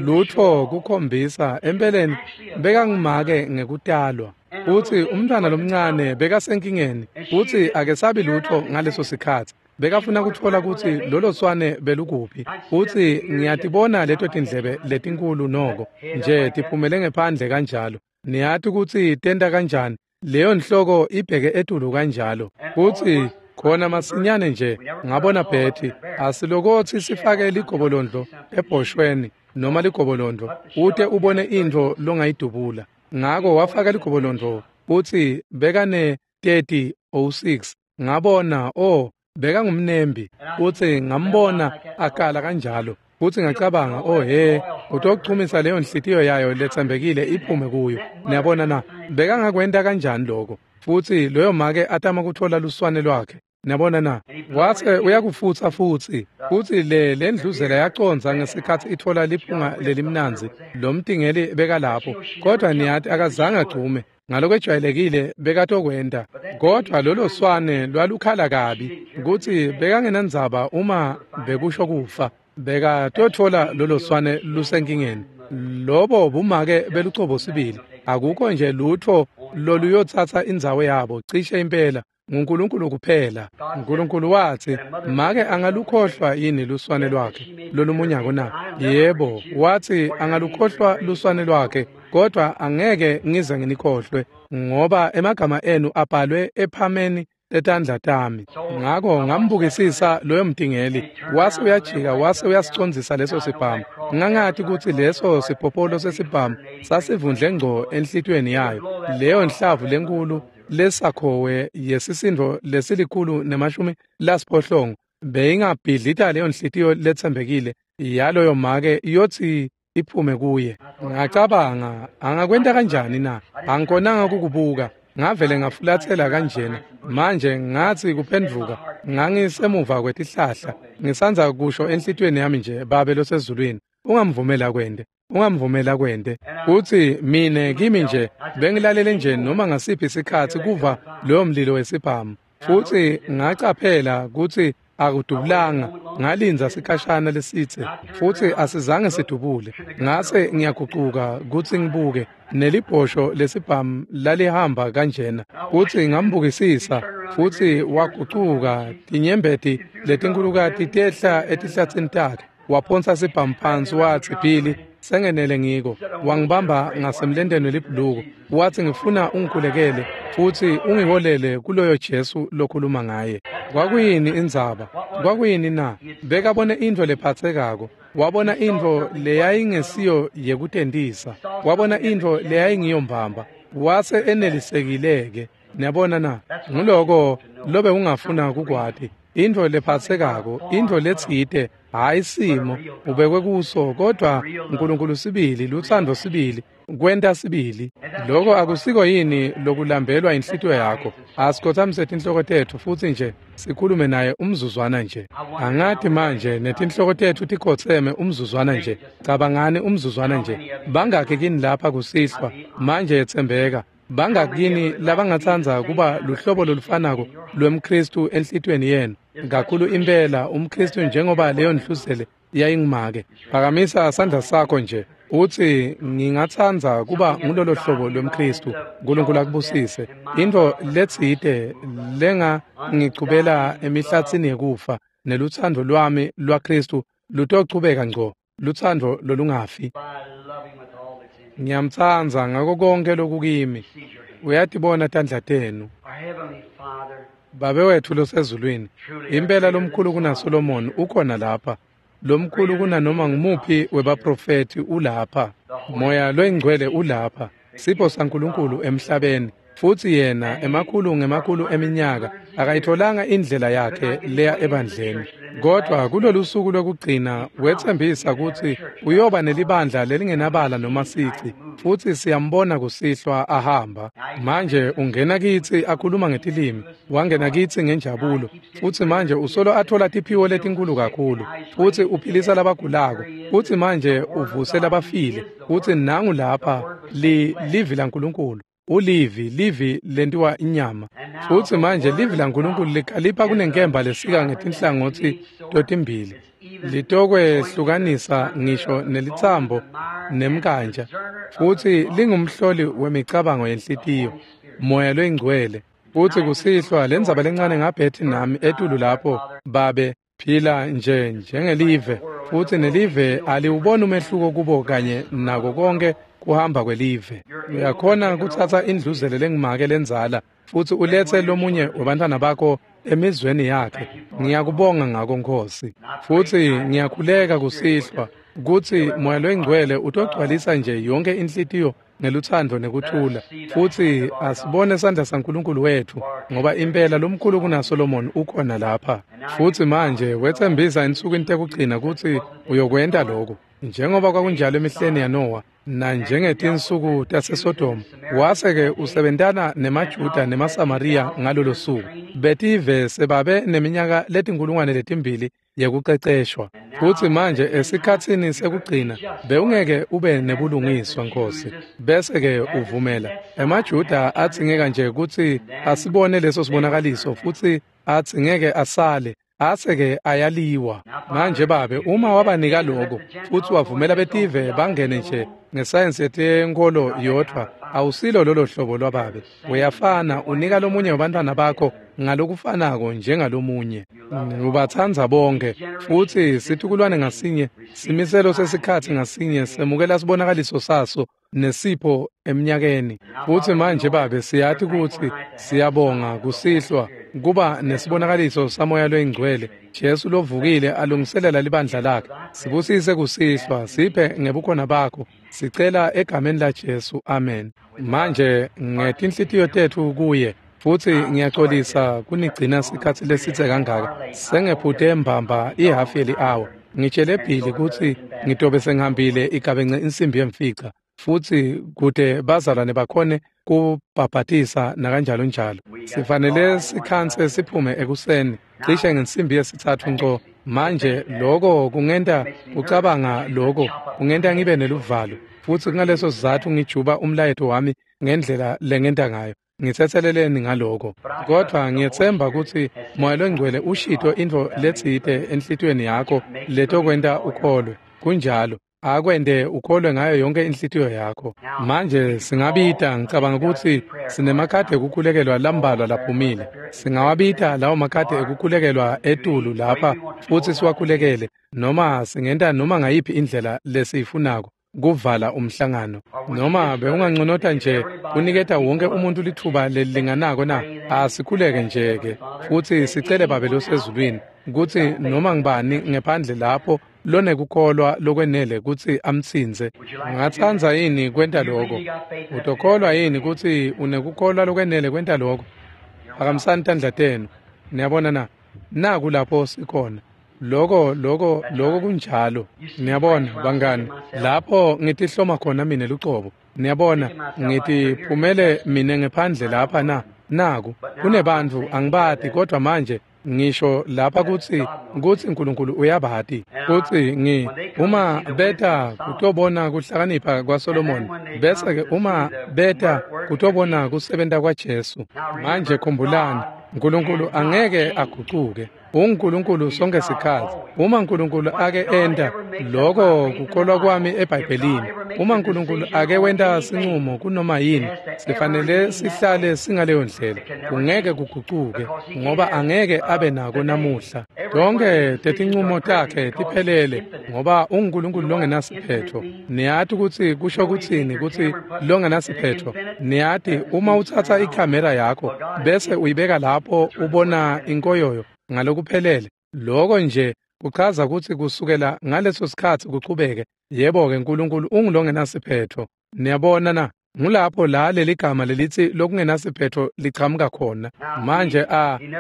lutfo kukhombisa empeleni bekangumake ngekutalwa. Futsi umntwana lomncane bekasenkingeni futsi akesabi lutfo ngaleso sikhatsi. Bekafuna kutfola kutsi lolo swane belukuphi. Futsi ngiyatibona leto tindlebe letinkulu noko nje tiphumele ngephandle kanjalo. Niyati kutsi tenta kanjani, leyo nhloko ibheke etulu kanjalo. Futsi khona masinyane nje ngabona Betty asilokotsi sifake ligobolondlo ebhoshweni noma ligobolondlo ute ubone intfo longayidubula. Ngako wafaka ligobolondlo futsi bekane 30.06. Ngabona bekangumnembi futsi ngambona akala kanjalo. Futsi ngacabanga, oh he, utochumisa leyo nhliziyo yayo letsembekile iphume kuyo. Niyabona na, bekangakwenta kanjani lokho? Futsi loyo make atama kutfola luswane lwakhe. Niyabona na, wase uyakufutsa futsi. Futsi le ndluzela yaconza ngesikhatsi itfola liphunga lelimnandzi. Lo mtingeli bekalapho, kodwa niyati akazange agcume. Ngalokwejwayelekile bekatokwenta, kodwa lolo swane lwalukhala kabi kutsi bekangenandzaba uma bekusho kufa. Bekatotfola lolo swane lusenkingeni. Lobo bumake belucobo sibili. Akukho nje lutfo loluyotsatsa indzawo yabo cishe impela nguNkulunkulu kuphela. uNkulunkulu watsi, make angalukhohlwa yini luswane lwakhe lolumunyako na? Yebo, watsi angalukhohlwa luswane lwakhe, kodwa angeke ngize nginikhohlwe, ngoba emagama enu abhalwe ephameni letandla tami. Ngako ngambukisisa loyo mtingeli, wase uyajika wase uyasicondzisa leso sibhamu. Ngangati kutsi leso sipopolo sesibhamu sasivundle ngco enhlitiyweni yayo. Leyo nhlavu lenkulu lesakhowe yesisindo lesilikhulu 80 beyingabhidlita leyo nhliziyo letsembekile yaloyo make yotsi iphume kuye. Ngacabanga, angakwenta kanjani na? Angikonanga kukubuka. Ngavele ngafulathela kanjena. Manje ngathi kuphendvuka, ngangisemuva kwetihlahla, ngisandza kusho enhlitiyweni yami nje, Babe losezulwini, ungamvumela kwente, ungamvumela kwente. Utsi mine kimi nje bengilalele nje noma ngasiphi isikhatsi kuva loyo mlilo wesibhamu. Futsi ngacaphela kutsi akudubulanga, ngalinza sikhashana lesitse futsi asizange sidubule. Ngase ngiyagucuka kutsi ngibuke, nelibhosho lesibhamu lalihamba kanjena. Futsi ngambukisisa, futsi wagucuka, tinyembeti letinkulukati tehla etihlatsini takhe. Waphonsa sibhamu phansi watsi, Billy, sengenele ngiko. Wangibamba ngasemlenteni welibhuluko, wathi ngifuna ungikhulekele futsi ungiholele kuloyo Jesu lokhuluma ngaye. Kwakuyini indzaba? Kwakuyini na? Bekabone intfo lephatsekako. Wabona intfo leyayingesiyo yekutentisa. Wabona intfo leyayingiyo mbamba. Wase enelisekile-ke. Niyabona na? Nguloko lobe ungafuna kukwati. Intfo lephatsekako, intfo letsite, hhayi simo ubekwe kuso, kodwa uNkulunkulu sibili, lutsandvo sibili, kwenta sibili. Loko akusiko yini lokulambelwa inhlitiyo yakho? Asikhothamise tinhloko tetfu futsi nje sikhulume naye umzuzwana nje. Angati manje netinhloko tetfu tikhotseme umzuzwana nje. Cabangani umzuzwana nje. Bangakhi kini lapha kusihlwa manje yetsembeka? Bangakini labangatsandza kuba luhlobo lolufanako lwemKhristu enhlitiyweni yenu? Kakhulu impela umKhristu njengoba leyo ndluzele yayingumake. Phakamisa sandla sakho nje utsi ngingatsandza kuba ngulolo hlobo lwemKhristu. uNkulunkulu akubusise. Intfo letsite lenga ngichubela emihlatsini yekufa nelutsandvo lwami lwaKhristu lutochubeka ngco, lutsandvo lolungafi. Ngiyamtsandza ngako konke lokukimi. Uyatibona tandla tenu. Babe wetfu losezulwini, impela lomkhulu kunaSolomon ukhona lapha. Lomkhulu kunanoma ngumuphi webaprofethi ulapha. Moya loyingcwele ulapha. Sipho saNkulunkulu emhlabeni. Futsi yena emakhulu ngemakhulu eminyaka akayitholanga indlela yakhe leya ebandleni. Kodwa kulolu suku lwekugcina wetsembisa kutsi uyoba nelibandla lelingenabala noma sici. Futsi siyambona kusihlwa ahamba. Manje ungena kitsi akhuluma ngetilimi, wangena kitsi ngenjabulo. Futsi manje usolo athola tiphiwo letinkulu kakhulu. Futsi uphilisa labagulako. Futsi manje uvuse labafile. Futsi nangu lapha livi laNkulunkulu. Ulivi, livi lentiwa inyama. Futsi manje livi laNkulunkulu likhalipha kunenkemba lesika ngetinhlangotsi totimbili. Litokwehlukanisa ngisho nelitsambo nemkantja, futsi lingumhloli wemicabango yenhlitiyo, Moya loyiNgcwele. Futsi kusihlwa lendzaba lencane ngaBetty nami etulu lapho, babe phila nje njengelive, futsi nelive aliwuboni umehluko kubo kanye nako konke kuhamba kwelive. Uyakhona kutsatsa indluzele lengumake lendzala futsi uletse lomunye webantfwana bakho emizweni yakhe. Ngiyakubonga ngako, Nkosi. Futsi ngiyakhuleka kusihlwa kutsi Moya loyiNgcwele utogcwalisa nje yonke inhlitiyo ngelutsandvo nekuthula, futsi asibone sandla saNkulunkulu wetfu, ngoba impela lomkhulu kunaSolomon ukhona lapha. Futsi manje wetsembisa ensukwini tekugcina kutsi uyokwenta lokhu, njengoba kwakunjalo emihleni yaNowa nanjengetinsuku taseSodoma. Wase-ke usebentana nemaJuda nemaSamariya ngalolo suku. Betive sebabe neminyaka 2,000 yekuceceshwa. Futsi manje esikhatsini sekugcina bewungeke ube nebulungiswa, Nkosi. Bese-ke uvumela emaJuda adzingeka nje kutsi asibone leso sibonakaliso, futsi adzingeke asale, ase-ke ayaliwa. Manje Babe, uma wabanika lokho futsi wavumela betive bangene nje ngesayensi yetenkholo yodvwa, awusilo lolo hlobo lwababe. Uyafana, unika lomunye wabantwana bakho ngalokufanako njengalomunye. Ubatsandza bonke, futsi situkulwane ngasinye, simiselo sesikhatsi ngasinye semukela sibonakaliso saso nesipho eminyakeni. Futsi manje Babe, siyati kutsi siyabonga kusihlwa kuba nesibonakaliso saMoya loyiNgcwele, Jesu lovukile alungiselela libandla lakhe. Sibusise kusihlwa, siphe ngebukhona bakho. Sicela egameni laJesu, amen. Manje ngetinhlitiyo tetfu kuye, futsi ngiyaxolisa kunigcina sikhatsi lesitse kangaka. Sengephute mbamba ihafu yeli-awa. Ngitshele Billy kutsi ngitobe sengihambile igabence 5:15, futsi kute bazalwane bakhone kubhabhatisa nakanjalo njalo. Sifanele sikhanse siphume ekuseni cishe 3:15 nco. Manje lokho kungenta kucabanga, lokho kungenta ngibe neluvalo, futsi kungaleso sizatfu ngijuba umlayeto wami ngendlela lengenta ngayo. Ngitsetseleleni ngaloko, kodvwa ngiyetsemba kutsi Moya loNgcwele ushito intfo letsite enhlitiyweni yakho letokwenta ukholwe. Kunjalo, akwente ukholwe ngayo yonke inhlitiyo yakho. Manje singabita, ngicabanga kutsi sinemakhadi ekukhulekelwa lambalwa laphumile. Singawabita lawo makhadi ekukhulekelwa etulu lapha futsi siwakhulekele, noma singenta noma ngayiphi indlela lesiyifunako kuvala umhlangano. Noma bewunganconota nje kuniketa wonke umuntu litfuba lelilinganako na? Asikhuleke nje-ke futsi sicele Babe losezulwini kutsi noma ngibani ngephandle lapho lonekukholwa lokwenele kutsi amtsintse. Ungatsandza yini kwenta lokho? Utokholwa yini kutsi unekukholwa lokwenele kwenta lokho? Phakamisani tandla tenu. Niyabona na? Naku lapho sikhona. Lokho lokho lokho kunjalo. Niyabona bangani, lapho ngitihloma khona mine lucobo. Niyabona, ngitiphumele mine ngephandle lapha na. Naku kunebantfu angibati, kodwa manje ngisho lapha kutsi uNkulunkulu uyabati. Kutsi uma beta kutobona kuhlakanipha kwaSolomon, bese-ke uma beta kutobona kusebenta kwaJesu. Manje khumbulani, uNkulunkulu angeke agucuke. UNkulunkulu sonke sikhatsi. Uma uNkulunkulu ake enta lokho, kukholwa kwami eBhayibhelini, uma uNkulunkulu ake wenta sinqumo kunoma yini, sifanele sihlale singaleyo ndlela. Kungeke kugucuke, ngoba angeke abe nako namuhla. Tonke tetinqumo takhe tiphelele, ngoba unguNkulunkulu longenasiphetho. Niyati kutsi kusho kutsini kutsi longenasiphetho? Niyati, uma utsatsa ikhamera yakho bese uyibeka lapho ubona inkoyoyo ngalokuphelele, lokho nje kuchaza kutsi kusukela ngaleso sikhatsi kuchubeke, yebo-ke, uNkulunkulu ungulongenasiphetho. Niyabona na? Ngulapho la leligama lelitsi lokungenasiphetho lichamuka khona. Manje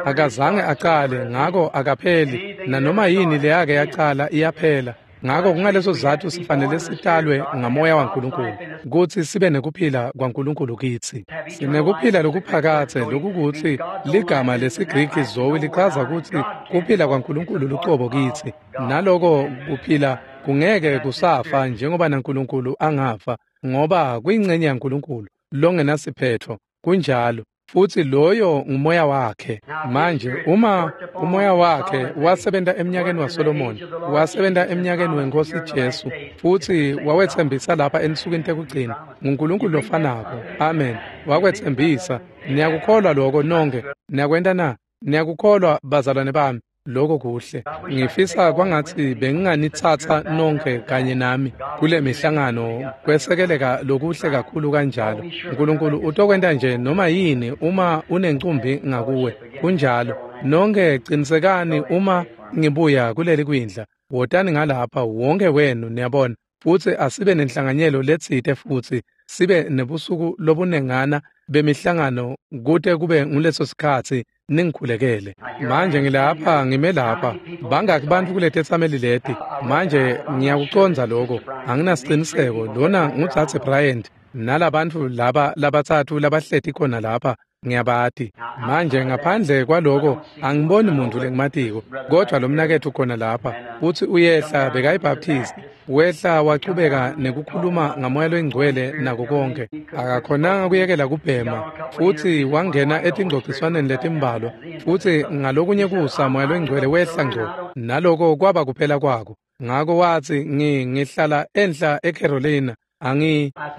akazange acale, ngako akapheli. Nanoma yini leyake yacala iyaphela. Ngako kungaleso sizatfu sifanele sitalwe ngaMoya waNkulunkulu, kutsi sibe nekuphila kwaNkulunkulu kitsi. Sinekuphila lokuphakadze, lokukutsi ligama lesiGriki zoe lichaza kutsi kuphila kwaNkulunkulu lucobo kitsi. Naloko kuphila kungeke kusafa njengoba naNkulunkulu angafa, ngoba kuyincenye yaNkulunkulu. longenasiphetho. Kunjalo. Futhi loyo ngumoya wakhe. Manje uma umoya wakhe wasebenta eminyakeni waSolomon, wasebenta eminyakeni wenkosi Jesu, futhi wawethembisa lapha ensukwini tekugcina, nguNkulunkulu lofanako. Amen. Wakwethembisa. Niyakukholwa lokho nonke? Niyakwenta na? Niyakukholwa bazalwane bami? Lokho kuhle. Ngifisa kwangathi benginganithatha nonke kanye nami kule mihlangano kwesekeleka lokuhle kakhulu kanjalo. uNkulunkulu utokwenta nje noma yini uma unencumbi ngakuwe. Kunjalo. Nonke qinisekani uma ngibuya kuleli kwindla. Wotani ngalapha wonke wenu, niyabona. Futhi asibe nenhlanganyelo letsite futhi sibe nebusuku lobunengana bemihlangano kute kube nguleso sikhathi ningikhulekele. Manje ngilapha, ngime lapha. Bangaki bantfu kuletetsameli leti? Manje ngiyakucondza lokho, anginasiciniseko. Lona ngudzadze Bryant nalabantfu laba labatsatfu labahleti khona lapha, ngiyabati. Manje ngaphandle kwaloko angiboni muntu lengimatiko, kodwa lo mnaketfu khona lapha futsi uyehla bekayibaptist, wehla wachubeka nekukhuluma ngamoya loyingcwele nako konke. Akakhonanga kuyekela kubhema futhi wangena etingcociswaneni letimbalwa, futhi ngalokunye kusa moya loyingcwele wehla ngco, naloko kwaba kuphela kwako. Ngako wathi ngihlala enhla eCarolina.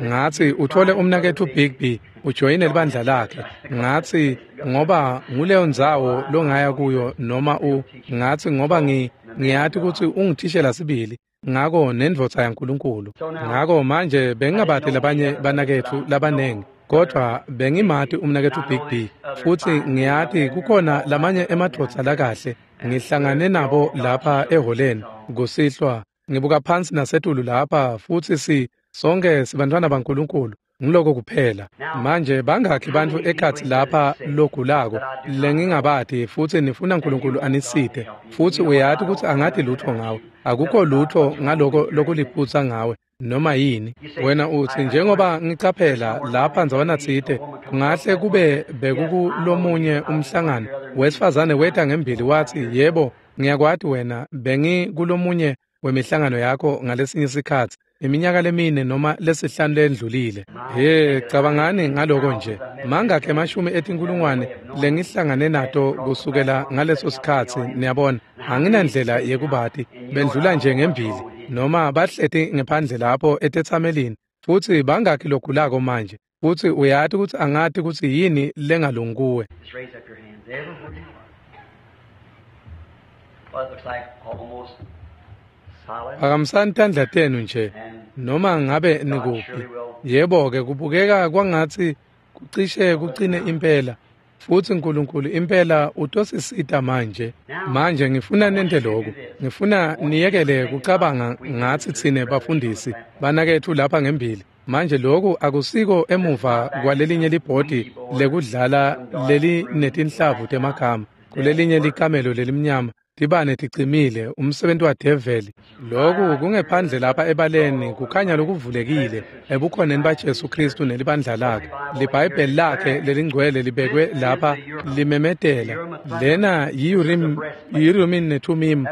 Ngathi uthole umnaketfu Bigby ujoyine libandla lakhe. Ngathi ngoba nguleyo ndzawo longaya kuyo noma ngathi ngoba ngiyati ukuthi ungithishela sibili, ngako nendvodza yaNkulunkulu. Ngako manje bengingabati labanye banaketfu labanengi, kodwa bengimati umnaketfu Bigby, futhi ngiyati kukhona lamanye emadvodza lakahle ngihlangane nabo lapha eholeni kusihlwa. Ngibuka phansi nasetulu lapha futhi sonke sibantwana baNkulunkulu, ngiloko kuphela. Manje bangakhi bantfu ekhatsi lapha logulako lengingabati futhi nifuna uNkulunkulu anisite, futhi uyati ukuthi angati lutho ngawe, akukho lutho ngaloko lokuliphutsa ngawe noma yini. Wena uthi njengoba ngicaphela lapha ndzawana tsite, kungahle kube bekukulomunye umhlangano wesifazane weta ngembili wathi, yebo ngiyakwati wena, bengikulomunye wemihlangano yakho ngalesinye isikhathi iminyaka lemine noma lesihlanu lendlulile. He, cabangani ngaloko nje. Mangakhe emashumi etinkulungwane lengihlangane nato kusukela ngaleso sikhathi, niyabona. Anginandlela yekubati, bendlula nje ngembili noma bahleti ngephandle lapho etetsamelini. Futhi bangakhi logulako manje? Futhi uyati ukuthi angati ukuthi yini lengalungi kuwe. Phakamisani tandla tenu nje noma ngabe nikuphi. Yebo-ke kubukeka kwangathi kucishe kucine impela, futhi uNkulunkulu impela utosisita manje. Manje ngifuna nente lokhu. Ngifuna niyekele kucabanga ngathi thine bafundisi banakethu lapha ngembili. Manje lokhu akusiko emuva kwalelinye libhodi lekudlala leli netinhlavu temagama, kulelinye likamelo lelimnyama tibane ticimile, umsebenzi wadeveli. Lokhu kungephandle lapha ebaleni, kukhanya lokuvulekile ebukhoneni baJesu Kristu nelibandla lakhe. LiBhayibheli lakhe lelingcwele libekwe lapha limemetela. Lena yi-Urim neThumim,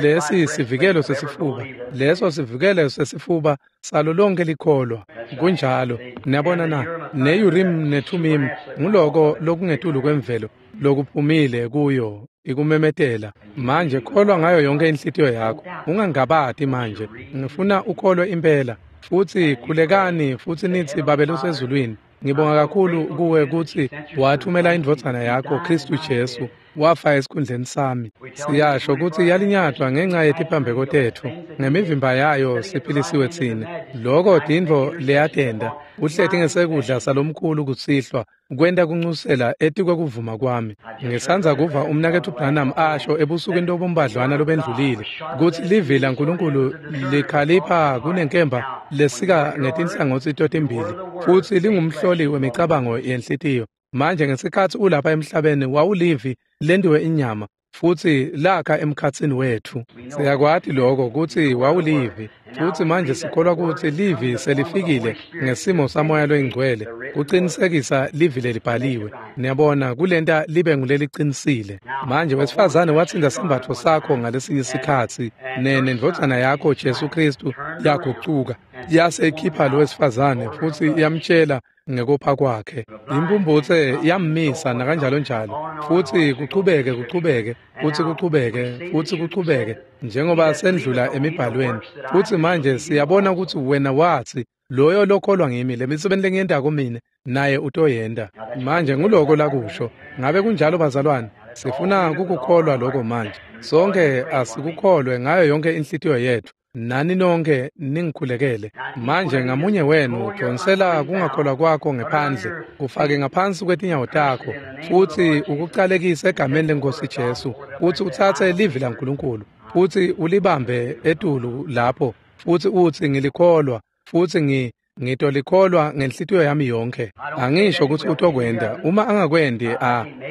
lesi sivikelo sesifuba. Leso sivikelo sesifuba salo lonke likholwa. Kunjalo. Niyabona na? Ne-Urim neThumim nguloko lokungetulu kwemvelo lokuphumile kuyo ikumemetela. Manje kholwa ngayo yonke inhlitiyo yakho, ungangabati manje. Ngifuna ukholwe impela. Futhi khulekani futhi nithi, Babe losezulwini, ngibonga kakhulu kuwe ukuthi wathumela indvodzana yakho Kristu Jesu, wafa esikhundleni sami. Siyasho ukuthi yalinyatwa ngenxa yetiphambeko tetfu, ngemivimba yayo siphilisiwe tsine. Loko tintfo leyatenta, uhleti ngesekudla salomkhulu kusihlwa, kwenta kuncusela etikwekuvuma kwami. Ngisandza kuva umnaketfu Branham asho ebusukwini lobumbadlwana lobendlulile kutsi livi laNkulunkulu likhalipha kunenkemba lesika ngetinhlangotsi totimbili, futhi lingumhloli wemicabango yenhlitiyo. Manje ngesikhathi ulapha emhlabeni wawulivi lentiwe inyama, futhi lakha emkhatsini wethu. Siyakwati lokho kutsi wawulivi, futhi manje sikholwa kutsi livi selifikile ngesimo samoya loyingcwele kucinisekisa livi lelibhaliwe. Niyabona, kulenta libe ngulelicinisile. Manje wesifazane watsinda sembatfo sakho ngalesinye isikhatsi, nendvodzana yakho Jesu Kristu yagucuka. Yase ikhipha lo wesifazane futsi yamtshela ngekopha kwakhe. Imphumphutse yammisa nakanjalo njalo, futsi kuchubeke kuchubeke futsi kuchubeke futsi kuchubeke njengoba sendlula emibhalweni. Futsi manje siyabona ukuthi wena wathi loyo lokholwa ngimi, lemisebenzi lengiyentako mine naye utoyenta. Manje nguloko lakusho. Ngabe kunjalo bazalwane? Sifuna kukukholwa lokho manje. Sonke asikukholwe ngayo yonke inhlitiyo yethu. Nani nonke ningikhulekele. Manje ngamunye wenu donsela kungakholwa kwakho ngephandle, kufake ngaphansi kwetinyawo takho, futsi ukucalekise egameni leNkosi Jesu, futsi utsatse livi laNkulunkulu, futsi ulibambe etulu lapho, futsi utsi ngilikholwa, futsi ngitolikholwa ngenhlitiyo yami yonke. Angisho ukuthi utokwenda. Uma angakwendi,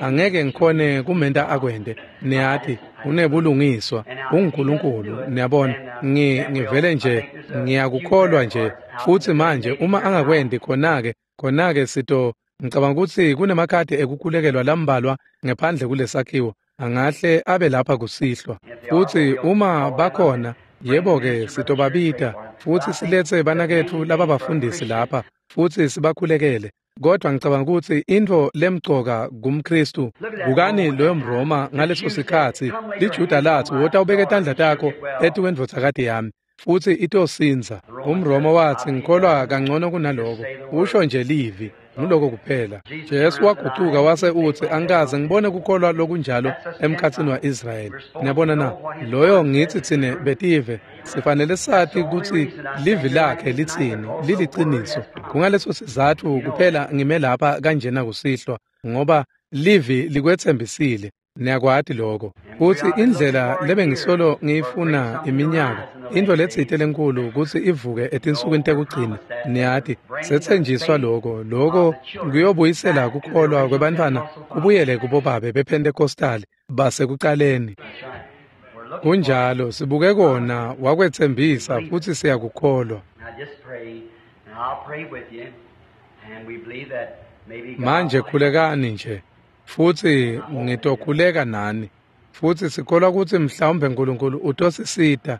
angeke ngikhone kumenta akwende. Niyati, unebulungiswa, unguNkulunkulu, niyabona. Ngivele nje ngiyakukholwa nje. Futhi manje uma angakwendi, khona-ke sito ngicabanga ukuthi kunemakhadi ekukhulekelwa lambalwa ngephandle kulesakhiwo. Angahle abe lapha kusihlwa. Futhi uma bakhona, yebo-ke sitobabita futhi siletse banaketfu lababafundisi lapha futhi sibakhulekele. Kodwa ngicabanga ukuthi intfo lemcoka kumKristu, bukani loyo mRoma ngaleso sikhatsi, liJuda lathi wota ubeke tandla takho etikwendvodzakati yami futhi itosindza. UmRoma wathi ngikholwa kangcono kunaloko, usho nje livi, nguloko kuphela. Jesu wagucuka wase utsi angikaze ngibone kukholwa lokunjalo emkhatsini wa-Israyeli. Niyabona na? Loyo ngithi tsine betive sifanele sati kutsi livi lakhe litsini, liliciniso. Kungaleso sizatfu kuphela ngime lapha kanjena kusihlwa, ngoba livi likwetsembisile. Niyakwati lokho. Futsi indlela lebengisolo ngiyifuna iminyaka, intfo letsite lenkulu kutsi ivuke etinsukwini tekugcina, niyati, setsenjiswa lokho. Lokho kuyobuyisela kukholwa kwebantfwana kubuyele kubobabe bePentecostal basekucaleni. Kunjalo, sibuke kona, wakwetsembisa futsi siyakukholwa. Manje khulekani nje. Futsi ngitokhuleka nani. Futsi sikholwa kutsi mhlawumbe uNkulunkulu utosisita.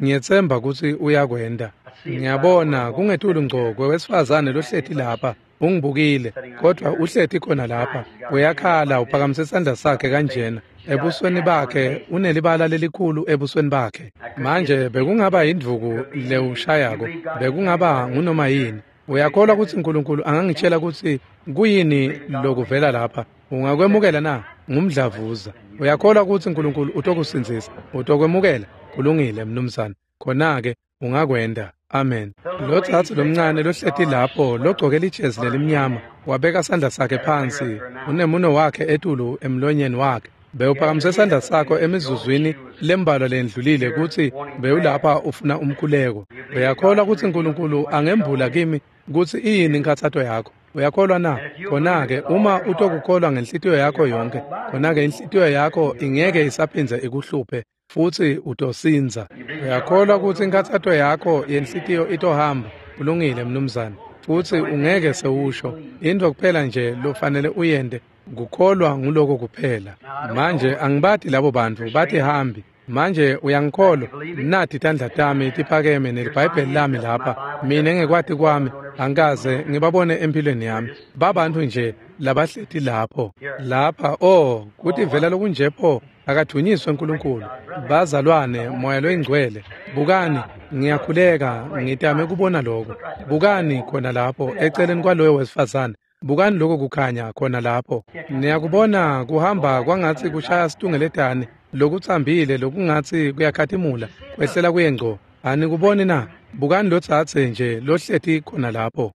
Ngiyetsemba kutsi uyakwenda. Ngiyabona kungetulu ngco kwewesifazane lohleti lapha, ungibukile, kodwa uhleti khona lapha. Uyakhala, uphakamise isandla sakhe kanjena. Ebusweni bakhe unelibala lelikhulu ebusweni bakhe. Manje bekungaba indvuku lewushayako, bekungaba ngunoma yini. Uyakholwa kutsi uNkulunkulu angangitshela kutsi kuyini lokuvela lapha? Ungakwemukela na? Ngumdlavuza. Uyakholwa kutsi uNkulunkulu utokusindzisa? Utokwemukela? Kulungile mnumzane. Khona-ke ungakwenda. Amen. Lo tsatsi lomncane lohleti lapho logcoke lijezi lelimnyama wabeka sandla sakhe phansi, unemuno wakhe etulu emlonyeni wakhe. Bewuphakamise sandla sakho emizuzwini lembalwa lendlulile kutsi bewulapha ufuna umkhuleko. Uyakholwa kutsi uNkulunkulu angembula kimi kutsi iyini inkhatsato yakho? Uyakholwa na? Khona-ke uma utokukholwa ngenhlitiyo yakho yonke, khona-ke inhlitiyo yakho ingeke isaphindze ikuhluphe futsi utosindza. Uyakholwa kutsi inkhatsato yakho yenhlitiyo itohamba? Kulungile mnumzane. Futsi ungeke sewusho. Intfo kuphela nje lofanele uyente kukholwa nguloko kuphela. Manje angibati labo bantfu batihambi. Manje uyangikholwa? Nathi tandla tami tiphakeme neliBhayibheli lami lapha. Mina ngekwati kwami angikaze ngibabone empilweni yami. Babantu nje labahleti lapho. Lapha oh, kutivela lokunje pho, akathunyiswe uNkulunkulu. Bazalwane, moya loyingcwele, bukani, ngiyakhuleka, ngitame kubona lokho. Bukani khona lapho eceleni kwaloyo wesifazane. Bukani lokho kukhanya khona lapho. Niyakubona kuhamba kwangatsi kushaya situngeletane lokutsambile lokungatsi kuyakhatimula kwehlela kuye ngco. Anikuboni na? Bukani lotsatse nje lohleti khona lapho.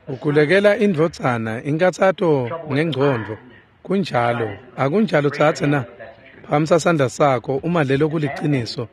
Ukhulekela indvodzana inkatsato ngengcondvo. Kunjalo, akunjalo tsatse na? Phakamisa sandla sakho uma lelo kuliciniso.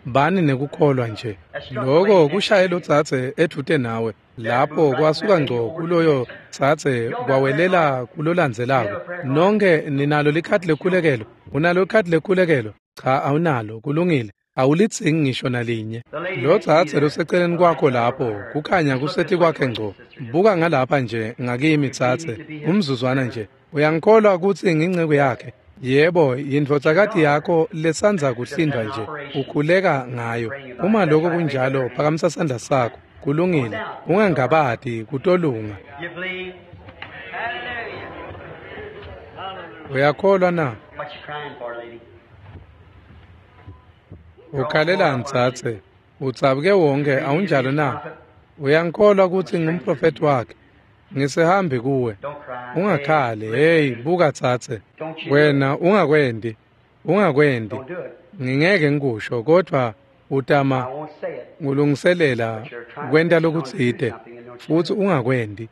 Bani nekukholwa nje. Loko kushaye lotsatse edvute nawe. Lapho kwasuka ngco kuloyo tsatse kwawelela kulolandzelako. Nonke ninalo likhadi lekhulekelo. Unalo likhadi lekhulekelo? Cha, awunalo. Kulungile. Awulidzingi ngisho nalinye. Lo tsatse loseceleni kwakho lapho, kukhanya kuseti kwakhe ngco. Buka ngalapha nje ngakimi tsatse, umzuzwana nje. Uyangikholwa kutsi ngingceku yakhe? Yebo, yindvodzakati yakho lesandza kuhlindwa nje, ukhuleka ngayo. Uma lokho kunjalo, phakamisa sandla sakho. Kulungile, ungangabati, kutolunga. Uyakholwa na? Ukhalelani tsatse? Utsabuke wonke, awunjalo na? Uyangikholwa kutsi ngumprofethi wakhe? Ngisihambi kuwe. Ungakhali. Hey, buka tsatse. Wena ungakwendi. Ungakwendi. Ngingeke ngikusho, kodwa utama ngulungiselela kwenta lokutsite futsi ungakwendi.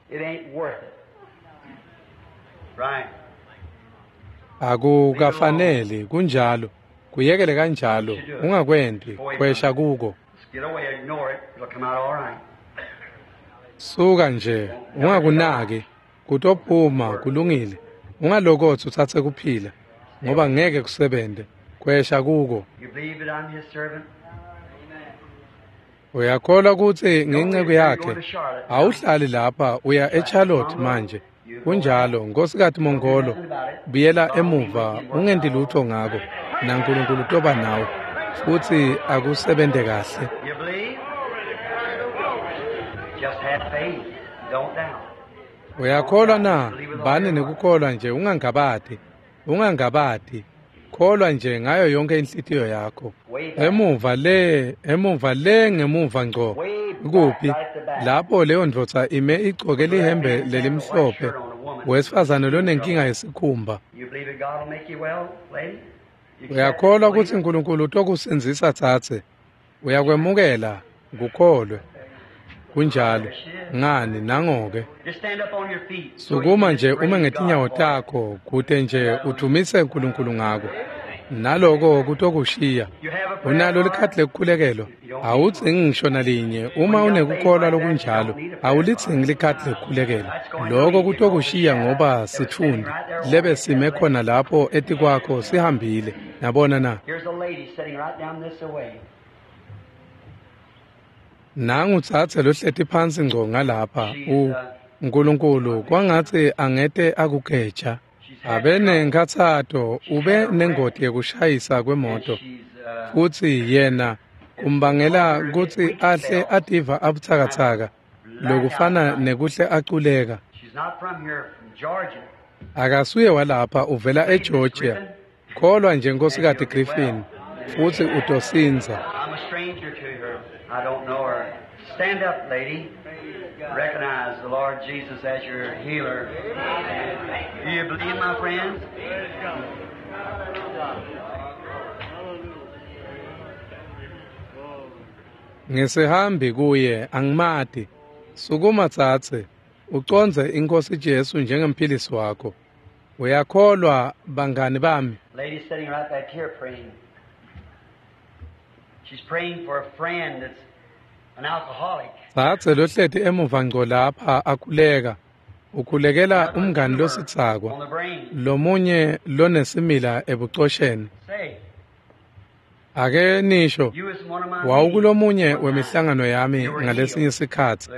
Akukafaneli kunjalo. Kuyekele kanjalo. Ungakwendi. Khwesha kuko. Suka nje, ungakunaki, kutophuma, kulungile. Ungalokotsi utsatse kuphila, ngoba ngeke kusebente. Khwesha kuko. Uyakholwa kutsi ngenceku yakhe? Awuhlali lapha, uya eCharlotte manje. Kunjalo, Nkosikazi Mongolo, buyela emuva, ungenti lutho ngako, naNkulunkulu utoba nawe, futsi akusebente kahle. Uyakholwa na? Bani nekukholwa nje, ungangabati. Ungangabati. Kholwa nje ngayo yonke inhlitiyo yakho. Emuva le ngemuva ngco. Kuphi? Lapho leyo ndvodza ime igcoke lihembe lelimhlophe. Wesifazane lonenkinga yesikhumba. Uyakholwa kutsi uNkulunkulu utokusindzisa tsatse? Uyakwemukela, kukholwe. Kunjalo. Ngani nangoke. Sukuma nje ume ngetinyawo takho kute nje udvumise uNkulunkulu ngako. Naloko kutokushiya. Unalo likhadi lekukhulekelwa? Awudzingi ngisho nalinye. Uma unekukholwa lokunjalo, awulidzingi likhadi lekukhulekelwa. Loko kutokushiya ngoba sitfundi lebe sime khona lapho etikwakho sihambile. Nabona na? Nangu tsatse lohleti phansi ngco ngalapha. uNkulunkulu kwangatsi angete akugeja. Abenenkhatsato, ube nengoti yekushayisa kwemoto, futsi yena kumbangela kutsi ahle ativa abutsakatsaka, lokufana nekuhle aculeka. Akasuye walapha, uvela eGeorgia. Kholwa nje Nkosikazi Griffin, futsi utosindza. I don't know her. Stand up, lady. Recognize the Lord Jesus as your healer. Do you believe, my friends? Ngisihambi kuye, angimati. Sukuma tsatse, ucondze iNkosi Jesu njengemphilisi wakho. Uyakholwa, bangani bami? Lady sitting right back here praying. She's praying for a friend that's an alcoholic. Tsatse lohleti emuva ngco lapha akhuleka. Ukhulekela umngani lositsakwa, lomunye lonesimila ebucosheni. Ake nisho, wawukulomunye wemihlangano yami ngalesinye sikhatsi.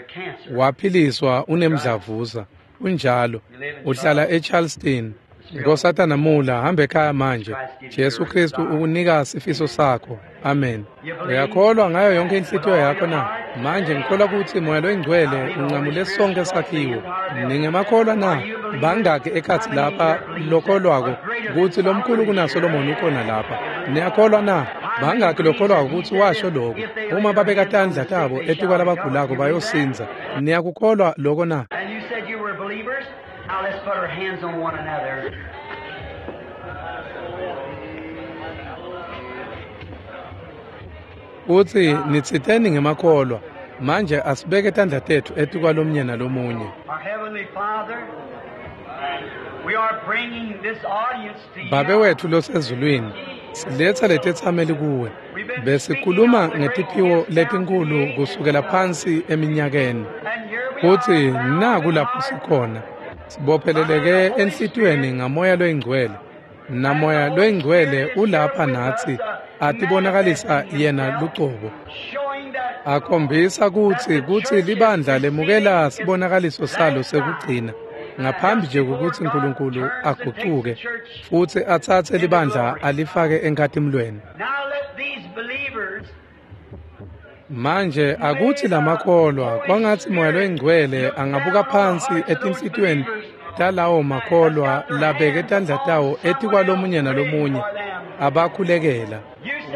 Waphiliswa unemdlavuza. Kunjalo. Uhlala eCharleston. Nkosatana Mula, hamba ekhaya manje. Jesu Kristu ukunika sifiso sakho. Amen. Uyakholwa ngayo yonke inhlitiyo yakho na? Manje ngikholwa kutsi Moya loyiNgcwele uncamule sonke sakhiwo. Ningemakholwa na? Bangaki ekhatsi lapha lokholwako kutsi lomkhulu kunaSolomoni ukhona lapha? Niyakholwa na? Bangaki lokholwako kutsi washo lokho? Uma babeka tandla tabo etikwalabagulako bayosindza. Niyakukholwa lokho na? Now let's put our hands on one another. Utsi nitsiteni ngemakholwa. Manje asibeke tandla tetfu etikwalomnye nalomunye. Our Heavenly Father, we are bringing this audience to you. Babe wetfu losezulwini, siletsa letetsameli kuwe. Besikhuluma ngetiphiwo letinkulu kusukela phansi eminyakeni. Futsi naku lapho sikhona. Sibopheleleke enhlitiyweni ngamoya loyingcwele. Namoya loyingcwele ulapha natsi, atibonakalisa yena lucobo. Akhombisa kutsi libandla lemukela sibonakaliso salo sekugcina. ngaphambi nje kokuthi uNkulunkulu agucuke futhi atsatse libandla alifake enkhatimlweni. Manje akuthi lamakholwa kwangathi Moya loyiNgcwele angabuka phansi etinhlitiyweni talawo makholwa labeke tandla tawo etikwalomunye nalomunye abakhulekela.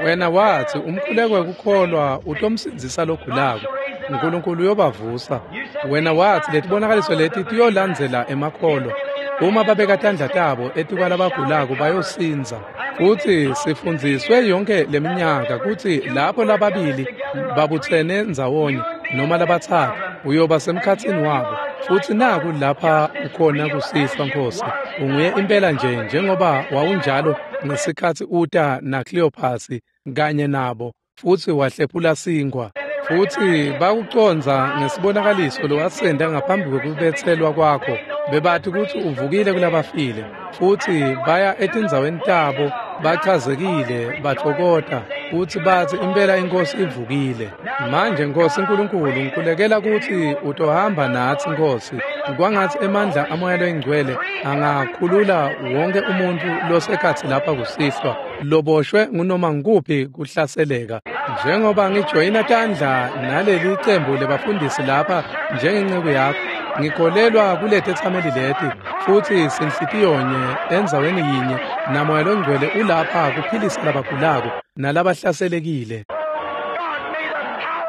Wena wathi umkhuleko wekukholwa utomsindzisa logulako, uNkulunkulu uyobavusa. Wena wathi letibonakaliso leti tiyolandzela emakholwa, uma babeka tandla tabo etikwalabagulako bayosindza. Futhi sifundziswe yonke leminyaka kutsi lapho lababili babutsene ndzawonye noma labatsatfu uyoba semkhatsini wabo. Futhi naku lapha ukhona kusihlwa Nkosi, unguye impela nje njengoba wawunjalo ngesikhatsi uta naKleophasi kanye nabo futhi wahlephula sinkwa. Futhi bakucondza ngesibonakaliso lowasenda ngaphambi kwekubetselwa kwakho. Bebathi kutsi uvukile kulabafile, futhi baya etindzaweni tabo bachazekile batfokota futhi bathi impela iNkosi ivukile. Manje Nkosi Nkulunkulu, ngikhulekela kutsi utohamba natsi Nkosi, kwangatsi emandla aMoya loyiNgcwele angakhulula wonke umuntfu losekhatsi lapha kusihlwa loboshwe ngunoma ngukuphi kuhlaseleka. Njengoba ngijoyina tandla naleli cembu lebafundisi lapha njengenceku yakho, ngikholelwa kuletetsameli leti futhi sinhlitiyonye endzaweni yinye naMoya loNgcwele ulapha kuphilisa labagulako nalabahlaselekile.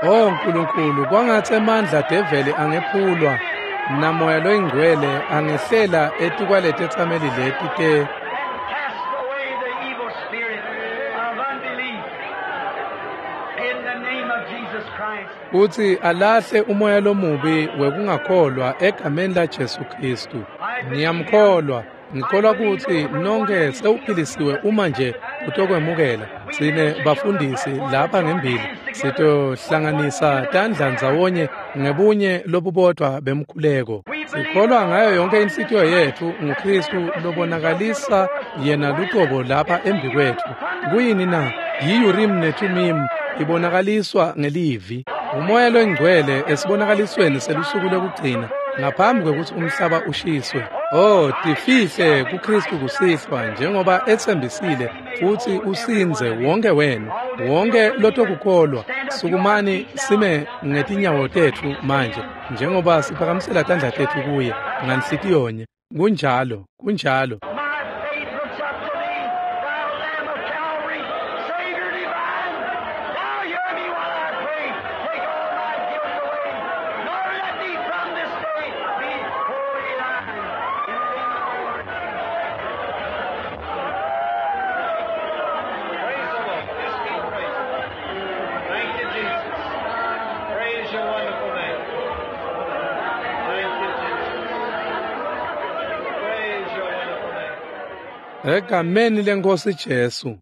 Oh Nkulunkulu, kwangatsi emandla develi angephulwa naMoya loyiNgcwele angehlela etikwaletetsameli leti te kutsi alahle umoya lomubi wekungakholwa egameni laJesu Khristu. Ngiyamkholwa, ngikholwa kutsi nonke sewuphilisiwe uma nje utokwemukela. Sine bafundisi lapha ngembili sitohlanganisa tandla ndzawonye ngebunye lobubodwa bemkhuleko. Sikholwa ngayo yonke inhlitiyo yetfu nguKhristu lobonakalisa yena lucobo lapha embikwetfu. Kuyini na? Yi-Urim neThumim ibonakaliswa ngelivi. Umoya loyiNgcwele esibonakalisweni selusuku lokugcina ngaphambi kwekutsi umhlaba ushiswe. Oh, tifihle kuKhristu kusihlwa njengoba etsembisile futhi usindze wonke wenu, wonke lotokukholwa. Sukumani sime ngetinyawo tetfu manje njengoba siphakamisela tandla tetfu kuye nganhlitiyonye. Kunjalo, kunjalo. Egameni leNkosi Jesu.